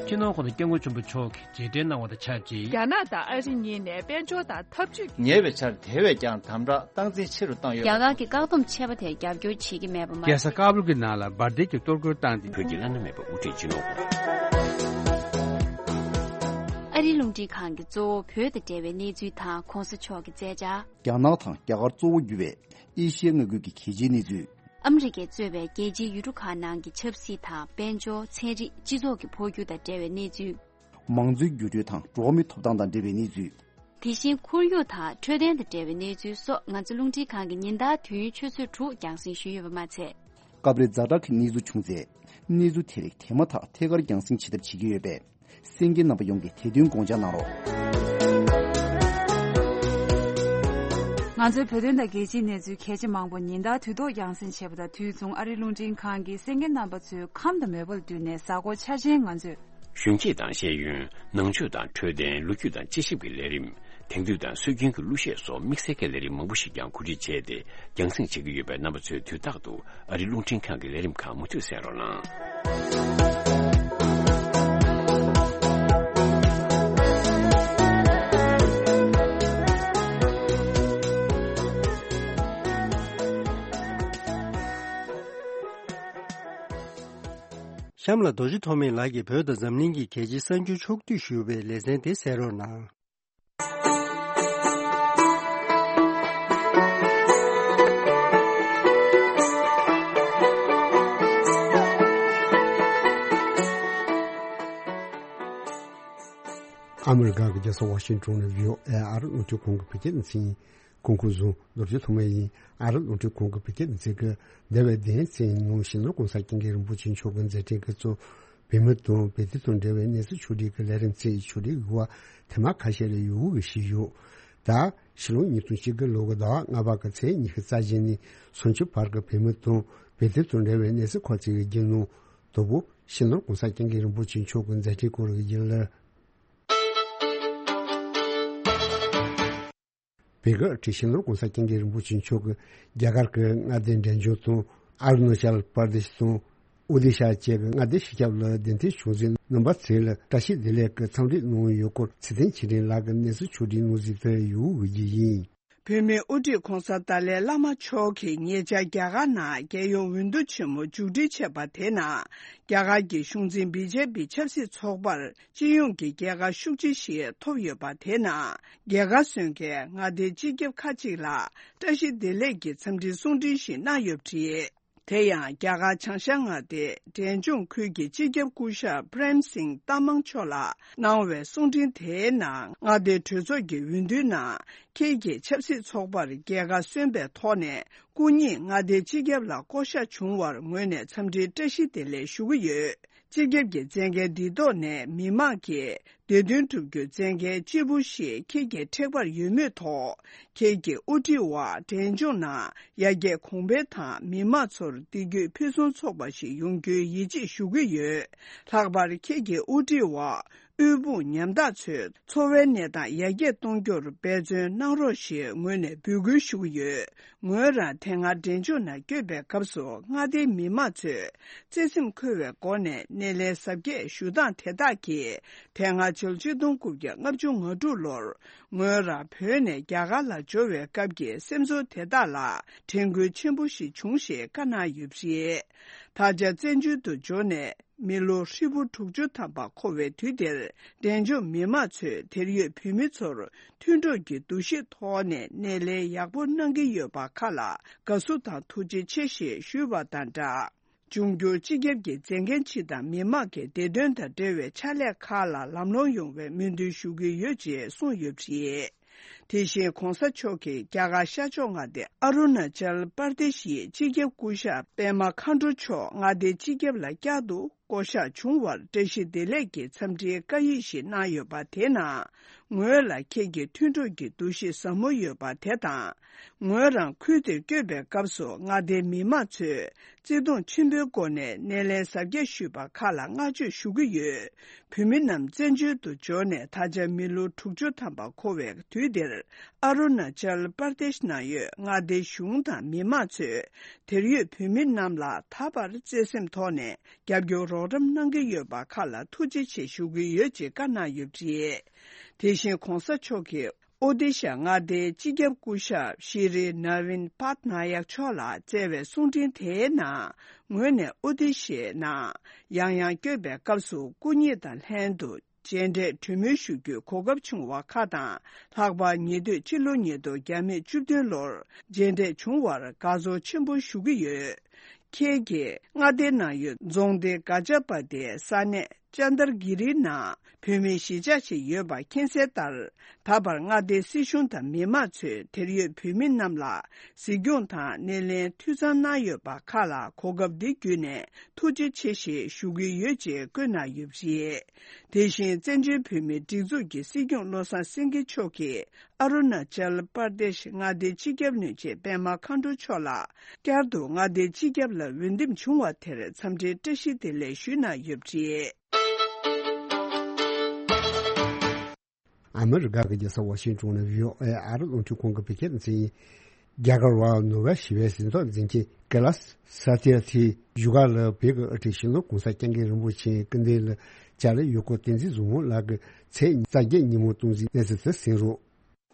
སྤྱི་ནོར་༸གོང་ས་༸སྐྱབས་མགོན་ཆེན་པོ་མཆོག་གིས་རྗེས་དྲན་གནང་བ་དང་ཆབས་ཅིག་རྒྱ་ནག་དང་ཨ་རི་གཉིས་ནས་དཔལ་འབྱོར་དང་འཐབ་ཇུས། ཉེ་བའི་ཆར་དེ་བས་ཀྱང་དམ་དྲག་སྟངས་འཛིན་ཆེ་རུ་བཏང་ཡོད། རྒྱ་གར་གྱི་བཀག་སྡོམ་ཆད་པ་དེར་རྒྱབ་སྐྱོར་བྱེད་ཀྱི་མེད་པ་མ་ཟད། རྒྱལ་ས་ཀ་བུལ་གྱི་ནང་ལ་འབར་མདེལ་གྱི་གཏོར་རྒོལ་བཏང་སྟེ། བོད་ཀྱི་བླ་ན་མེད་པའི་དབུ་ཁྲིད་སྤྱི་ནོར་༸གོང་ས། ཨ་རིའི་རླུང་འཕྲིན་ཁང་གིས་གཙོ་བོ་བོད་དང་འབྲེལ་བའི་གནས་ཚུལ་དང་༸གོང་ས་མཆོག་གི་མཛད་འཆར། རྒྱ་ནག་དང་རྒྱ་གར་གཙོ་བོ་གྱུར་བའི་ཨེ་ཤི་ཡའི་མངའ་ཁུལ་གྱི་གལ་ཆེའི་གནས་ཚུལ། ཨ་མི་རི་ཀས་གཙོས་པའི་རྒྱལ་སྤྱིའི་ཡུལ་གྲུ་ཁག་ནང་གི་ཆབ་སྲིད་དང་དཔལ་འབྱོར། ཚན་རིག་སྤྱི་ཚོགས་ཀྱི་འཕོ་འགྱུར་དང་འབྲེལ་བའི་གནས་ཚུལ། མང་གཙོའི་འགྱུར་འགྲོས་དང་འགྲོ་བ་མིའི་ཐོབ་ཐང་དང་འབྲེལ་བའི་གནས་ཚུལ། དེ་བཞིན་ཁོར་ཡུག་དང་འཕྲོད་བསྟེན་དང་འབྲེལ་བའི་གནས་ཚུལ་སོགས། ང་ཚོ་རླུང་འཕྲིན་ཁང་གིས་ཉིན་ལྟར་དུས་ཡུན་ཆུ་ཚོད་དྲུག་རྒྱང་སྲིང་ཞུས་ཡོད་པ་མ་ཚད། སྐབས་རེ་ཛ་དྲག་གི་གནས་ཚུལ་བྱུང་ཚེ། གནས་ཚུལ་དེ་རིགས་དེ་མ་ཐག་ཐད་ཀར་རྒྱང་སྲིང་བྱེད་ཐབས་བྱེད་ཀྱི་ཡོད་པས། གསན་མཁན་རྣམ་པ་ཡོངས་ཀྱིས་དེ་དོན་དགོངས་འཇགས་གནང་རོགས། ང་ཚོའི་བོད་དོན་དང་རྒྱལ་སྤྱིའི་གནས་ཚུལ་གལ་ཆེ་མང་པོ་ཉིན་ལྟར་དུས་ཐོག་རྒྱང་སྲིང་བྱེད་པ་དང་དུས་མཚུངས། ཨ་རིའི་རླུང་འཕྲིན་ཁང་གིས་གསན་མཁན་རྣམ་པ་ཚོའི་ཁམས་དང་མོས་པ་ལ་བསྟུན་ནས། གཟའ་འཁོར་འཆར་ཅན་ང་ཚོས། གཞོན་སྐྱེས་དང་ཤེས་ཡོན། ནང་ཆོས་དང་འཕྲོད་བསྟེན། ལོ་རྒྱུས་དང་དཔྱད་ཞིབ་ཀྱི་ལས་རིམ། དེང་དུས་དང་སྲོལ་རྒྱུན་གྱི་གླུ་གཞས་སོགས་དམིགས་བསལ་གྱི་ལས་རིམ་མང་པོ་ཞིག་ཀྱང་གོ་སྒྲིག་བྱས་ཏེ། རྒྱང་སྲིང་བྱེད་ཀྱི་ཡོད་པས། རྣམ་པ་ཚོས་དུས་རྟག་ཏུ་ཨ་རིའི་རླུང་འཕྲིན་ཁང་གི་ལས་རིམ་ཁག་མུ་མཐུད་གསན་རོགས་གནང་། གཤམ་ལ་རྡོ་རྗེ་ཐོགས་མེད་ལགས་ཀྱིས་བོད་དང་འཛམ་གླིང་གི་གལ་ཆེའི་གསར་འགྱུར་ཕྱོགས་བསྡུས་ཞུ་བའི་ལེ་ཚན་དེ་གསན་རོགས་གནང་། ཨ་མི་རི་ཀ་གི་རྒྱལ་ས་ཝ་ཤིང་ཊོན་ནས་བྷི་ཨོ་ཨེ་ཨ་རི་རླུང་འཕྲིན་ཁང་གི་བོད་སྐད་སྡེ་ཚན་ཡིན། སྐུ་ཁམས་བཟང་། རྡོ་རྗེ་ཐོགས་མེད་ཡིན། ཨ་རི་རླུང་འཕྲིན་ཁང་གི་བོད་སྐད་སྡེ་ཚན་གྱིས་འདས་པའི་བདུན་ཕྲག་ནང་སྤྱི་ནོར་༸གོང་ས་༸སྐྱབས་མགོན་རིན་པོ་ཆེ་མཆོག་གིས་མཛད་འཕྲིན་གྱི་གཙོ་བོད་མི་དང་བོད་དོན་དང་འབྲེལ་བའི་གནས་ཚུལ་ཕྱོགས་སྒྲིག་གི་ལས་རིམ་བྱས། ཕྱོགས་སྒྲིག་གི་འགོ་བ་ཐེངས་མ་ཁ་ཤས་ལ་ཡོད་འགུལ་ཞིག་ཡོད། ད་ཕྱི་ལོ་ཉིས་སྟོང་ཉི་ཤུ་རྩ་དགུ་ལོ་གི་ཟླ་བ་ལྔ་པ་གི་ཚེས་ཉི་ཤུ་རྩ་བཞི་ནས་སུམ་ཅུ་བར་གྱི་བོད་མི་དང་བོད་དོན་དང་འབྲེལ་བའི་གནས་ཚུལ་ཁག་ཅིག་གི་རྒྱུན་ནང་དང་པོ་སྤྱི་ནོར་༸གོང་ས་༸སྐྱབས་མགོན་རིན་པོ་ཆེ་མཆོག་གི་མཛད་འཕྲིན་སྐོར་གྱི་རྒྱུན་ལས། བོད་ཀྱི་སྤྱི་ནོར་༸གོང་ས་༸སྐྱབས་མགོན་རིན་པོ་ཆེ་མཆོག་གིས་རྒྱ་གར་གྱི་མངའ་སྡེ་འབྲས་ལྗོངས་དང་ཨ་རུ་ན་ཅལ་པར་དེ་ཤི་དང་། ཨོ་ཏི་ཤ་བཅས་ཀྱི་མངའ་སྡེ་སྤྱི་ཁྱབ་ལ་གདན་འདྲེན་བྱུང་ཚེ་རྣམ་པ་ཚོ་ལ་བཀྲ་ཤིས་བདེ་ལེགས་ཀྱི་འཚམས་འདྲི་གནང་ཡོད་སྐོར་ཚེ་བརྟན་ཆོས་སྒྲོན་ལགས་ཀྱིས་གནས་ཚུལ་ཕྱོགས་སྒྲིག་གནང་གཟིགས་དེ་ཡོང་བའི་རྒྱུ་ཡིན། བོད་མིའི་དབུ་ཁྲིད་༧གོང་ས་ཏཱ་ལའི་བླ་མ་མཆོག་གིས་ཉེ་ཆར་རྒྱ་གར་ནང་རྒྱལ་ཡོངས་འོས་བསྡུ་ཆེན་མོ་མཇུག་སྒྲིལ་བྱས་པ་དེ་ནང་རྒྱ་གར་གྱི་གཞུང་འཛིན་བི་ཇེ་པི་ཆབ་སྲིད་ཚོགས་པར་སྤྱི་ཡོངས་ཀྱི་རྒྱལ་ཁ་ཤུགས་ཆེ་ཞིག་ཐོབ་ཡོད་པ་དེ་ནང་རྒྱལ་ཁ་སོན་མཁན་མངའ་སྡེའི་སྤྱི་ཁྱབ་ཁག་ཅིག་ལ་བཀྲ་ཤིས་བདེ་ལེགས་ཀྱི་འཚམས་འདྲིའི་གསུང་འཕྲིན་ཞིག་གནང་ཡོད་པ་རེད། དེ་ཡང་རྒྱ་གར་བྱང་ཤར་མངའ་སྡེའི་འབྲས་ལྗོངས་ཁུལ་གྱི་སྤྱི་ཁྱབ་སྐུ་ཞབས་པྲེམ་སིང་ཏ་མང་མཆོག་ལ་གནང་བའི་གསུང་འཕྲིན་དེའི་ནང་མངའ་སྡེའི་གྲོས་ཚོགས་ཀྱི་འོས་བསྡུའི་ནང་ཁྱེད་ཀྱི་ཆབ་སྲིད་ཚོགས་པར་རྒྱལ་ཁ་སོན་པའི་ཐོག་ནས་སྐུ་ཉིད་མངའ་སྡེའི་སྤྱི་ཁྱབ་ལ་བསྐོ་གཞག་བྱུང་བར་ངོས་ནས་འཚམས་འདྲིའི་བཀྲ་ཤིས་བདེ་ལེགས་ཞུ་གི་ཡོད། སྤྱི་ཁྱབ་ཀྱི་མཛད་འགན་འདི་ཐོག་ནས་མི་མང་གིས་བདེ་དོན་སྒྲུབ་རྒྱུའི་མཛད་འགན་ལྕི་པོ་ཞིག་ཁྱེད་ཀྱི་ཐེག་པར་ཡོད་མུས་ཐོག་ཁྱེད་ཀྱི་དབུ་ཁྲིད་འོག་འབྲས་ལྗོངས་ནང་ཡར་རྒྱས་གོང་འཕེལ་དང་མི་མང་ཚོར་བདེ་སྐྱིད་ཕུན་སུམ་ཚོགས་པ་ཞིག་ཡོང་རྒྱུའི་ཡིད་ཆེས་ཞུ་གི་ཡོད། ལྷག་པར་ཁྱེད་ཀྱི་དབུ་ཁྲིད་འོག་དབུལ་ཕོངས་ཉམ་ཐག་ཚོའི་འཚོ་བའི་གནས་སྟངས་ཡར་རྒྱས་གཏོང་རྒྱུར་འབད་བརྩོན་གནང་རོགས་ཞེས་ངོས་ནས་འབོད་སྐུལ་ཞུ་གི་ཡོད། ངོས་རང་དེ་སྔ་འབྲས་ལྗོངས་ནང་བསྐྱོད་པའི་སྐབས་སུ་མངའ་སྡེའི་མི་མང་ཚོས་བརྩེ་སེམས་འཁོལ་བའི་སྒོ་ནས་སྣེ་ལེན་གཟབ་རྒྱས་ཞུ་སྟངས་དེ་དག་གིས་དེ་སྔ་ཕྱི་ལོ་ཆིག་སྟོང་དགུ་བརྒྱ་ལྔ་བཅུ་ང་དྲུག་ལོར་ངོས་རང་བོད་ནས་རྒྱ་གར་ལ་འབྱོར་བའི་སྐབས་ཀྱི་སེམས་ཚོར་དེ་དག་ལ་དྲན་སྐུལ་ཆེན་པོ་ཞིག་བྱུང་ཞེས་བཀའ་གནང་ཡོད་པ་རེད། ད་ཆ་བཙན་བྱོལ་དུ་འབྱོར་ནས་མི་ལོ་ཧྲིལ་པོ་དྲུག་ཅུ་ཐམ་པ་འཁོར་བའི་དུས་འདིར་འབྲས་ལྗོངས་མི་མང་ཚོས་དེར་ཡོད་བོད་མི་ཚོར་མཐུན་གྲོགས་ཀྱི་འདུ་ཤེས་ཐོག་ནས་སྣེ་ལེན་ཡག་པོ་གནང་གི་ཡོད་པ་ཁག་ལ་དགའ་བསུ་དང་ཐུགས་རྗེ་ཆེ་ཞེས་ཞུས་པ་དང་སྦྲགས། འབྱུང་འགྱུར་སྤྱི་ཁྱབ་ཀྱི་མཛད་འགན་སྤྱི་དང་མི་མང་གི་བདེ་དོན་དང་འབྲེལ་བའི་ཕྱག་ལས་ཁག་ལ་ལམ་ལྷོང་ཡོང་བའི་སྨོན་འདུན་ཞུ་གི་ཡོད་ཅེས་གསུངས་ཡོད་པ་རེད། དེ་བཞིན་གོང་ས་མཆོག་གིས་རྒྱ་གར་ཤར་ཕྱོགས་མངའ་སྡེ་ཨ་རུ་ན་ཅལ་པར་དེ་ཤིའི་སྤྱི་ཁྱབ་སྐུ་ཞབས་པད་མ་མཁའ་འགྲོ་མཆོག་མངའ་སྡེའི་སྤྱི་ཁྱབ་ལ་བསྐྱར་དུ་བསྐོ་གཞག་བྱུང་བར་བཀྲ་ཤིས་བདེ་ལེགས་ཀྱི་འཚམས་འདྲིའི་བཀའ་ཡིག་ཞིག་གནང་ཡོད་པ་དེ་ནང་། ངོས་ལ་ཁྱེད་ཀྱི་མཐུན་གྲོགས་ཀྱི་འདུ་ཤེས་ཟབ་མོ་ཡོད་པ་དེ་དང་། ངོས་རང་ཁུལ་དེར་བསྐྱོད་པའི་སྐབས་སུ་མངའ་སྡེའི་མི་མང་ཚོས་བརྩེ་དུང་ཆེན་པོའི་སྒོ་ནས་སྣེ་ལེན་གཟབ་རྒྱས་ཞུས་པ་ཁག་ལ་བསྔགས་བརྗོད་ཞུ་གི་ཡོད། བོད་མི་རྣམས་བཙན་བྱོལ་དུ་འབྱོར་ནས་ད་ཆ་མི་ལོ་དྲུག་ཅུ་ཐམ་པ་འཁོར་བའི་དུས་འདིར། ཨ་རུ་ན་ཅལ་པར་དེཤ་ནང་ཡོད་མངའ་སྡེའི་གཞུང་དང་མི་མང་ཚོས་དེར་ཡོད་བོད་མི་རྣམས་ལ་ད་བར་བརྩེ་སེམས་ཐོག་ནས་རྒྱབ་སྐྱོར་རོགས་རམ་གནང་གི་ཡོད་པ་ཁག་ལ་ཐུགས་རྗེ་ཆེ་ཞུ་གི་ཡོད་ཅེས་བཀའ་གནང་ཡོད་པ་རེད། དེ་བཞིན་གོང་ས་མཆོག་གིས་ཨོ་ཏི་ཤ་མངའ་སྡེའི་སྤྱི་ཁྱབ་སྐུ་ཞབས་ཤི་རི་ན་བིན་པཱད་ན་ཡག་མཆོག་ལ་བསྩལ་བའི་གསུང་འཕྲིན་དེའི་ནང་། ངོས་ནས་ཨོ་ཏི་ཤའི་ནང་ཡང་ཡང་བསྐྱོད་པའི་སྐབས་སུ་སྐུ་ཉིད་དང་ལྷན་དུ་མཇལ་འཕྲད་གྲོས་མོལ་ཞུ་རྒྱུའི་གོ་སྐབས་བྱུང་བ་ཁག་དང་། ལྷག་པར་ཉེ་དུས་ཕྱི་ལོ་ཉིས་སྟོང་བརྒྱ་མེད་བཅུ་བདུན་ལོར་མཇལ་འཕྲད་བྱུང་བར་དགའ་ཚོར་ཆེན་པོ་ཞུ་གི་ཡོད། ཁྱེད་ཀྱིས་མངའ་སྡེའི་ནང་ཡོད་རྫོང་སྡེ་ག་ཅ་པ་ཏིའི་ས་གནས་ཅན་དར་གི་རི་ནང་བོད་མིའི་གཞིས་ཆགས་ཤིག་ཡོད་པ་མཁྱེན་གསལ་ལྟར། ད་བར་མངའ་སྡེའི་སྲིད་གཞུང་དང་མི་མང་ཚོས་དེར་ཡོད་བོད་མི་རྣམས་ལ་གཟིགས་སྐྱོང་དང་སྣེ་ལེན་འཐུས་ཚང་གནང་ཡོད་པ་ཁག་ལ་གོ་སྐབས་འདི་བརྒྱུད་ནས་ཐུགས་རྗེ་ཆེ་ཞེས་ཞུ་གི་ཡོད་ཅེས་བཀོད་གནང་ཡོད་པ་རེད། དེ་བཞིན་བཙན་བྱོལ་བོད་མིའི་སྒྲིག་འཛུགས་ཀྱི་སྲིད་སྐྱོང་བློ་བཟང་སེང་གེ་མཆོག་གིས་ཨ་རུ་ན་ཅལ་པར་དེཤ་མངའ་སྡེའི་སྤྱི་ཁྱབ་བློན་ཆེན་པད་མ་མཁའ་འགྲོ་མཆོག་ལ་བསྐྱར་དུ་མངའ་སྡེའི་སྤྱི་ཁྱབ་ལ་འོས་འདེམས་བྱུང་བ་དེར་འཚམས་འདྲིའི་བཀྲ་ཤིས་བདེ་ལེགས་ཞུས་གནང་ཡོད་པ་རེད། ཨ་མི་རི་ཀ་གི་རྒྱལ་ས་ཝ་ཤིང་ཏོན་ནས་བྷི་ཨོ་ཨེ་ཨ་རི་རླུང་འཕྲིན་ཁང་གི་བོད་སྐད་སྡེ་ཚན་ཡིན། རྒྱ་གར་བ་ནོ་བེལ་ཞི་བའི་གཟེངས་རྟགས་འཛིན་མཁན་ཀེ་ལ་ས་ཏི་ཨར་ཐི་བཞུགས་སྒར་ལ་བོད་ཀྱི་དབུ་ཁྲིད་སྤྱི་ནོར་༧གོང་ས་༧སྐྱབས་མགོན་རིན་པོ་ཆེའི་སྐུ་མདུན་ལ་ལྕགས་རི་ཡུལ་སྐོར་བསྟན་འཛིན་བཟང་མོ་ལགས་ཀྱིས་ཚེས་རྩ་བརྒྱད་ཉིན་མོ་སྟོང་འཛིན་གནས་ཚུལ་དེ་གསན་རོགས།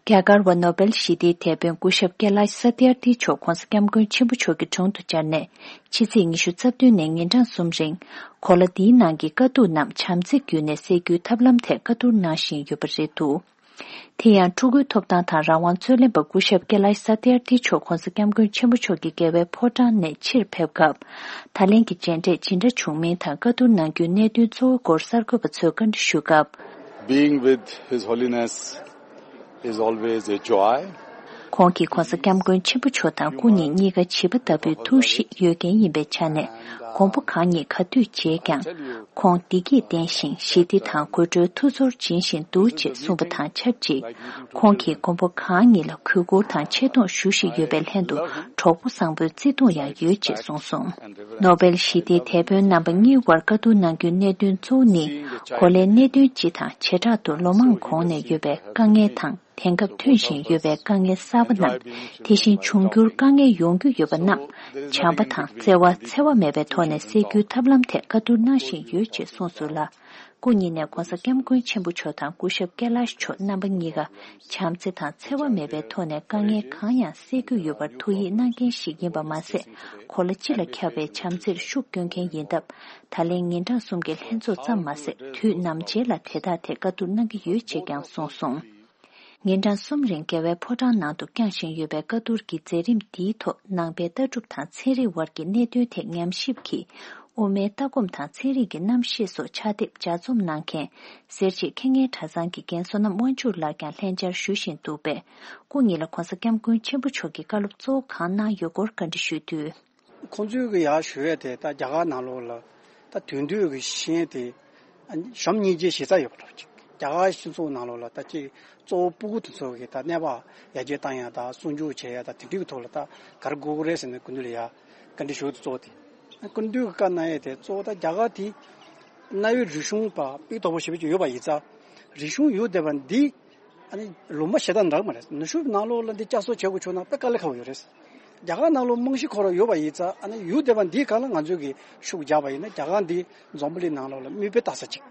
རྒྱ་གར་བ་ནོ་བེལ་ཞི་བདེའི་དེད་དཔོན་སྐུ་ཞབས་ཀེ་ལ་ཤ་ས་ཏི་ཨར་ཐི་མཆོག་༧གོང་ས་༧སྐྱབས་མགོན་ཆེན་པོ་མཆོག་གི་དྲུང་དུ་བཅར་ནས་ཕྱི་ཚེས་ཉི་ཤུ་རྩ་བདུན་ནས་ཉིན་གྲངས་གསུམ་རིང་གོ་ལ་འདིའི་ནང་གི་དཀའ་སྡུག་རྣམས་བྱམས་བརྩེ་བརྒྱུད་ནས་སེལ་རྒྱུའི་ཐབས་ལམ་ཐད་བཀའ་བསྡུར་གནང་བཞིན་ཡོད་པ་རེད་འདུག། དེ་ཡང་ཕྲུ་གུའི་ཐོབ་ཐང་དང་རང་དབང་རྩོད་ལེན་པ་སྐུ་ཞབས་ཀེ་ལ་ཤ་ས་ཏི་ཨར་ཐི་མཆོག་༧གོང་ས་༧སྐྱབས་མགོན་ཆེན་པོ་མཆོག་གི་རྒྱལ་བའི་ཕོ་བྲང་ནས་ཕྱིར་ཕེབས་སྐབས། ད་ལན་གྱི་མཇལ་འཕྲད་ཇི་འདྲ་བྱུང་མིན་དང་བཀའ་བསྡུར་གནང་རྒྱུའི་གནད་དོན་གཙོ་བོའི་སྐོར་གསར་འགོད་པ་ཚོས་བཀའ་འདྲི་ཞུས་སྐབས། Being with His Holiness is always a joy. ཁོང་གིས་༧གོང་ས་༧སྐྱབས་མགོན་ཆེན་པོ་མཆོག་དང་སྐུ་ཉིད་གཉིས་ཀ་བྱིས་པ་ལྟ་བུའི་ཐུགས་གཤིས་ཡོད་མཁན་ཡིན་པའི་ཆ་ནས། མགོན་པོ་གང་ཉིད་ག་དུས་མཇལ་ཀྱང་། ཁོང་བདེ་སྐྱིད་ལྡན་ཞིང་ཞི་བདེ་དང་དགོད་བྲོའི་ཐུགས་ཚོར་སྦྱིན་བཞིན་འདུག་ཅེས་གསུངས་པ་དང་ཆབས་ཅིག། ཁོང་གིས་མགོན་པོ་གང་ཉིད་ལ་གུས་བཀུར་དང་ཆེ་མཐོང་ཞུ་བཞིན་ཡོད་པའི་ལྷན་དུ་གྲོགས་པོ་བཟང་པོའི་བརྩེ་དུང་ཡང་ཡོད་ཅེས་གསུངས་སོང་། ནོ་བེལ་ཞི་བདེའི་དེད་དཔོན་རྣམ་པ་གཉིས་དབར་བཀའ་བསྡུར་གནང་རྒྱུའི་གནད་དོན་གཙོ་བོ་ནི། གོ་ལའི་གནད་དོན་སྤྱི་དང་བྱེ་བྲག་ཏུ་ལོ་མང་གོང་ནས་ཡོད་པའི་དཀའ་ངལ་དང་། དེང་སྐབས་ཐོན་བཞིན་ཡོད་པའི་དཀའ་ངལ་གསར་པ་རྣམས། དེ་བཞིན་འབྱུང་འགྱུར་དཀའ་ངལ་ཡོང་རྒྱུ་ཡོད་པ་རྣམས། བྱམས་པ་དང་བརྩེ་བ་འཚེ་བ་མེད་པའི་ཐོག་ནས་སེལ་རྒྱུའི་ཐབས་ལམ་ཐད་བཀའ་བསྡུར་གནང་བཞིན་ཡོད་ཅེས་གསུངས་སོང་ལ། སྐུ་ཉིད་ནས་༧གོང་ས་༧སྐྱབས་མགོན་ཆེན་པོ་མཆོག་དང་སྐུ་ཞབས་ཀེ་ལཱཤ་མཆོག་རྣམ་པ་གཉིས་ཀ་བྱམས་བརྩེ་དང་འཚེ་བ་མེད་པའི་ཐོག་ནས་དཀའ་ངལ་གང་ཡང་སེལ་རྒྱུ་ཡོད་པར་ཐུགས་ཡིད་གནང་མཁན་ཞིག་ཡིན་པ་མ་ཟད། གོ་ལ་སྤྱི་ལ་ཁྱབ་པའི་བྱམས་བརྩེར་ཤུགས་སྐྱོན་མཁན་ཡིན་སྟབས། ད་ལན་ཉིན་གྲངས་གསུམ་གྱི་ལྷན་ཚོགས་ཙམ་མ་ཟད། དུས་ནམ་མཇལ་ལ་དེ་དག་ཐད་བཀའ་བསྡུར་གནང་གི་ཡོད་ཅེས་ཀྱང་གསུངས་སོང་། ཉིན་གྲངས་གསུམ་རིང་རྒྱལ་བའི་ཕོ་བྲང་ནང་དུ་བསྐྱངས་བཞིན་ཡོད་པའི་བཀའ་བསྡུར་གྱི་མཛད་རིམ་འདིའི་ཐོག་ནང་པའི་ལྟ་གྲུབ་དང་ཚན་རིག་དབར་གྱི་གནད་དོན་ཐད་ཉམས་ཞིབ་ཀྱིས། དབུ་མའི་ལྟ་སྒོམ་དང་ཚན་རིག་གི་རྣམ་ཤེས་སོགས་ཕྱག་དེབ་ལྗགས་རྩོམ་གནང་མཁན། སེར་བྱེས་མཁས་སྙན་གྲྭ་ཚང་གི་རྒན་བསོད་ནམས་དབང་ཕྱུག་ལགས་ཀྱང་ལྷན་བཅར་ཞུ་བཞིན་འདུག་པས། སྐུ་ཉིད་ལ་༧གོང་ས་༧སྐྱབས་མགོན་ཆེན་པོ་མཆོག་གིས་བཀའ་སློབ་གཙོ་བོ་གང་གནང་ཡོད་སྐོར་བཀའ་འདྲི་ཞུས་དུས། ཁོང་ཚོས་གི་ཡར་ཞུ་ཡས་དེ་ད་རྒྱ་གར་ནང་ལོགས་ལ་ད་དེང་དུས་ཀྱི་ཤེས་ཡོན་དེ་གཞོན་སྙིང་རྗེ་ཞེ་ས་ཡོད་པ་འདྲ་ཅིག་རྒྱ་གར་སྤྱི་ཚོགས་ནང་ལོགས་ལ་ད་ཅིག་གཙོ་བོ་སྤུ་གུ་དེ་ཚོ་གི་ད་གནས་བབ་ཡར་རྒྱས་བཏང་ཡ་དང་སྲུང་སྐྱོབ་བྱེད་ཡ་ད་དེ་འདྲའི་གི་ཐོག་ལ་ད་ག་རེ་དགོས་ཀྱི་རེད་ཟེར་ནས་སྐུ་མདུན་ལ་ཡ་བཀའ་འདྲི་ཞུ་གི་གཙོ་བོ་དེ། སྐུ་མདུན་གི་བཀའ་གནང་ཡས་དེ་གཙོ་བོ་ད་རྒྱ་གར་དེ་གནའ་བོའི་རིག་གཞུང་པ་སྤུས་དག་པོ་ཞེ་པོ་ཅིག་ཡོད་པ་ཡིན་ཙང་། རིག་གཞུང་ཡོད་བསྡད་པ་འདི། ཨ་ནི་ལུང་པ་གཞན་དག་འདྲ་མ་རེད། ནུབ་ཕྱོགས་ནང་ལོགས་ལ་འདི་བསྐྱར་གསོ་བྱེད་དགོས་བྱུང་ན་དཔེ་དཀའ་ལས་ཁག་པོ་ཡོད་རེད། རྒྱ་གར་ནང་ལོགས་རྨང་གཞི་ཁོ་རང་ཡོད་པ་ཡིན་ཙང་། ཨ་ནི་ཡོད་བསྡད་པ་འདིའི་སྒང་ལ་ང་ཚོས་ཀྱི་ཤུགས་རྒྱག་པ་ཡིན་ན། རྒྱ་གར་འདི་འཛམ་བུ་གླིང་ནང་ལོགས་ལ་མིག་དཔེ་ལྟ་ས་ཅིག་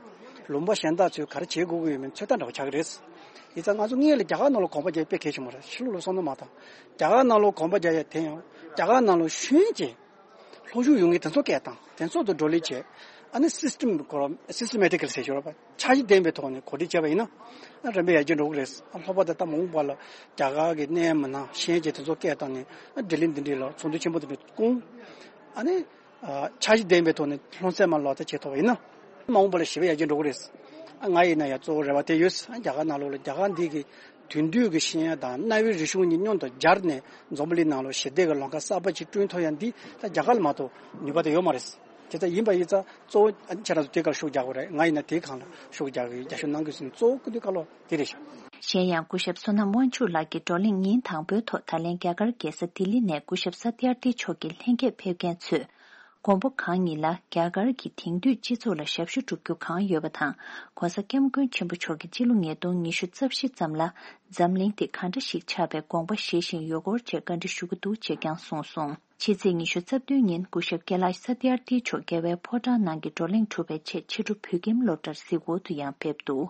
ལུང་པ་གཞན་དག་ཚོས་ག་རེ་བྱེད་དགོས་ཀྱི་ཡོད་མེད་ཚོད་ལྟ་འདྲ་བོ་ཆགས་ཀྱི་རེད། ཡིན་ཙང་ང་ཚོ་སྔོན་ལ་རྒྱ་གར་ནང་ལོགས་གོམ་པ་རྒྱག་དཔེ་གལ་ཆེན་པོ་རེད། ཕྱི་ལོགས་ལ་སོང་ན་མ་གཏོགས། རྒྱ་གར་ནང་ལོགས་གོམ་པ་རྒྱག་ཡ་དེ་ཡང་རྒྱ་གར་ནང་ལོགས་ཤེས་ཡོན་ཅན། ལྷོ་ཕྱོགས་ཡོང་མཁན་དེ་ཚོ་སྐད་བཏང་། དེ་ཚོ་དང་བགྲོ་གླེང་བྱས། ཨ་ནི་སིས་ཊེམ་ཁོ་རང་སིས་ཊེ་མེ་ཊི་ཀལ་ཟེར་ཞོར་བ་འཆར་གཞི་ལྡན་པའི་ཐོག་ནས་གོ་སྒྲིག་བྱས་པ་ཡིན་ན། ཨ་རིམ་པས་ཡར་རྒྱས་འགྲོ་གི་རེད། ཨ་ལྷག་པར་དུ་ད་མ་འོངས་པ་ལ་རྒྱ་གར་གྱི་གནད་ཡོད་མི་སྣ་ཤེས་ཡོན་ཅན་དེ་ཚོ་སྐད་བཏང་ནས། ཨ་ལྡི་ལི་འདི་འདྲའི་ལ་ཚོགས་འདུ་ཆེན་པོ་དེ་འདྲ་བསྐོང་། ཨ་ནི་ཨ་འཆར་གཞི་ལྡན་པའི་ཐོག་ནས་ལྷུང་བཟེད་མ་ལག་བསྟར་བྱེད་ཐུབ་པ་ཡིན་ན། མ་འོངས་པ་ལ་ཞེ་པོ་ཡར་རྒྱས་འགྲོ་གི་རེད། ཨ་ང་ཡིན་ན་ཡང་གཙོ་བོ་རེ་བ་དེ་ཡོད། ཨ་རྒྱ་གར་ནང་ལོགས་ལ་རྒྱ་གར་འདི་གི་དེང་དུས་ཀྱི་ཤེས་ཡོན་དང་གནའ་བོའི་རིག་གཞུང་གཉིས་མཉམ་དུ་སྦྱར་ནས་འཛམ་བུ་གླིང་ནང་ལ་ཞི་བདེ་གི་ལམ་ཁ་གསར་པ་ཅིག་བསྐྲུན་ཐུབ་ཡ་འདི་ད་རྒྱ་གར་ལ་མ་གཏོགས་ནུས་པ་དེ་ཡོད་མ་རེད། དེ་ལྟར་ཡིན་པ་ཡིན་ཙང་གཙོ་བོ་ཁྱེད་རང་ཚོ་དེ་གར་ཤུགས་རྒྱག་དགོས་རེད། ང་ཡིན་ན་དེའི་སྒང་ལ་ཤུགས་རྒྱག་གི་ཡིན། རྒྱ་ཤོད་གནང་དགོས་ཟེར་ནས་གཙོ་བོ་སྐུ་མདུན་བཀའ་སློབ་དེ་རེད་ཤག་གཞན་ཡང་སྐུ་ཞབས་བསོད་ནམས་དབང་ཕྱུག་ལགས་ཀྱིས་བགྲོ་གླེང་ཉིན་དང་པོའི་ཐོག་ད་ལན་རྒྱ་གར་རྒྱལ་ས་ལྡི་ལི་ནས་སྐུ་ཞབས་ས་ཏི་ཨར་ཏི་མཆོག་གི་ལྷན་རྒྱས་ཕེབས་མཁན་ཚོས། མགོན་པོ་གང་ཉིད་ལ་རྒྱ་གར་གྱི་དེང་དུས་སྤྱི་ཚོགས་ལ་ཞབས་ཞུ་བསྒྲུབ་རྒྱུ་གང་ཡོད་པ་དང་། ྋགོང་ས་ྋསྐྱབས་མགོན་ཆེན་པོ་མཆོག་གིས་སྤྱི་ལོ་ཉིས་སྟོང་ཉི་ཤུ་རྩ་བཞི་ཙམ་ལ་འཛམ་གླིང་དེ་གང་འདྲ་ཞིག་ཆགས་པའི་དགོངས་པ་བཞེས་བཞིན་ཡོད་སྐོར་བཅས་བཀའ་འདྲི་ཞུ་གི་འདུག་ཅེས་ཀྱང་གསུངས་སོང་། ཕྱི་ཚེས་ཉི་ཤུ་རྩ་བདུན་ཉིན་སྐུ་ཞབས་ཀེ་ལཱཤ་ས་ཏི་ཨར་ཏི་མཆོག་རྒྱལ་བའི་ཕོ་བྲང་ནང་གི་བགྲོ་གླེང་གྲུབ་པའི་ཆེད་ཕྱི་དྲོ་བོད་ཁྱིམ་སློབ་གྲྭར་གཟིགས་སྐོར་དུ་ཡང་ཕེབས་འདུག་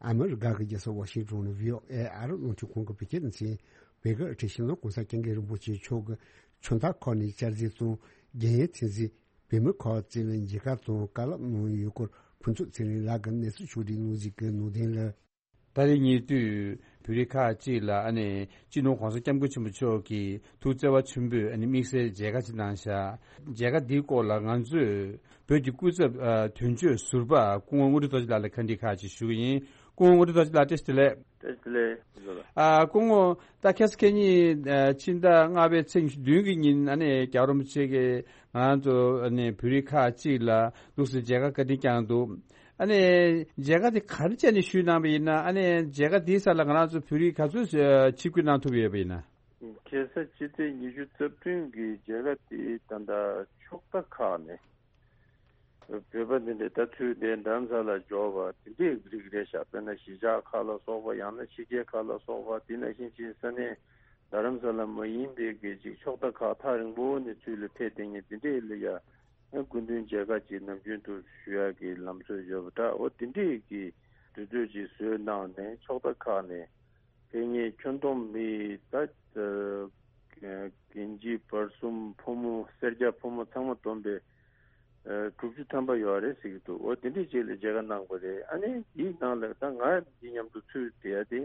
ཨ་མི་རི་ཀ་གི་རྒྱལ་ས་ཝ་ཤིང་ཏོན་ནས་བྷི་ཨོ་ཨེ་ཨ་རི་རླུང་འཕྲིན་ཁང་གི་བོད་སྐད་སྡེ་ཚན། བོད་ཀྱི་ཨ་ཁྲིད་ཤིང་ནོར་གོང་ས་སྐྱབས་མགོན་རིན་པོ་ཆེ་མཆོག་གི་ཆུ་མཐའ་འཁོར་ནས་བཅར་གཟིགས་དང་རྒན་ཡོལ་ཐེངས་གཟིགས། བོད་མི་ཁག་ཅིག་ལ་མཇལ་ཁ་དང་བཀའ་སློབ་གནང་ཡོད་སྐོར་ཕུན་ཚོགས་ཚེ་རིང་ལགས་ཀྱིས་གནས་ཚུལ་ཕྱོགས་སྒྲིག་གནང་གཟིགས་ཀྱི་ནང་དོན་ལ། ད་རེས་ཉེ་དུས་བོད་རིགས་ཁག་ཅིག་ལ་ཨ་ནེ་སྤྱི་ནོར་གོང་ས་སྐྱབས་མགོན་ཆེན་པོ་མཆོག་གིས་ཐུགས་བརྩེ་བ་ཆེན་པོས་ཨ་ནེ་དམིགས་བསལ་མཇལ་ཁ་ཅིག་གནང་ཤག་མཇལ་ཁ་འདིའི་སྐོར་ལ་ང་ཚོས་བོད་ཀྱི་སྐུ་ཚབ་ཨ་དོན་གཅོད་ཟུར་པ་སྐུ་ངོ་དངོས་གྲུབ་རྡོ་རྗེ་ལགས་ལ་བཀའ་འདྲི་ཁག་ཅིག་ཞུ་གི་ཡིན། སྐུ་ངོ་དངོས་གྲུབ་རྡོ་རྗེ་ལགས་བཀྲ་ཤིས་བདེ་ལེགས། བཀྲ་ཤིས་བདེ་ལེགས། ཨ་སྐུ་ངོ་ད་ཁ་སང་ཁ་ཉིན་ཨ་ཕྱི་ཟླ་ལྔ་པའི་ཚེས་ཉི་ཤུ་བདུན་གྱི་ཉིན་ཨ་ནེ་རྒྱལ་བ་རིན་པོ་ཆེ་གིས་ང་ཚོ་ཨ་ནེ་བོད་རིགས་ཁག་ཅིག་ལ་ལུགས་སྲོལ་མཇལ་ཁ་བཀའ་དྲིན་བསྐྱངས་འདུག་ཨ་ནེ་མཇལ་ཁ་དེ་ག་རེ་བྱས་ནས་ཞུས་གནང་བ་ཡིན་ན། ཨ་ནེ་མཇལ་ཁ་དེའི་སར་ལ་ང་རང་ཚོ་བོད་རིགས་ག་ཚོད་ཨ་ཆིབས་བསྒྱུར་གནང་ཐུབ་ཡོད་པ་ཡིན་ན། ཁ་སང་ཕྱི་ཚེས་ཉི་ཤུ་རྩ་བདུན་གྱི་མཇལ་ཁ་དེ་ད་ལྟ་ཕྱོགས་མཐའ་ཁག་ནས་བོད་པ་འདི་འདྲའི་ད་ཚུར་དེ་རྡ་རམ་ས་ལ་འབྱོར་བ་དེ་འདྲའི་རིགས་རེད་ཤག་དཔེར་ན་གཞིས་ཆགས་ཁག་ལ་སོགས་པ། ཡང་ན་ཕྱི་རྒྱལ་ཁག་ལ་སོགས་པ། དེ་ནང་བཞིན་ཅིག་ས་གནས་རྡ་རམ་ས་ལ་མ་ཡིན་པའི་གི་ཅིག་ཕྱོགས་མཐའ་ཁག་ཐག་རིང་པོ་ནས་ཚུར་ལ་ཕེབས་བསྡད་མཁན་དེ་འདྲའི་ལ་ཡ། ཨ་སྐུ་མདུན་མཇལ་ཁ་ཅིག་ནམ་རྒྱུན་དུ་ཞུ་ཡག་གི་ལམ་སྲོལ་ཡོད་པ་འདྲ། འོ་དེ་འདྲས་ཀྱི་དུས་ཚོད་ཅིག་བཟོས་གནང་ནས་ཕྱོགས་མཐའ་ཁག་ནས་ཕེབས་མཁན་ཁྱོན་བསྡོམས་མི་ད་ཨ་རྒན་བྱིས་བར་གསུམ་ཕོ་མོ་སེར་སྐྱ་ཕོ་མོ་ཚང་མ་བསྡོམས་པས་ཨ་དྲུག་ཅུ་ཐམ་པ་ཡོད་རེད་ཟེར་གྱི་འདུག་འོ་དེ་འདྲས་ཅིག་ལ་མཇལ་ཁ་གནང་བ་རེད། ཨ་ནི་དེའི་ནང་ལ་ད་ང་འདི་མཉམ་དུ་ཚུར་བསྡད་ཡ་དེ།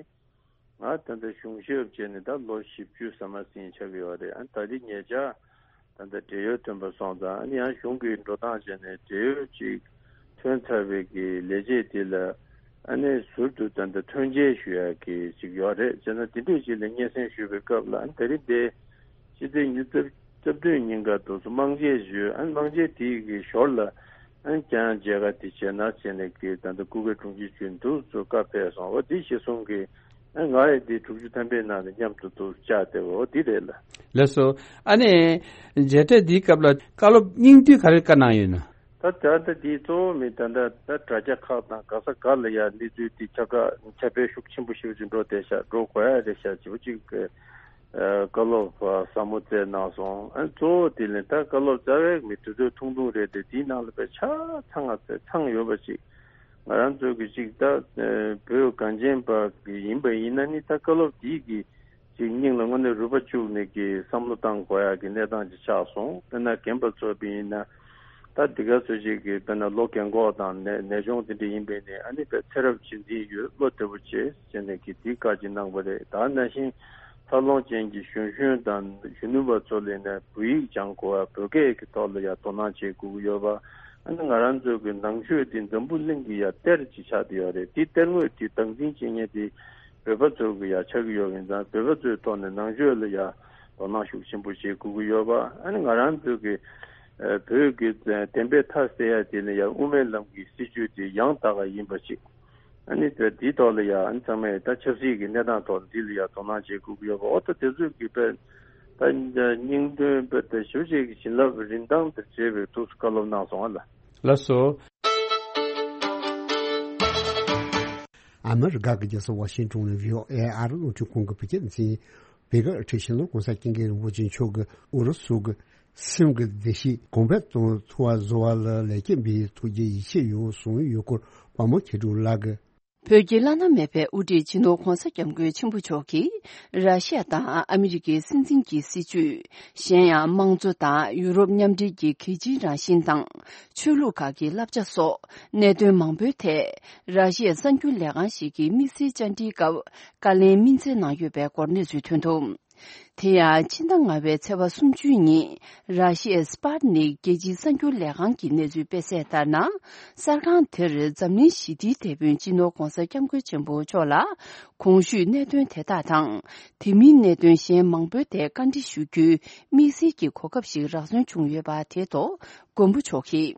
ང་ད་ལྟ་གཞུང་ཞབས་བྱས་ནས་ད་ལོ་བཞི་བཅུ་ཟ་མ་ཟིན་ཆགས་ཀྱི་ཡོད་རེད། ཨ་ད་ལྟའི་ཉེ་ཆར་ད་ལྟ་བགྲེས་ཡོལ་ཐོན་པ་སོང་ཙང་། ཨ་ནི་ཡང་གཞུང་གི་འགྲོ་སྟངས་བྱས་ནས་བགྲེས་ཡོལ་ཅིག་ཐོན་ཚར་བའི་གི་ལས་བྱེད་དེ་ལ་ཨ་ནི་ཟུར་དུ་ད་ལྟ་ཐོན་སྐྱེལ་ཞུ་ཡག་གི་ཅིག་ཡོད་རེད། བྱས་ན་དེ་འདྲས་ཅིག་ལ་སྙན་སེང་ཞུ་བའི་སྐབས་ལ། ཨ་ནི་ད་རེས་འདི་ཕྱི་ཚེས་ཉི་ཤུ་རྩ་བདུན་ཉིན་ཀ་དུས་སུ་དམངས་གཅེས་ཞུས། ཨ་ནི་དམངས་གཅེས་དེའི་གི་ཞོར་ལ། ཨ་ནི་ཀྱང་མཇལ་ཁ་དེ་བྱས་ན་བྱས་ནས་ཀྱི་ད་ལྟ་སྐུ་སྒེར་དྲུང་ཆེ་ཞུས་འདུག་ཚོ་བཀའ་ཕེབས་སོང་། འོ་དེ་གཞི་བཟུང་གི་ཨ་ནི་ང་ཡི་དེ་དྲུག་ཅུ་ཐམ་པའི་ནང་ནས་མཉམ་དུ་འདུག་བཅར་བསྡད་པ་འོ་དེ་རེད་ལ། ལགས་སོ། ཨ་ནི་མཇལ་འཕྲད་འདིའི་སྐབས་ལ་བཀའ་སློབ་སྙིང་བསྡུས་ག་རེ་བཀའ་གནང་ཡོད་ན། ད་ ད་ད་ལྟ་དེའི་གཙོ་བོ་མི་ད་ལྟ་ད་དྲ་རྒྱ་ཁག་དང་ག་ས་ག་ལ་ཡ་གནས་ཚུལ་དེ་ཁྱབ་བསྒྲགས་ཁྱབ་སྤེལ་ཤུགས་ཆེན་པོ་ཞེ་པོ་ཅིག་འགྲོ་བསྡད་ཤག་འགྲོ་དགོས་ཡ་རེད་ཤག་ཅེས་པ་ཅིག་གི་ཨ་བཀའ་སློབ་ཟབ་མོ་བསྩལ་གནང་སོང་། ཨ་གཙོ་བོ་དེ་ལས་ད་བཀའ་སློབ་རྩ་བའི་མི་དུས་ཚོད་ཐུང་ཐུང་རེད་དེ། དེའི་ནང་ལ་དཔེ་ཆ་ཚང་ང་ཚང་ཡོད་པ་ཅིག་ང་རང་ཚོ་གི་ཅིག་ད་བོད་གངས་ཅན་པ་གི་ཡིན་པ་ཡིན་ན་ནི་ད་བཀའ་སློབ་དེའི་གི་ཅིག་སྙིང་ལ་དངོས་གནས་རུས་པ་བཅུག་ནས་ཀྱི་བསམ་བློ་བཏང་དགོས་ཡག་གི་གནས་སྟངས་ཅིག་ཆགས་སོང་། དཔེར་ན་རྒན་པ་ཚོ་བ་ཡིན་ན་ད་འདི་ག་ཚོད་ཅིག་གི་དཔེར་ན་ལོ་རྒན་གོག་དང་ནད་ནད་གཅོང་དེ་འདྲ་ཡིན་པས་ནི་ཨ་ནི་དཔེ་ཚེ་རབས་རྗེས་འཛིན་ཡོད་བློ་བདེ་པོ་བྱེད་ཟེར་ནས་ཀྱི་འདི་བཀའ་ཅིག་གནང་བ་རེད། ད་ནང་བཞིན་འཚར་ལོངས་ཅན་གྱི་གཞོན་གཞོན་དང་གཞོན་ནུ་བ་ཚོ་ལ་ཡིན་ན་བོད་ཡིག་སྦྱང་དགོས་པ་བོད་སྐད་ཀྱི་ཐོག་ལ་ཡ་དོ་སྣང་བྱེད་དགོས་ཀྱི་ཡོད་པ། ཨ་ནི་ང་རང་ཚོ་གི་ནང་ཆོས་འདི་འཛམ་བུ་གླིང་གི་ཡ་གཏེར་ཅིག་ཆགས་བསྡད་ཡོད་རེད། འདི་གཏེར་དངོས་འདི་སྟངས་འཛིན་བྱེད་མཁན་འདི་བོད་པ་ཚོ་གི་ཡ་ཆགས་ཀྱི་ཡོད་པ་ཡིན་ཙང་། བོད་པ་ཚོའི་ཐོག་ནས་ནང་ཆོས་ལ་ཡ་དོ་སྣང་ཤུགས་ཆེན་པོ་བྱེད་དགོས་ཀྱི་ཡོད་པ། ཨ་ནི་ང་རང་ཚོ་གི་ཨ་བོད་ཀྱི་བདེན་པའི་མཐའ་གསལ་ཡ་དེ་ནི་ཡ་དབུ་མའི་ལམ་གྱི་སྲིད་བྱུས་དེ་ཡང་དག་པ་ཡིན་པ་ཞིག་ཨ་ནི་དེ་དེའི་ཐོག་ལ་ཡ་ཨ་ནི་ཚང་མས་ད་ཆབ་སྲིད་ཀྱི་གནས་སྟངས་ཐོག་འདི་ལ་ཡ་དོ་སྣང་བྱེད་དགོས་ཀྱི་ཡོད་པ། འོ་ད་དེ་ཚོའི་གི་དཔེ་ད་སྙིང་དོན་དཔེ་ད་ཞུ་བྱེད་ཀྱི་བྱིན་རླབས་རིན་ཐང་དེ་བྱེད་པའི་ཐུགས་སུ་བཀའ་སློབ་གནང་སོང་བ་ལ། ལགས་སོ། ཨ་མི་རི་ཀ་གི་རྒྱལ་ས་ཝ་ཤིང་ཏོན་ནས་བྷི་ཨོ་ཨེ་ཨ་རི་རླུང་འཕྲིན་ཁང་གི་བོད་སྐད་སྡེ་ཚན། བོད་སྐད་ཨེ་ཤེས་ལོ་༸གོང་ས་༸སྐྱབས་མགོན་རིན་པོ་ཆེ་མཆོག་གིས་ཨུ་རུ་སུ་གི་སེམས་ཀྱི་བདེ་སྐྱིད་གོང་འཕེལ་གཏོང་ཐུབ་པ་བཟོ་བ་ལ་ལེགས་སྐྱེས་འབུལ་ཐུགས་རྗེ་ཡིད་ཆེས་ཡོད་གསུངས་ཡོད་སྐོར་དཔའ་མོ་མཁས་གྲུབ་ལགས་ཀྱིས། བོད་ཀྱི་བླ་ན་མེད་པའི་དབུ་ཁྲིད་སྤྱི་ནོར་༸གོང་ས་༸སྐྱབས་མགོན་ཆེན་པོ་མཆོག་གིས་ར་ཤི་ཡ་དང་ཨ་མི་རི་ཀའི་སྲིད་འཛིན་གྱི་སྲིད་བྱུས། གཞན་ཡང་དམངས་གཙོ་དང་ཡུ་རོབ་མཉམ་འབྲེལ་གྱི་གལ་ཆེའི་རང་བཞིན་དང་། ཆོས་ལུགས་ཁག་གི་བསླབ་བྱ་སོགས་གནད་དོན་མང་པོའི་ཐད་ར་ཤི་ཡའི་གསར་འགྱུར་ལས་ཁང་ཞིག་གིས་དམིགས་བསལ་བཅར་འདྲིའི་སྐབས་བཀའ་ལན་སྨིན་སྩལ་གནང་ཡོད་པའི་སྐོར་གནས་ཚུལ་ཐོན་འདུག་དེ་ཡང་ཕྱི་ཟླ་ལྔ་པའི་ཚེས་པ་སུམ་ཅུ་ཉིན་ར་ཤི་ཡའི་སི་པཱ་ཊི་ནིག་རྒྱལ་སྤྱིའི་གསར་འགྱུར་ལས་ཁང་གིས་གནས་ཚུལ་སྤེལ་གསལ་ལྟར་ན། གསར་ཁང་དེར་འཛམ་གླིང་ཞི་བདེའི་དེད་དཔོན་སྤྱི་ནོར་༸གོང་ས་༸སྐྱབས་མགོན་ཆེན་པོ་མཆོག་ལ་གོང་ཞུས་གནད་དོན་དེ་དག་དང་། དེ་མིན་གནད་དོན་གཞན་མང་པོའི་ཐད་བཀའ་འདྲི་ཞུ་རྒྱུའི་དམིགས་བསལ་གྱི་གོ་སྐབས་ཤིག་རག་སོན་བྱུང་ཡོད་པ་དེ་ཐོག་མགོན་པོ་མཆོག་གིས།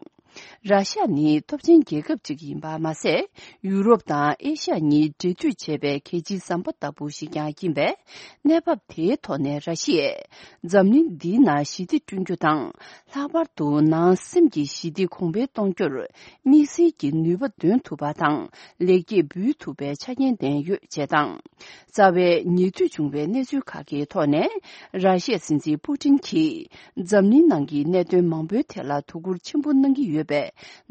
ར་ཤ་ཡ་ནི་སྟོབས་ཆེན་རྒྱལ་ཁབ་ཅིག་ཡིན་པ་མ་ཟད། ཡུ་རོབ་དང་ཨེ་ཤ་ཡ་གཉིས་འབྲེལ་མཐུད་བྱེད་པའི་གལ་ཆེའི་ཟམ་པ་ལྟ་བུ་ཞིག་ཀྱང་ཡིན་པས། གནས་བབ་དེའི་ཐོག་ནས་ར་ཤི་ཡས་འཛམ་གླིང་འདིའི་ནང་ཞི་བདེ་བསྐྲུན་རྒྱུ་དང་། ལྷག་པར་དུ་ནང་སེམས་ཀྱི་ཞི་བདེ་གོང་འཕེལ་གཏོང་རྒྱུར་དམིགས་བསལ་གྱི་ནུས་པ་འདོན་ཐུབ་པ་དང་། ལེགས་སྐྱེས་འབུལ་ཐུབ་པའི་ཆ་རྐྱེན་ལྡན་ཡོད་ཅེས་དང་། རྩ་བའི་ཉེ་དུས་བྱུང་བའི་གནས་ཚུལ་ཁག་གི་ཐོག་ནས། ར་ཤི་ཡའི་སྲིད་འཛིན་པུ་ཏིན་གྱིས་འཛམ་གླིང་ནང་གི་གནད་དོན་མང་པོའི་ཐད་ལ་དོ་ཁུར་ཆེན་པོ་གནང་གི་ཡོད་པའི་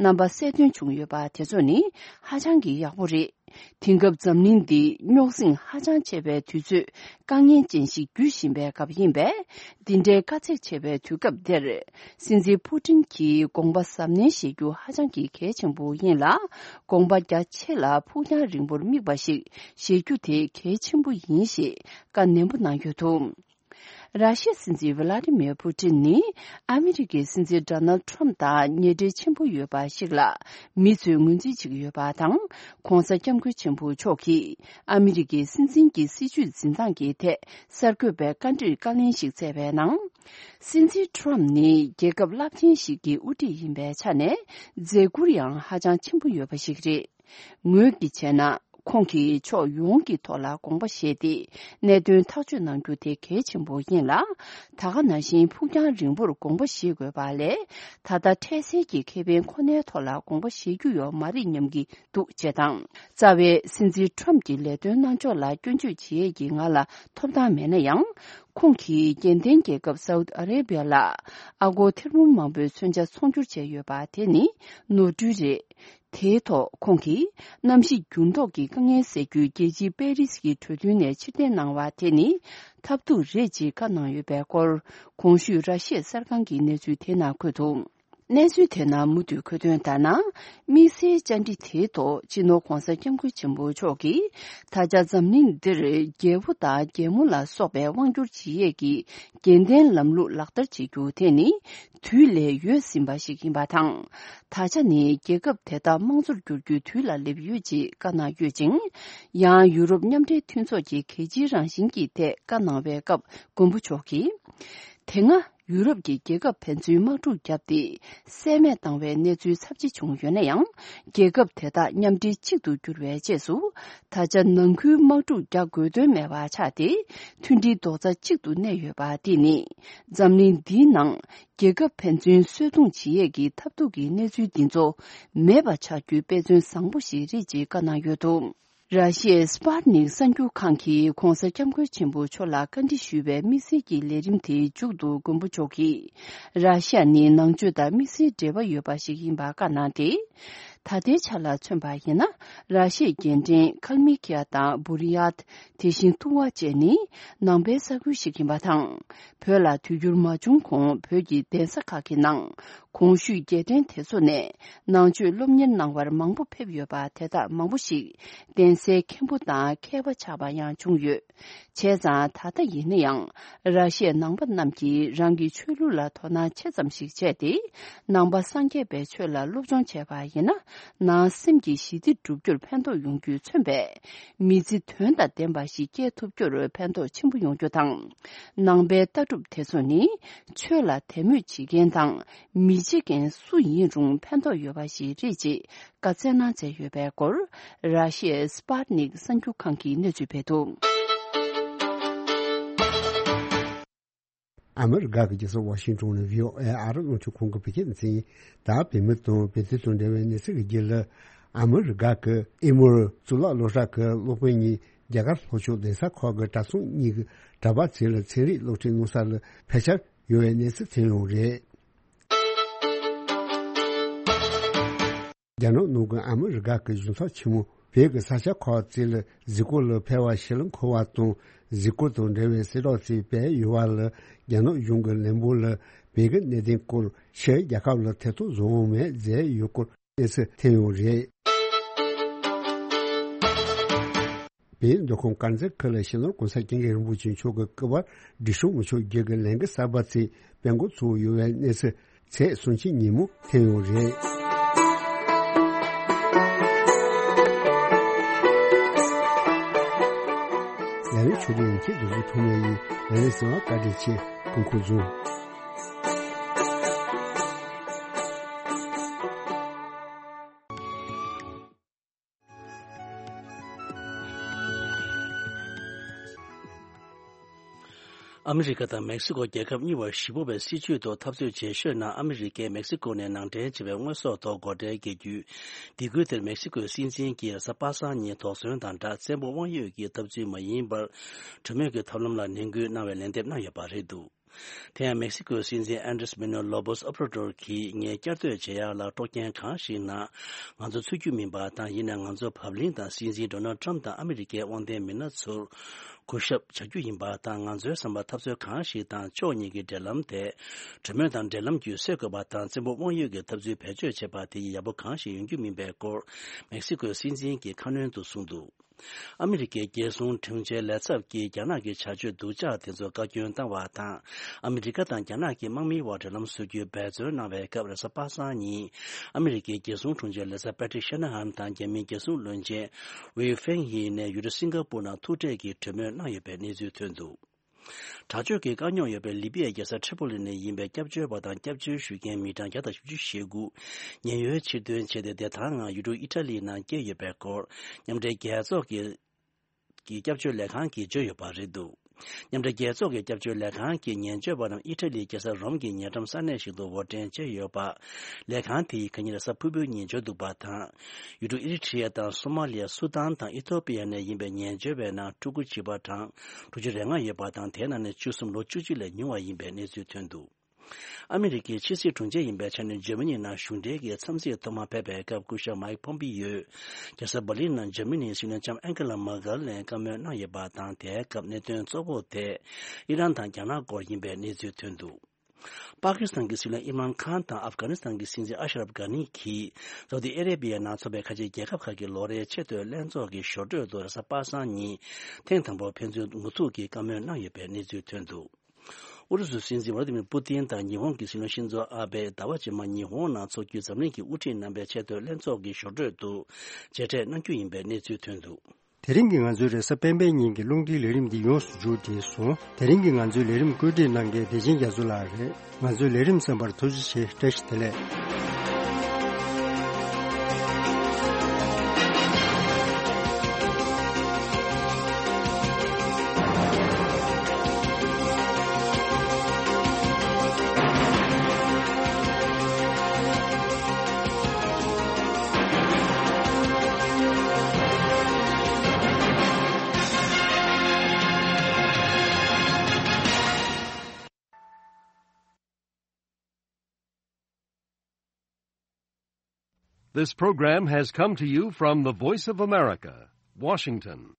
རྣམ་པ་གསལ་སྟོན་བྱུང་ཡོད་པ་དེ་ཚོ་ནི་ཧ་ཅང་གི་ཡག་པོ་རེད། དེང་སྐབས་འཛམ་གླིང་འདི་རྙོག་ཟིང་ཧ་ཅང་ཆེ་བའི་དུས་ཚོད་དཀའ་ངལ་ཅན་ཞིག་བརྒྱུད་བཞིན་པའི་སྐབས་ཡིན་པས། འདི་འདྲའི་དཀའ་ཚེགས་ཆེ་བའི་དུས་སྐབས་འདིར། སྲིད་འཛིན་པུ་ཏིན་གྱིས་དགོངས་པ་གཟབ་ནན་བཞེས་རྒྱུ་ཧ་ཅང་གི་གལ་ཆེན་པོ་ཡིན་ལ། དགོངས་པ་རྒྱ་ཆེ་ལ་ཕུགས་རྒྱང་རིང་པོར་དམིགས་པ་ཞིག་བཞེས་རྒྱུ་དེ་གལ་ཆེན་པོ་ཡིན་ཞེས་བཀའ་ནན་པོ་གནང་ཡོད་འདུག་ར་ཤི་ཡའི་སྲིད་འཛིན་ཝི་ལ་ཏི་མིར་པུ་ཏིན་ནི་ཨ་མི་རི་ཀའི་སྲིད་འཛིན་ཌོ་ནལ་ཌི་ཊརམ་ཕི་དང་ཉེ་འབྲེལ་ཆེན་པོ་ཡོད་པ་ཞིག་ལ་མི་ཚོས་ངོས་འཛིན་བྱེད་ཀྱི་ཡོད་པ་དང་། ༸གོང་ས་༸སྐྱབས་མགོན་ཆེན་པོ་མཆོག་གིས་ཨ་མི་རི་ཀའི་སྲིད་འཛིན་གྱི་སྲིད་བྱུས་འཛིན་སྟངས་ཀྱི་ཐད་གསར་འགོད་པའི་བཀའ་འདྲིར་བཀའ་ལན་ཞིག་སྩལ་བའི་ནང་། སྲིད་འཛིན་ཊརམ་ཕི་ནི་རྒྱལ་ཁབ་རླབས་ཆེན་ཞིག་གི་དབུ་ཁྲིད་ཡིན་པའི་ཆ་ནས་མཛད་ཁུར་ཡང་ཧ་ཅང་ཆེན་པོ་ཡོད་པ་ཞིག་རེད། ངོས་ཀྱིས་བྱས་ན། ཁོང་གིས་ཕྱོགས་ཡོངས་ཀྱི་ཐོག་ལ་དགོངས་པ་བཞེས་ཏེ། གནད་དོན་ཐག་གཅོད་གནང་རྒྱུ་དེ་གལ་ཆེན་པོ་ཡིན་ལ། ད་ག་ནང་བཞིན་ཕུགས་རྒྱང་རིང་པོར་དགོངས་པ་བཞེས་དགོས་པ་ལས། ད་ལྟ་འཕྲལ་སེལ་གྱི་ཁེ་ཕན་ཁོ་ནའི་ཐོག་ལ་དགོངས་པ་བཞེས་རྒྱུ་ཡོད་མ་རེད་སྙམ་གྱི་འདུག་ཅེས་དང་། རྩ་བའི་སྲིད་འཛིན་ཊརམ་ཕི་གྱི་ལས་དོན་གནང་ཕྱོགས་ལ་སྐྱོན་བརྗོད་བྱེད་ཡས་ཀྱི་ང་ལ་ཐོབ་ཐང་མེད་ན་ཡང་། ཁོང་གིས་རྒྱལ་ལྡན་རྒྱལ་ཁབ་སའུ་ཏི་ཨ་རེ་བྷི་ཡ་ལ་ཨ་སྒོར་ཐེར་འབུམ་མང་པོའི་མཚོན་ཆ་ཚོང་སྒྱུར་བྱས་ཡོད་པ་དེ་ནི་ནོར་འཁྲུལ་རེད། དེའི་ཐོག་ཁོང་གིས་གནམ་གཤིས་འགྱུར་ལྡོག་གི་དཀའ་ངལ་སེལ་རྒྱུའི་རྒྱལ་སྤྱིའི་པེ་རིས་ཀྱི་གྲོས་མཐུན་ནས་ཕྱིར་འཐེན་གནང་བ་དེ་ནི་ཐབས་སྡུག་རེད་ཅེས་བཀའ་གནང་ཡོད་པའི་སྐོར། གོང་ཞུས་ར་ཤི་ཡའི་གསར་ཁང་གི་གནས་ཚུལ་དེ་ནང་འཁོད་འདུག་གནས་ཚུལ་དེ་ནང་མུ་མཐུད་འཁོད་དོན་ལྟར་ན། དམིགས་བསལ་བཅར་འདྲི་དེའི་ཐོག་སྤྱི་ནོར་༸གོང་ས་༸སྐྱབས་མགོན་ཆེན་པོ་མཆོག་གིས། ད་ཆ་འཛམ་གླིང་འདིར་རྒྱལ་པོ་དང་རྒྱལ་མོ་ལ་སོགས་པའི་དབང་སྒྱུར་བྱེད་ཡས་ཀྱི་རྒྱལ་བསྟན་ལམ་ལུགས་ལག་བསྟར་བྱེད་རྒྱུ་དེ་ནི་དུས་ལས་ཡོལ་ཟིན་པ་ཞིག་ཡིན་པ་དང་། ད་ཆ་ནི་རྒྱལ་ཁབ་དེ་དག་དམངས་གཙོར་བསྒྱུར་རྒྱུའི་དུས་ལ་སླེབས་ཡོད་ཅེས་བཀའ་གནང་ཡོད་ཅིང་། ཡང་ཡུ་རོབ་མཉམ་འབྲེལ་མཐུན་ཚོགས་ཀྱི་གལ་ཆེའི་རང་བཞིན་གྱི་ཐད་བཀའ་གནང་བའི་སྐབས་མགོན་པོ་མཆོག་གིས། དེ་སྔ། ཡུ་རོབ་ཀྱི་རྒྱལ་ཁབ་ཕན་ཚུན་དམག་འཁྲུག་བརྒྱབ་སྟེ། སེལ་མེད་བཏང་བའི་གནས་ཚུལ་ཚབས་ཆེ་བྱུང་ཡོད་ན་ཡང་། རྒྱལ་ཁབ་དེ་དག་མཉམ་འབྲེལ་གཅིག་ཏུ་གྱུར་བའི་རྗེས་སུ། ད་ཆ་ནང་ཁུལ་དམག་འཁྲུག་རྒྱག་དགོས་དོན་མེད་པ་ཆགས་ཏེ། མཐུན་སྒྲིལ་རྡོག་རྩ་གཅིག་ཏུ་གནས་ཡོད་པ་འདི་ནི། འཛམ་གླིང་འདིའི་ནང་རྒྱལ་ཁབ་ཕན་ཚུན་གསོད་རྡུང་བྱེད་ཡས་ཀྱི་ཐབས་སྡུག་གི་གནས་ཚུལ་འདི་ཚོ་མེད་པ་ཆགས་རྒྱུའི་དཔེ་མཚོན་བཟང་པོ་ཞིག་རེད་ཅེས་བཀའ་གནང་ཡོད་འདུག་ར་ཤི་ཡའི་སི་པཱ་ཊི་ནིག་གསར་འགྱུར་ཁང་གིས་༧གོང་ས་༧སྐྱབས་མགོན་ཆེན་པོ་མཆོག་ལ་བཀའ་འདྲི་ཞུས་པའི་དམིགས་བསལ་གྱི་ལས་རིམ་དེའི་མཇུག་ཏུ་མགོན་པོ་མཆོག་གིས། ར་ཤི་ཡ་ནི་ནང་ཆོས་དང་དམིགས་བསལ་འབྲེལ་བ་ཡོད་པ་ཞིག་ཡིན་པ་བཀའ་གནང་སྟེ། ད་ལྟའི་ཆ་ལ་མཚོན་པ་ཡིན་ན། ར་ཤི་ཡའི་རྒྱལ་ཕྲན་ཁལ་མི་ཁི་ཡ་དང་བུ་རི་ཡཱད། དེ་བཞིན་ཏུ་ཝ་བཅས་ནི་ནང་པའི་ས་ཁུལ་ཞིག་ཡིན་པ་དང་། བོད་ལ་དུས་འགྱུར་མ་བྱུང་གོང་བོད་ཀྱི་གདན་ས་ཁག་གི་ནང་གོང་ཞུས་རྒྱལ་ཕྲན་དེ་ཚོ་ནས་ནང་ཆོས་སློབ་གཉེར་གནང་བར་མང་པོ་ཕེབས་ཡོད་པ་དེ་དག་མང་པོ་ཞིག་གདན་སའི་མཁན་པོ་དང་མཁས་པ་ཆགས་པ་ཡང་བྱུང་ཡོད། བྱས་ཙང་ད་ལྟ་ཡིན་ན་ཡང་ར་ཤི་ཡའི་ནང་པ་རྣམས་ཀྱིས་རང་གི་ཆོས་ལུགས་ལ་དོ་སྣང་ཆེ་ཙམ་ཞིག་བྱས་ཏེ། ནང་པ་སངས་རྒྱས་པའི་ཆོས་ལ་སློབ་སྦྱོང་བྱས་པ་ཡིན་ན། ནང་སེམས་ཀྱི་ཞི་བདེ་སྒྲུབ་རྒྱུར་ཕན་ཐོགས་ཡོང་རྒྱུས་མཚོན་པའི་མི་ཚེ་དོན་དང་ལྡན་པ་ཞིག་སྐྱེལ་ཐུབ་རྒྱུར་ཕན་ཐོགས་ཆེན་པོ་ཡོང་རྒྱུ་དང་། ནང་པའི་ལྟ་གྲུབ་དེ་ཚོ་ནི་ཆོས་ལ་དད་མོས་བྱེད་མཁན་དང་མི་བྱེད་མཁན་སུ་ཡིན་རུང་ཕན་ཐོགས་ཡོད་པ་ཞིག་རེད་ཅེས་བཀའ་སྩལ་གནང་མཛད་ཡོད་པའི་སྐོར། ར་ཤི་ཡའི་སི་པཱ་ཊི་ནིག་གསར་འགྱུར་ཁང་གིས་གནས་ཚུལ་སྤེལ་འདུག་ཨ་མི་རི་ཀ་གི་རྒྱལ་ས་ཝ་ཤིང་ཏོན་ནས་ཝི་ཨོ་ཨེ་ཨ་རི་རླུང་འཕྲིན་ཁང་གི་བོད་སྐད་སྡེ་ཚན་ཡིན། ད་བོད་མི་དང་བོད་དོན་དང་འབྲེལ་བའི་གནས་ཚུལ་གྱི་རྒྱུད་ལ། ཨ་མི་རི་ཀ་གི་ཨེ་མོར་གཙུག་ལག་སློབ་གྲྭ་གི་སློབ་དཔོན་གཉིས་རྒྱ་གར་ལྷོ་ཕྱོགས་གདན་ས་ཁག་གི་གྲྭ་ཚང་གཉིས་ཀྱི་གྲྭ་པ་ཚོ་ལ་ཚན་རིག་སློབ་ཁྲིད་གནང་ས་ལ་ཕལ་ཆེར་ཡོད་པའི་གནས་ཚུལ་ཐོན་ཡོད་རེད། རྒྱ་ནག་ནང་གི་ཨ་མི་རི་ཀ་གི་གཞུང་ཚབ་ཆེན་མོ་བོད་ཀྱི་ས་ཆ་ཁག་ཅིག་ལ་གཟིགས་སྐོར་ལ་ཕེབས་པ་ཞིག་ལ་འཁོར་བ་དང་། གཟིགས་སྐོར་དང་འབྲེལ་བའི་གསལ་བསྒྲགས་ཤིག་སྤེལ་ཡོད་པ་ལ། རྒྱ་ནག་གཞུང་གི་ལན་འབོར་ལ་བོད་ཀྱི་གནད་དོན་སྐོར་ཕྱིའི་རྒྱལ་ཁབ་ལ་ཐེ་གཏོགས་བཟོ་འོང་མེད་མཛད་ཡོད་སྐོར་གནས་ཚུལ་ཐོན་ཡོད་རེད། བོད་མདོ་ཁམས་དཀར་མཛེས་ཁུལ་ལ་སྤྱི་ནོར་༸གོང་ས་༸སྐྱབས་མགོན་རིན་པོ་ཆེ་མཆོག་གི་སྐུ་པར་སྒྲིག་སྲུང་མི་ཆོག་རྒྱུ་གི་ལས་འགུལ་གསར་པ་ཞིག་སྤེལ་འགོ་ཚུགས་ཡོད་པའི་གནས་ཚུལ་ཚེས་སུམ་ཅུ་ཉིན་མོ་ཐོན་ཡོད་རེད། ལས་རིམ་ཆུ་ཚོད་ཡིན་གྱི་འདུག་རྒྱུ་ཐོག་མ་ཡིན། ལས་རིམ་གསན་པར་བཀའ་དྲིན་ཆེ། སྐུ་ཁམས་བཟང་། ཨ་མི་རི་ཀ་དང་མེག་སི་ཀོ་རྒྱལ་ཁབ་གཉིས་བར་ཞེ་པོ་བའི་སྲིད་ཇུས་ཐོག་འཐབ་རྩོད་བྱེད་ཤོད་ནང་ཨ་མི་རི་ཀས་མེག་སི་ཀོ་ནས་ནང་འདྲེན་བྱས་པའི་དངོས་ཟོག་ཐོག་སྒོ་ཁྲལ་འགེལ་རྒྱུའི་སྡིགས་སྐུལ་དེར་མེག་སི་ཀོའི་སྲིད་འཛིན་གྱིས་རེས་གཟའ་པ་སངས་ཉིན་དོགས་ཟོན་དང་སྦྲགས་བཙན་པོ་དབང་ཡོད་ཀྱི་འཐབ་རྩོད་མ་ཡིན་པར་གྲོས་མོལ་གྱི་ཐབས་ལམ་ལ་ནན་སྐུལ་གནང་བའི་ལན་འདེབས་གནང་ཡོད་པ་རེད་འདུག་དེ་ཡང་མེག་སི་ཀོའི་སྲིད་འཛིན་ཨན་ཌྲེས་མེ་ནུ་ལོ་པོས་ཨོབ་ར་ཏོར་གྱིས་ངས་བསྐྱར་ཟློས་བྱེད་ཡག་ལ་དཀྲོག་རྐྱེན་གང་ཞིག་ན་ང་ཚོ་ཚུད་རྒྱུ་མིན་པ་དང་། ཡིན་ནའང་ང་ཚོ་བབ་བརླིང་དང་སྲིད་འཛིན་ཌོ་ནལ་ཊམ་དང་ཨ་མི་རི་ཀའི་དབང་ལྡན་མི་སྣ་ཚོར་གུས་ཞབས་བྱ་རྒྱུ་ཡིན་པ་དང་། ང་ཚོའི་བསམ་པ་འཐབ་རྩོད་གང་ཞིག་དང་ཕྱོགས་གཉིས་ཀྱི་འབྲེལ་ལམ་དེ་གྲོས་མོལ་དང་འབྲེལ་ལམ་བརྒྱུད་སེལ་དགོས་པ་དང་། བཙན་པོ་དབང་ཡོད་ཀྱི་འཐབ་རྩོད་བེད་སྤྱོད་བྱེད་པ་དེ་ཡིས་ཡག་པོ་གང་ཞིག་ཡོང་རྒྱུ་མིན་པའི་སྐོར་མེག་སི་ཀོའི་སྲིད་འཛིན་གྱིས་ཁ་སྣོན་དུ་གསུངས་འདུག་ཨ་མི་རི་ཀའི་རྒྱལ་སྲུང་དྲུང་ཆེ་ལས་ཚབ་ཀྱིས་རྒྱ་ནག་གི་བྱ་སྤྱོད་སྡུག་ཅག་དེ་ཚོར་བཀའ་བཀྱོན་བཏང་བ་དང་། ཨ་མི་རི་ཀ་དང་རྒྱ་ནག་གི་དམག་མིའི་བར་འབྲེལ་ལམ་བཟོ་རྒྱུའི་འབད་བརྩོན་གནང་བའི་སྐབས། རེས་གཟའ་པ་སངས་ཉིན་ཨ་མི་རི་ཀའི་རྒྱལ་སྲུང་དྲུང་ཆེ་ལས་ཚབ་པེ་ཏྲིག་ཤེ་ན་ཧན་དང་རྒྱ་མིའི་རྒྱལ་སྲུང་བློན་ཆེན་ཝེ་ཧྥེང་ཧི་ནས་ཡུལ་གྲུ་སིང་ག་པུར་ནང་ཐུག་འཕྲད་ཀྱིས་གྲོས་མོལ་གནང་ཡོད་པའི་གནས་ཚུལ་ཐོན་འདུག་དྲག་སྤྱོད་ཀྱི་དཀའ་རྙོག་ཡོད་པའི་ལི་པི་ཡའི་རྒྱལ་ས་ཁྲི་པོ་ལི་ནས་ཡིན་པའི་སྐྱབས་བཅོལ་བ་དང་སྐྱབས་བཅོལ་ཞུ་མཁན་མི་གྲངས་བརྒྱ་དང་བཞི་བཅུ་ཞེ་དགུ་ཉེན་གཡོལ་ཕྱིར་ཐོན་བྱས་ཏེ། བདེ་ཐང་ངང་ཡུལ་གྲུ་ཨི་ཊ་ལི་ནང་བསྐྱལ་ཡོད་པའི་སྐོར་མཉམ་འབྲེལ་རྒྱལ་ཚོགས་ཀྱི་ཀྱི་སྐྱབས་བཅོལ་ལས་ཁང་གིས་བརྗོད་ཡོད་པ་རེད་འདུག་མཉམ་འབྲེལ་རྒྱལ་ཚོགས་ཀྱི་སྐྱབས་བཅོལ་ལས་ཁང་གིས་ཉེན་བཅོལ་བ་རྣམས་ཨི་ཊ་ལིའི་རྒྱལ་ས་རོམ་གྱི་ཉེ་འགྲམ་ས་གནས་ཤིག་ཏུ་འབོར་འདྲེན་བྱས་ཡོད་པ། ལས་ཁང་དེ་ཡིས་ཁ་ཉིན་རེས་གཟའ་ཕུར་བུའི་ཉིན་བརྗོད་འདུག་པ་དང་། ཡུལ་གྲུ་ཨི་རི་ཊི་རི་ཡ་དང་སོ་མ་ལི་ཡ། སུ་དཱན་དང་ཨི་ཐོ་པི་ཡ་ནས་ཡིན་པའི་ཉེན་བཅོལ་བའི་ནང་ཕྲུ་གུ་བྱིས་པ་གྲངས་དྲུག་ཅུ་རེ་ལྔ་ཡོད་པ་དང་། དེའི་ནང་ནས་བཅུ་གསུམ་ལོ་བཅུ་གཅིག་ལས་ཉུང་བ་ཡིན་པའི་གནས་ཚུལ་ཐོན་འདུག་ཨ་མི་རི་ཀའི་ཕྱི་སྲིད་དྲུང་ཆེ་ཡིན་པའི་ཆ་ནས་འཇར་མ་ནི་ནང་གཞུང་འབྲེལ་གྱི་འཚམས་གཟིགས་ཐོག་མ་ཕེབས་པའི་སྐབས། སྐུ་ཞབས་མའིག་ཕོམ་པི་ཡོས་རྒྱལ་ས་བྷར་ལིན་ནང་འཇར་མ་ནིའི་སྲིད་བློན་ལྕམ་ཨན་ཀེ་ལ་མར་ཀལ་ནས་བཀའ་མོལ་གནང་ཡོད་པ་དང་། དེའི་སྐབས་གནད་དོན་གཙོ་བོ་དེ་ཨི་རན་དང་རྒྱ་ནག་སྐོར་ཡིན་པའི་གནས་ཚུལ་ཐོན་འདུག་པ་ཀི་སི་ཐན་གྱི་སྲིད་བློན་ཨིམ་རཱན་ཁཱན་དང་ཨབ་གྷ་ནི་སི་ཐན་གྱི་སྲིད་འཛིན་ཨ་ཤ་རབ་གྷ་ནི་གྱིས་སའུ་ཏི་ཨ་རེ་བྷི་ཡའི་ནང་འཚོགས་པའི་ཁ་ཆེའི་རྒྱལ་ཁབ་ཁག་གི་ལོ་རེའི་ཆེས་མཐོའི་ལྷན་ཚོགས་ཀྱི་ཞོར་འཕྲོས་དུ་རེས་གཟའ་པ་སངས་ཉིན་ཐེངས་དང་པོར་ཕན་ཚུན་ངོ་ཐུག་གིས་བཀའ་མོལ་གནང་ཡོད་པའི་གནས་ཚུལ་ཐོན་འདུག་ཨུ་རུ་སུའི་སྲིད་འཛིན་ཝ་ལ་ཏི་མིར་པུ་ཏིན་དང་ཉི་ཧོང་གི་སྲིད་བློན་ཤིན་ཛོ་ཨ་བྷེ་ཟླ་བ་རྗེས་མར་ཉི་ཧོང་ནང་འཚོགས་རྒྱུའི་འཛམ་གླིང་གི་དབུ་ཁྲིད་རྣམ་པའི་ཆེས་མཐོའི་ལྷན་ཚོགས་ཀྱི་ཞོར་འཕྲོས་དུ་མཇལ་འཕྲད་གནང་རྒྱུ་ཡིན་པའི་གནས་ཚུལ་ཐོན་འདུག་དེ་རིང་གི་ང་ཚོའི་རེས་གཟའ་སྤེན་པའི་ཉིན་གྱི་རླུང་འཕྲིན་ལས་རིམ་འདི་ཡོངས་སུ་མཇུག་བསྒྲིལ་སོང་། དེ་རིང་གི་ང་ཚོའི་ལས་རིམ་བཀོད་སྒྲིག་གནང་མཁན་བདེ་ཆེན་རྒྱ་མཚོ་ལགས་རེད། ང་ཚོའི་ལས་རིམ་གསན་པར་ཐུགས་རྗེ་ཆེ། བཀྲ་ཤིས་བདེ་ལེགས། This program has come to you from the Voice of America, Washington.